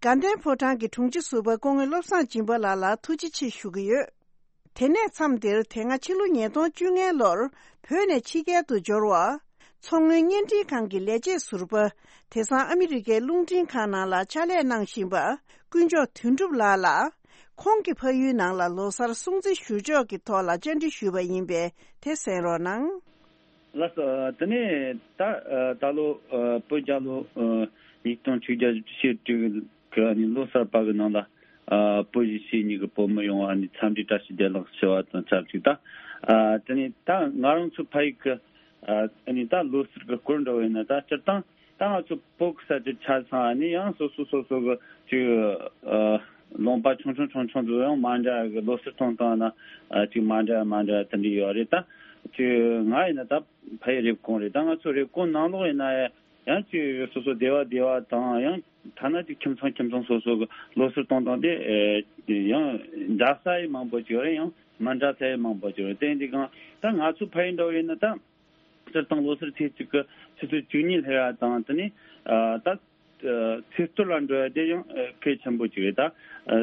དགའ་ལྡན་ཕོ་བྲང་གི་དྲུང་ཆེ་ཟུར་པ་སྐུ་ངོ་བློ་བཟང་སྦྱིན་པ་ལགས་ལ་ཐུགས་རྗེ་ཆེ་ཞུ་གི་ཡོད། དེ་ནས་མཚམས་འདིར་དེ་སྔ་ཕྱི་ལོ་ཉིས་སྟོང་བཅོ་ལྔ་ལོར་བོད་ནས་ཕྱི་རྒྱལ་དུ་འབྱོར་བ། མཚོ་སྔོན་བརྙན་འཕྲིན་ཁང་གི་ལས་བྱེད་ཟུར་པ། དེང་སང་ཨ་མི་རི་ཀའི་རླུང་འཕྲིན་ཁང་ནང་ལ་ཕྱག་ལས་གནང་བཞིན་པ། དཀོན་མཆོག་དོན་གྲུབ་ལགས་ལ། ཁོང་གི་ཕ་ཡུལ་ནང་ལ་ལོ་གསར་སྲུང་བརྩི་ཞུ་ཕྱོགས་ཀྱི་ཐོག་ལ་བཅར་འདྲི་ཞུས་པ་ཡིན་པས་དེ་གསན་རོགས་གནང་། ལགས་སོ། དེ་ནས་ད་ད་ལོ་བོད་རྒྱལ་ལོ་ཉིས་སྟོང་ཆིག་བརྒྱ་བཞི་བཅུ་ཞེ་དྲུག་གི་ལོ་གསར་པ་གི་ནང་ལ་བོད་གཞིས་བྱེས་གཉིས་ཀྱི་བོད་མི་ཡོངས་ལ་འཚམས་འདྲི་བཀྲ་ཤིས་བདེ་ལེགས་ཞུ་བ་དང་ཆབས་ཅིག་ད་དེ་ནས་ད་ང་རང་ཚོ་ཕ་ཡུལ་གི་ད་ལོ་གསར་གི་སྐོར་འདྲ་བོ་ཡིན་ན་ད་སྤྱིར་བཏང་ ད་ང་ཚོ་བོད་ཀྱི་ས་ཆ་ཆ་ཚང་ནི་ཡང་སོ་སོ་སོ་སོ་གི་ཅིག་ཨ་ལུང་པ་ཆུང་ཆུང་ཆུང་ཆུང་དུ་ཡང་མ་འདྲ་གི་ལོ་གསར་གཏོང་སྟངས་ན་ཨ་ཅིག་མ་འདྲ་མ་འདྲ་དེ་འདྲ་ཡོད་རེད། ད་ཅིག་ང་ཡིན་ན་ད་ཕ་ཡི་རེབ་གོང་རེད། ད་ང་ཚོ་རེབ་གོང་ནང་ལོགས་ཡིན་ན་ཡང་ཅིག་སོ་སོ་སྡེ་བ་སྡེ་བ་དང་ཡང་ཐ་ན་ཅིག་ཁྱིམ་ཚང་ཁྱིམ་ཚང་སོ་སོ་གི་ལོ་གསར་གཏོང་སྟངས་དེ་ཨེ་ཡང་འདྲ་ས་ཡི་མང་པོ་ཅིག་ཡོད་རེད། ཡང་མ་འདྲ་ས་ཡི་མང་པོ་ཅིག་ཡོད་རེད། དེ་འདི་གང་ད་ང་ཚོ་ཕ་ཡི་འདྲ་བོ་ཡིན་ན་ད། སྤྱིར་བཏང་ལོ་གསར་ཚེས་གཅིག་གི་ཆུ་ཚོད་བཅུ་གཉིས་སླེབས་ཡ་དང་དེ་ནས་ཨ་ད་ཨ་ཚེས་གཏོར་ལ་འགྲོ་ཡ་དེ་ཡང་ཨ་གལ་ཆེན་པོ་ཅིག་རེད། ད་ཨ་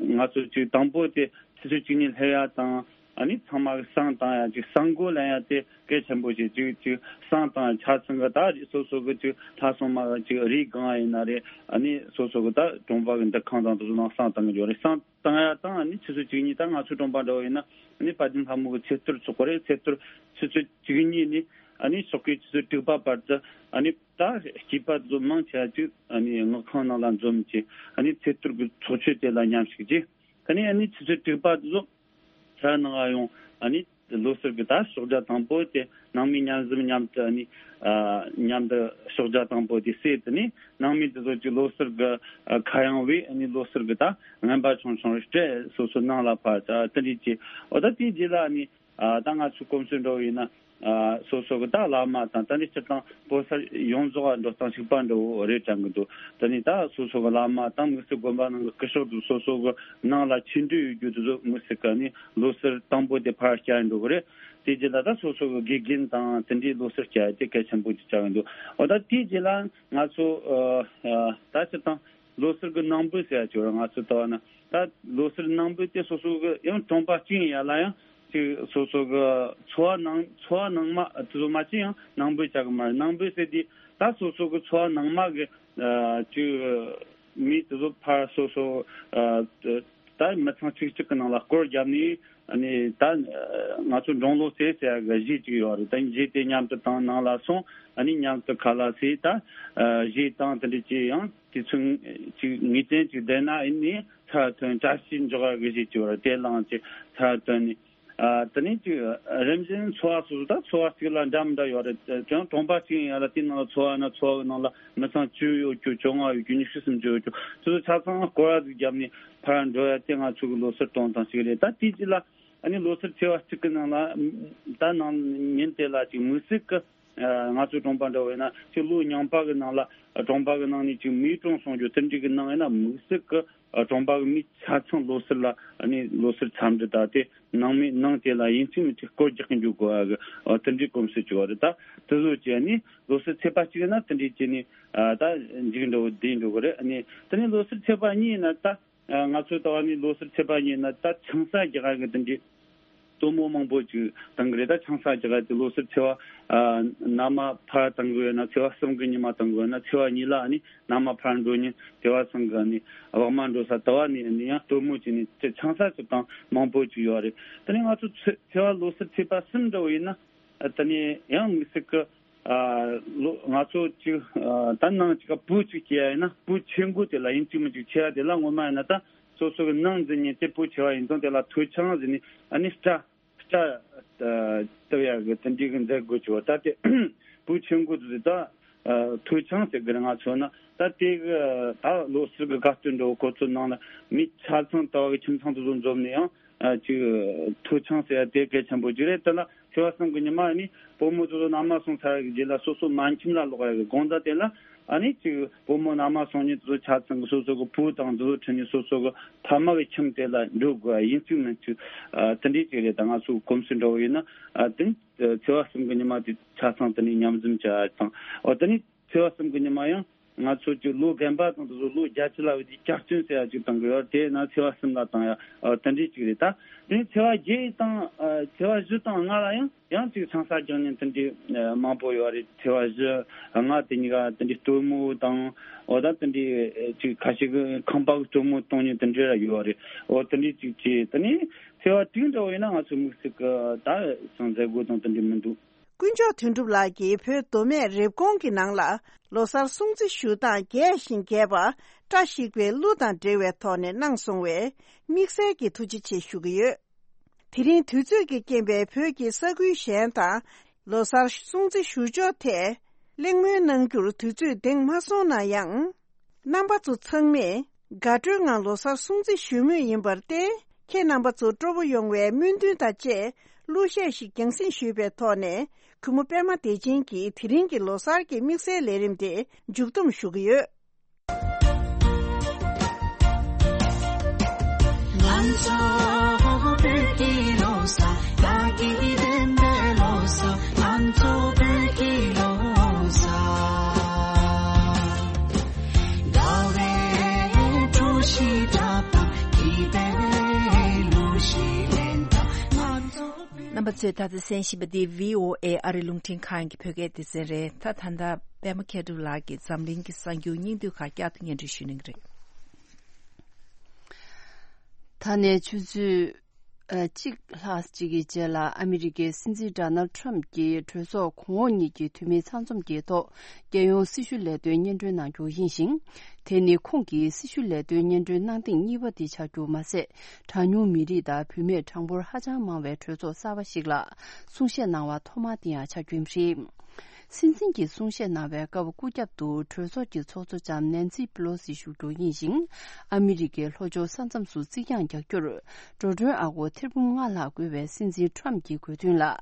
ང་ཚོ་ཅིག་དང་པོ་དེ་ཆུ་ཚོད་བཅུ་གཉིས་སླེབས་ཡ་དང་ཨ་ནི་ཚང་མ་གི་བསང་བཏང་ཡ་ཅིག་བསང་སྒོ་ལེན་ཡ་དེ་གལ་ཆེན་པོ་ཅིག་ཅིག་ཅིག་བསང་བཏང་ཡ་ཆ་ཚང་གི་ད་རེས་སོ་སོ་གི་ཅིག་ལྷ་སྲུང་མ་ཅིག་རིའི་སྒང་ཡིན་ན་རེད། ཨ་ནི་སོ་སོ་གི་ད་གྲོང་པ་གི་འདུ་ཁང་དང་དེ་ཚོ་ནང་བསང་བཏང་གི་ཡོད་རེད། བསང་བཏང་ཡ་དང་ཨ་ནི་ཆུ་ཚོད་བཅུ་གཉིས་ད་ང་ཚོའི་གྲོང་པ་འདྲ་བོ་ཡིན་ན་ཨ་ནི་དཔལ་ལྡན་ལྷ་མོ་གི་ཚེས་གཏོར་ཚོགས་པ་རེད། ཚེས་གཏོར་ཆུ་ཚོད་བཅུ་གཉིས་ནས་ཨ་ནི་ཕྱོགས་ཀའི་ཆུ་ཚོད་དྲུག་པ་བར་དུ་ཨ་ནི་ད་སྐྱེས་པ་ཚོ་མང་ཆེ་བ་ཅིག་ཨ་ནི་སྔགས་ཁང་ནང་ལ་འཛོམས་ཀྱི་ཨ་ནི་ཚེས་གཏོར་གྱི་ཚོགས་མཆོད་དེ་ལ་མཉམ་ཞུགས་ཀྱིས་ཨ་ནི་ཨ་ནི་ཆུ་ཚོད་དྲུག་པ་ཚོ་ས་ནང་ཡོང་ཨ་ནི་ལོ་གསར་གྱི་ད་ཕྱག་རྒྱ་དང་པོ་དེ་ནང་མི་མཉམ་འཛོམས་མཉམ་དུ་ཨ་ནི་ཨ་མཉམ་དུ་ཕྱག་རྒྱ་དང་པོ་དེ་བསྲེས། དེ་ནས་ནང་མི་དེ་ཚོ་ཅིག་ལོ་གསར་གྱི་ཨ་ཁ་གཡང་བས་ཨ་ནི་ལོ་གསར་གྱི་ད་རྔན་པ་ཆུང་ཆུང་སྤྲད། སོ་སོ་ནང་ལ་ཕར་ད་དེ་འདྲས་ཀྱི་འོ་ད་དེའི་རྗེས་ལ་ནི་ཨ་ད་ང་ཚོའི་གོམས་སྲོལ་འདྲ་བོ་ཡིན་ན་ཨ་སོ་སོ་གི་ད་བླ་མ་དང་ད་ནི་སྤྱིར་བཏང་བོད་ས་ཡོངས་རྫོགས་འགྲོ་སྟངས་གཅིག་པ་འདྲ་བོ་རེད་དྲན་གི་འདུག་ད་ནི་ད་སོ་སོ་གི་བླ་མ་དང་དམིགས་བསལ་དགོན་པ་ནང་གི་སྐུ་ཞབས་དང་སོ་སོ་གི་ནང་ལ་ཆོས་འབྲེལ་ཡོད་རྒྱུ་དེ་ཚོ་དམིགས་བསལ་གི་ནི་ལོ་གསར་དང་པོ་དེ་ཕར་བསྐྱལ་འགྲོ་གི་རེད། དེ་རྗེས་ལ་ད་སོ་སོ་གི་དགེ་རྒན་དང་དེ་འདྲའི་ལོ་གསར་བསྐྱལ་དེ་གལ་ཆེན་པོ་ཅིག་ཆགས་ཀྱི་འདུག་འོ་ད་དེའི་རྗེས་ལ་ང་ཚོ་ཨ་ཨ་ད་སྤྱིར་བཏང་ལོ་གསར་གི་ནང་འབུལ་ཟེར་ཡ་ཅིག་ཡོད་རེད། ང་ཚོ་ལྟ་བ་ན་ད་ལོ་གསར་ནང་འབུལ་དེ་སོ་སོ་གི་ཡང་གྲོང་པ་གཅིག་ཡིན་ཡ་ལ་ཡང་ཅིག་སོ་སོ་གི་འཚོ་བ་ནང་འཚོ་བ་ནང་མ་དེ་ཚོ་མ་ཅིག་ཡང་ནང་འབུལ་བྱ་གི་མ་རེད། ནང་འབུལ་ཟེར་དུས་ད་སོ་སོ་གི་འཚོ་བ་ནང་མ་གི་ཨ་ཅིག་མི་དེ་ཚོ་ཕར་སོ་སོ་ཨ་ད་མི་ཚང་གཅིག་གཅིག་གི་ནང་ལ་སྐོར་བརྒྱབ་ནས་ཨ་ནི་ད་ང་ཚོ་འབྲོང་ལོ་ཟེར་ཟེར་ཡ་གི་གཞས་ཅིག་ཡོད་རེད། ད་གཞས་དེ་མཉམ་དུ་བཏང་ནང་ལ་སོང་ཨ་ནི་མཉམ་དུ་ཁ་ལག་ཟས་ད་ཨ་གཞས་བཏང་དེ་འདྲ་ཅིག་ཡང་དུས་ཚོད་ཅིག་ངེས་ཅན་ཅིག་བསྡད་ན་ཨ་ནི་ཚར་ཐོན་བཀྲ་ཤིས་འཇོག་ཡ་གི་གཞས་ཅིག་ཡོད་རེད། དེ་བླངས་ཅིག་ཚར་ཐོན་ནས་ཨ་དེ་ནས་ཅིག་རིམ་བཞིན་འཚོ་བ་སོ་སོ་ད་འཚོ་བ་གཅིག་ལ་འདྲ་མི་འདྲ་ཡོད་རེད། ཀྱང་གྲོང་པ་གཅིག་ཡིན་ཡ་ལ་དེའི་ནང་ལ་འཚོ་བ་ན་འཚོ་བ་གི་ནང་ལ་མི་ཚང་བཅུ་ཡོད་རྒྱུ་བཅོ་ལྔ་ཡོད་རྒྱུ་ཉི་ཤུ་སུམ་ཅུ་ཡོད་རྒྱུ་དེ་ཚོ་ཆ་ཚང་སྐོར་ར་ཟིག་བརྒྱབ་ནས་ཕར་འགྲོ་ཡ་དེ་ང་ཚོ་གི་ལོ་གསར་གཏོང་སྟངས་ཤིག་རེད། ད་དེའི་རྗེས་ལ་ཨ་ནི་ལོ་གསར་ཚེས་པ་གཅིག་གི་ནང་ལ་ད་ནང་ཉིན་དེ་ལ་ཅིག་དམིགས་བསལ་གི་ཨ་ང་ཚོའི་གྲོང་པ་འདྲ་བོ་ཡིན་ན་ཅིག་ལོ་རྙིང་པ་གི་ནང་ལ་གྲོང་པ་གི་ནང་ནས་ཅིག་མེ་སྲུང་གསུང་རྒྱུ་དེ་འདྲ་གི་ནང་ཡིན་ན་དམིགས་བསལ་གི་ཨ་གྲོང་པ་གི་མི་ཆ་ཚང་ལོ་གསར་ལ་ཨ་ནི་ལོ་གསར་འཚམས་འདྲི་དང་དེ་ནང་མི་ནང་དེ་ལ་ཡིན་གཅིག་མིན་གཅིག་སྐོར་རྒྱག་གི་འཇུག་དགོས་པ་གི་ཨ་དེ་འདྲའི་གོམས་སྲོལ་ཅིག་ཡོད་རེད། ད་དེ་ཚོ་བྱས་ནས་ལོ་གསར་ཚེས་པ་གཅིག་ཡིན་ན་དེ་འདྲའི་བྱས་ནས་ཨ་ད་འཇིག་འགྲོ་བསྡད་འགྲོ་གི་རེད། ཨ་ནི་དེ་ནས་ལོ་གསར་ཚེས་པ་གཉིས་ཡིན་ན་ད་ཨ་ང་ཚོ་ལྟ་བ་ནི་ལོ་གསར་ཚེས་པ་གཉིས་ཡིན་ན་ད་ཆང་ས་རྒྱག་གི་དེ་འདྲའི་སྟོན་མོ་མང་པོ་ཅིག་བཏང་གི་རེད། ད་ཆང་ས་རྒྱག་ག་དེ་ལོ་གསར་ཚེས་པ་ཨ་ན་མ་ཕར་བཏང་གི་ཡོད་ན་ཚེས་པ་གསུམ་གི་ཉི་མ་བཏང་གི་ཡོད་ན་ཚེས་པ་གཉིས་ལ་ཨ་ནི་ན་མ་ཕར་འགྲོ་ཉིན་དེ་བ་ཚང་གི་ཨ་ནི་བག་མ་འགྲོ་ས་དེ་བ་ནི་ཨ་ནི་ཡང་སྟོན་མོ་ཅིག་ནི་དེ་ཆང་ས་ཅིག་བཏང་མང་པོ་ཅིག་ཡོད་རེད། དེ་ནི་ང་ཚོ་ཚེ་ཚེས་པ་ལོ་གསར་ཚེས་པ་གསུམ་འདྲ་བོ་ཡིན་ན་ཨ་དེ་ནི་ཡང་དམིགས་བསལ་གི་ཨ་ལོ་ང་ཚོ་ཅིག་ཨ་ད་ནང་ཅིག་ག་བུ་ཅིག་སྐྱེ་ཡ་ཡིན་ན་བུ་ཆེ་འགོ་དེ་ལ་ཡིན་གཅིག་མིན་གཅིག་ཆེ་ཡ་དེ་ལ་ངོ་མ་ཡིན་ན་ད་སོ་སོ་གི་ནང་འཛིན་ཉིན་དེ་བུ་ཆེ་བ་ཡིན་ཙང་དེ་ལ་ཐོད་ཆང་ཟེར་ནས་ཨ་ནི་སྐྲ་སྐྲ་བཏབ་ཡ་གི་དེ་འདྲའི་གི་མཛད་སྒོ་ཅིག་བ། ད་དེ་བུ་ཆེ་འགོ་དེ་ད་ཐོད་ཆང་ཟེར་གི་རེད། ང་ཚོ་ན་ད་དེ་གི་ད་ལོ་གསར་གི་དགའ་སྟོན་འདྲ་བོ་ཁོ་ཚོ་ནང་ལ་མི་ཆ་ཚང་ལྟ་བ་གི་ཁྱིམ་ཚང་དེ་ཚོ་འཛོམས་ནས་ཡང་ཨ་ཅིག་ཐོད་ཆང་ཟེར་ཡ་དེ་གལ་ཆེན་པོ་ཅིག་རེད། དེ་ལ་ཚེས་པ་གསུམ་གི་ཉི་མ་ནི་བུ་མོ་ཚོ་ཚོ་མནའ་མ་སོང་ཚར་གི་རྗེས་ལ་སོ་སོ་མ་ཁྱིམ་ལ་ལོག་ཡ་གི་དགོང་དག་དེ་ལ་ཨ་ནི་ཅིག་བུ་མོ་མནའ་མ་སོང་ཉིན་དེ་ཚོ་ཆ་ཚང་གི་སོ་སོ་གི་བུ་དང་དེ་ཚོ་ཁྲིད་ནས་སོ་སོ་གི་ཕ་མ་གི་ཁྱིམ་དེ་ལ་འགྲོ་དགོས་ཡ་ཡིན་གཅིག་མིན་གཅིག་ཨ་དེ་འདྲའི་ཅིག་རེད། ད་ང་ཚོ་གོམས་སྲོལ་འདྲ་བོ་ཡིན་ན་ཨ་དེ་ཚེས་པ་གསུམ་གི་ཉི་མ་དེ་ཆ་ཚང་དེ་ནས་མཉམ་འཛོམས་བྱ་ཡ་དང་འོ་དེ་ནས། ཚེས་པ་གསུམ་གྱི་ཉི་མ་ཡང་ང་ཚོ་གི་ལོ་རྒན་པ་དང་དེ་ཚོ་ལོ་བརྒྱད་ཅུ་ལ་བའི་དུས་སྐྱག་རྫུན་ཟེར་ཡ་ཅིག་བཏང་གི་ཡོད། དེ་ན་ཚེས་པ་གསུམ་ལ་བཏང་ཡ་ཨ་དེ་འདྲའི་ཅིག་རེད། ད་དེ་ཚེས་པ་བརྒྱད་དང་ཨ་ཚེས་པ་བཞི་དང་ལྔ་ལ་ཡང་ཡང་ཅིག་ཆང་ས་རྒྱག་མཁན་དེ་འདྲའི་ཨ་མང་པོ་ཡོད་རེད། ཚེས་པ་བཞི་ལྔ་དེ་གཉིས་ཀ་དེ་འདྲའི་སྟོན་མོ་དང་འོ་ད་དེ་འདྲའི་ཅིག་ཁ་ཤས་ཀྱི་ཁང་པ་གི་སྟོན་མོ་གཏོང་མཁན་དེ་འདྲ་ཡོད་རེད། འོ་དེ་འདྲའི་ཅིག་བྱས་དེ་ནས་ཚེས་པ་དྲུག་འདྲ་བོ་ཡིན་ན་ང་ཚོ་དམིགས་བསལ་གི་ད་ཅང་མཛད་སྒོ་དང་དེ་འདྲ་མི་འདུག་དཀོན་མཆོག་དོན་གྲུབ་ལགས་ཀྱིས་བོད་མདོ་སྨད་རེབ་གོང་གི་ནང་ལ་ལོ་གསར་སྲུང་བརྩི་ཞུ་སྟངས་རྒྱས་ཤིང་རྒྱས་པ་བཀྲ་ཤིས་པའི་གླུ་དང་འབྲེལ་བའི་ཐོག་ནས་གནང་སོང་བས་དམིགས་བསལ་གྱི་ཐུགས་རྗེ་ཆེ་ཞུ་གི་ཡོད། དེ་རིང་དུས་ཚོད་ཀྱི་རྐྱེན་པས་བོད་ཀྱི་ས་ཁུལ་གཞན་དང་ལོ་གསར་སྲུང་བརྩི་ཞུ་ཕྱོགས་ཐད་ གླེང་མོལ་གནང་རྒྱུར་དུས་ཚོད་འདེང་མ་སོང་ན་ཡང་། རྣམ་པ་ཚོ་ཚང་མས་དགའ་སྤྲོའི་ངང་ལོ་གསར་སྲུང་བརྩི་ཞུ་མུས་ཡིན་པར་བརྟེན། ཁྱེད་རྣམ་པ་ཚོ་སྤྲོ་པོ་ཡོང་བའི་སྨོན་འདུན་དང་བཅས། གླུ་གཞས་ཤིག་རྒྱང་སྲིང་ཞུས་པའི་ཐོག་ནས། གུས་མོ་པད་མ་བདེ་ཆེན་གྱིས་དེ་རིང་གི་ལོ་གསར་གྱི་དམིགས་བསལ་ལས་རིམ་དེ་མཇུག་བསྡོམས་ཞུ་གི་ཡོད། རྣམ་པ་ཚོས་ད་ལྟ་གསན་བཞིན་པ་འདི་བྷི་ཨོ་ཨེ་ཨ་རི་རླུང་འཕྲིན་ཁང་གི་བོད་སྐད་སྡེ་ཚན་རེད། ད་ད་ལྟ་པད་མ་མཁས་གྲུབ་ལགས་ཀྱིས་འཛམ་གླིང་གི་གསར་འགྱུར་སྙིང་བསྡུས་ཁག་བསྐྱར་དུ་སྙན་སྒྲོན་ཞུ་གནང་གི་རེད། ད་ནས་ཆུ་ཚོད་ཨ་གཅིག་ལྷག་ཅིག་གི་རྗེས་ལ་ཨ་མི་རི་ཀའི་སྲིད་འཛིན་ཌོ་ནལ་ཊམ་གྱིས་གྲོས་ཚོགས་གོང་འོག་གཉིས་ཀྱི་འཐུས་མི་ཚང་འཛོམས་ཀྱི་ཐོག་རྒྱལ་ཡོངས་སྲི་ཞུ་ལས་དོན་སྙན་སྒྲོན་གནང་རྒྱུ་ཡིན་ཞིང་། དེ་ནི་ཁོང་གིས་སྲི་ཞུ་ལས་དོན་སྙན་སྒྲོན་གནང་ཐེངས་གཉིས་པ་དེ་ཆགས་རྒྱུ་མ་ཟད། གྲངས་ཉུང་མི་རིགས་དང་བུད་མེད་གྲངས་འབོར་ཧ་ཅང་མང་བའི་གྲོས་ཚོགས་གསར་པ་ཞིག་ལ་གསུང་བཤད་གནང་བ་ཐོག་མ་དེ་ཡང་ཆགས་རྒྱུ་ཡིན་པ་རེད། སྲིད་འཛིན་གྱིས་གསུང་བཤད་གནང་བའི་སྐབས་སྐུ་རྒྱབ་ཏུ་གྲོས་ཚོགས་ཀྱི་ཚོགས་གཙོ་ལྕམ་ནན་སི་པི་ལོ་སི་བཞུགས་རྒྱུ་ཡིན་ཞིང་། ཨ་མི་རི་ཀའི་ལྷོ་ཕྱོགས་ས་མཚམས་སུ་རྩིག་གྱང་རྒྱག་རྒྱུར་འགྲོ་གྲོན་ཨ་སྒོར་ཐེར་འབུམ་ལྔ་ལྷག་བཀོལ་བའི་སྲིད་འཛིན་ཊམ་གྱི་དགོས་འདུན་ལ།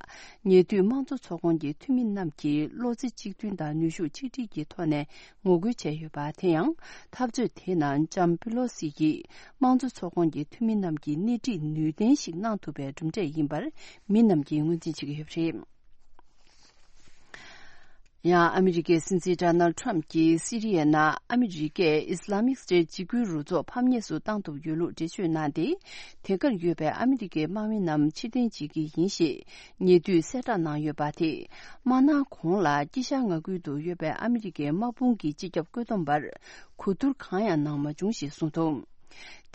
ཉེ་དུས་དམངས་གཙོ་ཚོགས་ཁོངས་ཀྱི་འཐུས་མི་རྣམས་ཀྱིས་བློ་རྩེ་གཅིག་མཐུན་དང་ནུས་ཤུགས་ཆིག་སྒྲིལ་གྱི་ཐོག་ནས་ངོ་རྒོལ་བྱས་ཡོད་པ། དེ་ཡང་འཐབ་རྩོད་དེའི་ནང་ལྕམ་པི་ལོ་སི་ཡིས་དམངས་གཙོ་ཚོགས་ཁོངས་ཀྱི་འཐུས་མི་རྣམས་ཀྱི་སྣེ་ཁྲིད་ནུས་ལྡན་ཞིག་གནང་ཐུབ་པའི་གྲུབ་འབྲས་ཡིན་པར་མི་རྣམས་ཀྱིས་ངོས་འཛིན་བྱེད་ཀྱི་ཡོད་པ་རེད། ཡང་ཨ་མི་རི་ཀའི་སྲིད་འཛིན་ཌོ་ནལ་ཊམ་གྱིས་སི་རི་ཡའི་ནང་ཨ་མི་རི་ཀས་ཨིས་ལ་མིག་སི་ཊེཊ་འཇིགས་སྐུལ་རུ་ཚོགས་ཕམ་ཉེས་སུ་བཏང་ཐུབ་ཡོད་ལུགས་འགྲེལ་བརྗོད་གནང་སྟེ། དེ་གར་ཡོད་པའི་ཨ་མི་རི་ཀའི་དམག་མི་རྣམས་ཕྱིར་འཐེན་བྱེད་ཀྱི་ཡིན་ཞེས་ཉེ་དུས་གསལ་བསྒྲགས་གནང་ཡོད་པ་དེ། དམག་སྣང་གོང་ལ་དཀྱིལ་ཤར་མངའ་ཁུལ་དུ་ཡོད་པའི་ཨ་མི་རི་ཀའི་དམག་དཔུང་གི་སྤྱི་ཁྱབ་བཀོད་འདོམས་པར་གོ་བསྡུར་གང་ཡང་གནང་མ་བྱུང་ཞེས་གསུངས་འདུག་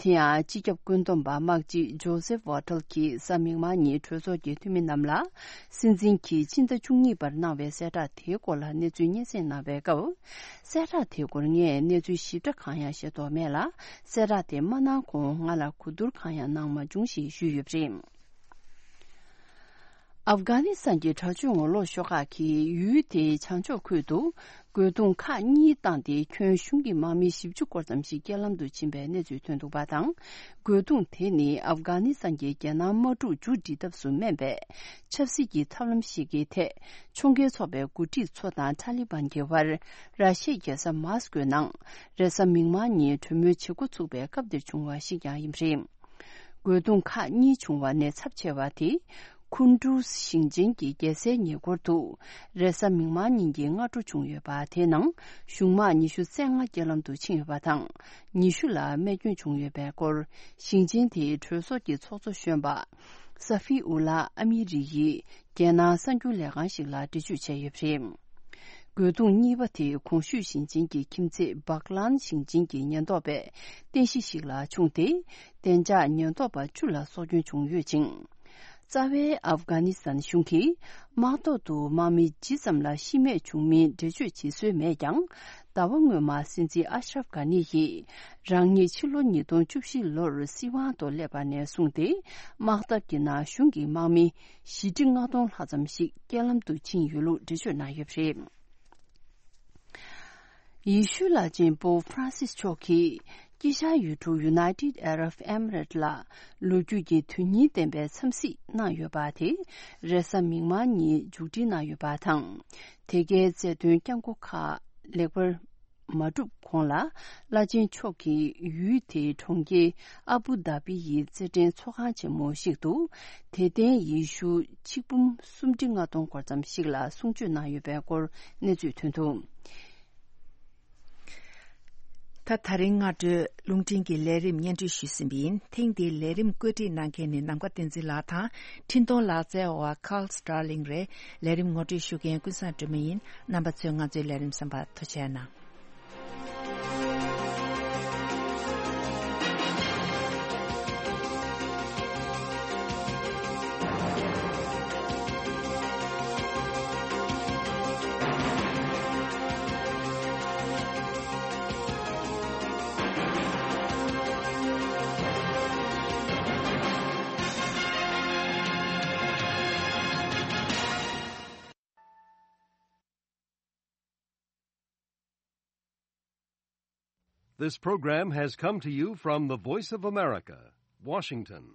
དེ་ཡང་སྤྱི་ཁྱབ་བཀོད་འདོམས་པ་དམག་སྤྱི་ཇོ་སེབ་ཝ་ཊལ་གྱིས་གཟའ་མིག་དམར་ཉིན་གྲོས་ཚོགས་ཀྱི་འཐུས་མི་རྣམས་ལ། སྲིད་འཛིན་གྱིས་ཕྱི་ཟླ་བཅུ་གཉིས་པར་གནང་བའི་གསལ་བསྒྲགས་དེའི་སྐོར་ལ་གནས་ཚུལ་སྙན་སེང་གནང་བའི་སྐབས། གསལ་བསྒྲགས་དེའི་སྐོར་ངས་གནས་ཚུལ་ཞིབ་ཕྲ་གང་ཡང་ཤེས་རྟོགས་མེད་ལ། གསལ་བསྒྲགས་དེ་མ་གནང་གོང་ང་ལ་གོ་བསྡུར་གང་ཡང་གནང་མ་བྱུང་ཞེས་ཞུས་ཡོད་པ་རེད། ཨབ་གྷ་ནི་སི་ཐན་གྱི་དྲག་སྤྱོད་ངོ་ལོག་ཤོག་ཁག་གིས་ཡུལ་དེའི་བྱང་ཕྱོགས་ཁུལ་དུ། རྒོལ་རྡུང་ཁག་གཉིས་བཏང་སྟེ། ཁྱོན་གཞུང་གི་དམག་མི་བཞི་བཅུ་སྐོར་ཙམ་ཞིག་རྐྱེན་ལམ་དུ་ཕྱིན་པའི་གནས་ཚུལ་ཐོན་འདུག་པ་དང་། རྒོལ་རྡུང་དེ་ནི་ཨབ་གྷ་ནི་སི་ཐན་གྱི་རྒྱལ་ནང་དམག་འཁྲུག་མཇུག་སྒྲིལ་ཐབས་སུ་སྨན་པའི་ཆབ་སྲིད་ཀྱི་ཐབས་ལམ་ཞིག་གི་ཐད། ཕྱོགས་འགལ་ཚོགས་པའི་འགོ་ཁྲིད་ཚོ་དང་ཐ་ལི་བན་གྱི་བར། ར་ཤི་ཡའི་རྒྱལ་ས་མཱ་སི་ཀོའི་ནང་རེས་གཟའ་མིག་དམར་ཉིན་གྲོས་མོལ་བྱེད་འགོ་ཚུགས་པའི་སྐབས་དེར་བྱུང་བ་ཞིག་ཀྱང་ཡིན་པ་རེད། རྒོལ་རྡུང་ཁག་གཉིས་བྱུང་བ་ནས་ཚབས་ཆེ་བ་དེ། ཁུན་ཀྲུའུ་ཞིང་ཆེན་གྱི་རྒྱལ་སའི་ཉེ་འཁོར་དུ། རེས་གཟའ་མིག་དམར་ཉིན་གྱི་སྔ་དྲོ་བྱུང་ཡོད་པ། དེའི་ནང་གཞུང་དམག་ཉི་ཤུ་རྩ་ལྔ་རྐྱེན་ལམ་དུ་ཕྱིན་ཡོད་པ་དང་། ཉི་ཤུ་ལ་རྨས་སྐྱོན་བྱུང་ཡོད་པའི་སྐོར། ཞིང་ཆེན་དེའི་གྲོས་ཚོགས་ཀྱི་ཚོགས་གཙོ་གཞོན་པ། ས་ཧྥི་ཨུ་ལ་ཨ་མི་རི་ཡིས། རྒྱལ་ནང་གསར་འགྱུར་ལས་ཁང་ཞིག་ལ་འགྲེལ་བརྗོད་བྱས་ཡོད་པ་རེད། རྒོལ་རྡུང་གཉིས་པ་དེ་གོང་ཞུས་ཞིང་ཆེན་གྱི་ཁྱིམ་མཚེས་སྦག་ལན་ཞིང་ཆེན་གྱི་ཉེན་རྟོག་པས་རྟེན་གཞི་ཞིག་ལ་བྱུང་སྟེ། བདེ་འཇགས་ཉེན་རྟོག་པ་བཅུ་ལ་སྲོག་སྐྱོན་བྱུང་ཡོད་ཅིང་། རྩ་བའི་ཨབ་གྷ་ནི་སི་ཐན་གཞུང་གིས་དམག་ཐོག་ཏུ་དམག་མི་ཇི་ཙམ་ལ་ཤི་རྨས་བྱུང་མིན་འགྲེལ་བརྗོད་བྱེད་སྲོལ་མེད་ཀྱང་། ཟླ་བ་སྔོན་མ་སྲིད་འཛིན་ཨ་ཤ་རབ་གྷ་ནི་ཡིས་རང་ཉིད་ཕྱི་ལོ་ཉིས་སྟོང་བཅུ་བཞི་ལོར་སྲིད་དབང་ཐོག་སླེབས་པ་ནས་བཟུང་སྟེ། དམག་འཐབ་ཀྱི་ནང་གཞུང་གི་དམག་མི་བཞི་ཁྲི་ལྔ་སྟོང་ལྷག་ཙམ་ཞིག་རྐྱེན་ལམ་དུ་ཕྱིན་ཡོད་ལུགས་འགྲེལ་བརྗོད་གནང་ཡོད་པ་རེད། ཡེ་ཤུའི་བླ་ཆེན་པོབ་ཧྥ་རན་སིས་མཆོག་གིས་དཀྱིལ་ཤར་ཡུལ་གྲུ་United Arab Emirates ལ་ལོ་རྒྱུས་ཀྱི་དོན་སྙིང་ལྡན་པའི་འཚམས་གཟིགས་གནང་ཡོད་པ་དེ་རེས་གཟའ་མིག་དམར་ཉིན་མཇུག་སྒྲིལ་གནང་ཡོད་པ་དང་། དེ་གའི་རྩ་དོན་བསྐྱངས་སྒོ་ཁག་ལེགས་པར་མ་གྲུབ་གོང་ལ། བླ་ཆེན་མཆོག་གིས་ཡུལ་དེའི་གྲོང་ཁྱེར་ཨ་བུ་དྷ་བི་ཡི་རྩེད་འགྲན་ཚོགས་ཁང་ཆེན་མོ་ཞིག་ཏུ། དད་ལྡན་ཡེ་ཤུ་ཆིག་འབུམ་སུམ་ཁྲི་ལྔ་སྟོང་སྐོར་ཙམ་ཞིག་ལ་གསུང་ཆོས་གནང་ཡོད་པའི་སྐོར་གནས་ཚུལ་ཐོན་འདུག་ད་ད་རིང་སྔ་དྲོའི་རླུང་འཕྲིན་གྱི་ལས་རིམ་སྙན་སྒྲོན་ཞུས་ཟིན་པ་ཡིན། ཐེངས་འདིའི་ལས་རིམ་བཀོད་སྒྲིག་གནང་མཁན་ནི་ནམ་མཁའ་བསྟན་འཛིན་ལགས་དང་། འཕྲིན་གཏོང་ལག་རྩལ་བ་Carl Starling རེད། ལས་རིམ་ངོ་སྤྲོད་ཞུ་མཁན་ཀུན་བཟང་སྒྲོལ་མ་ཡིན། རྣམ་པ་ཚོས་ང་ཚོའི་ལས་རིམ་གསན་པར་ཐུགས་རྗེ་གནང་། This program has come to you from the Voice of America, Washington.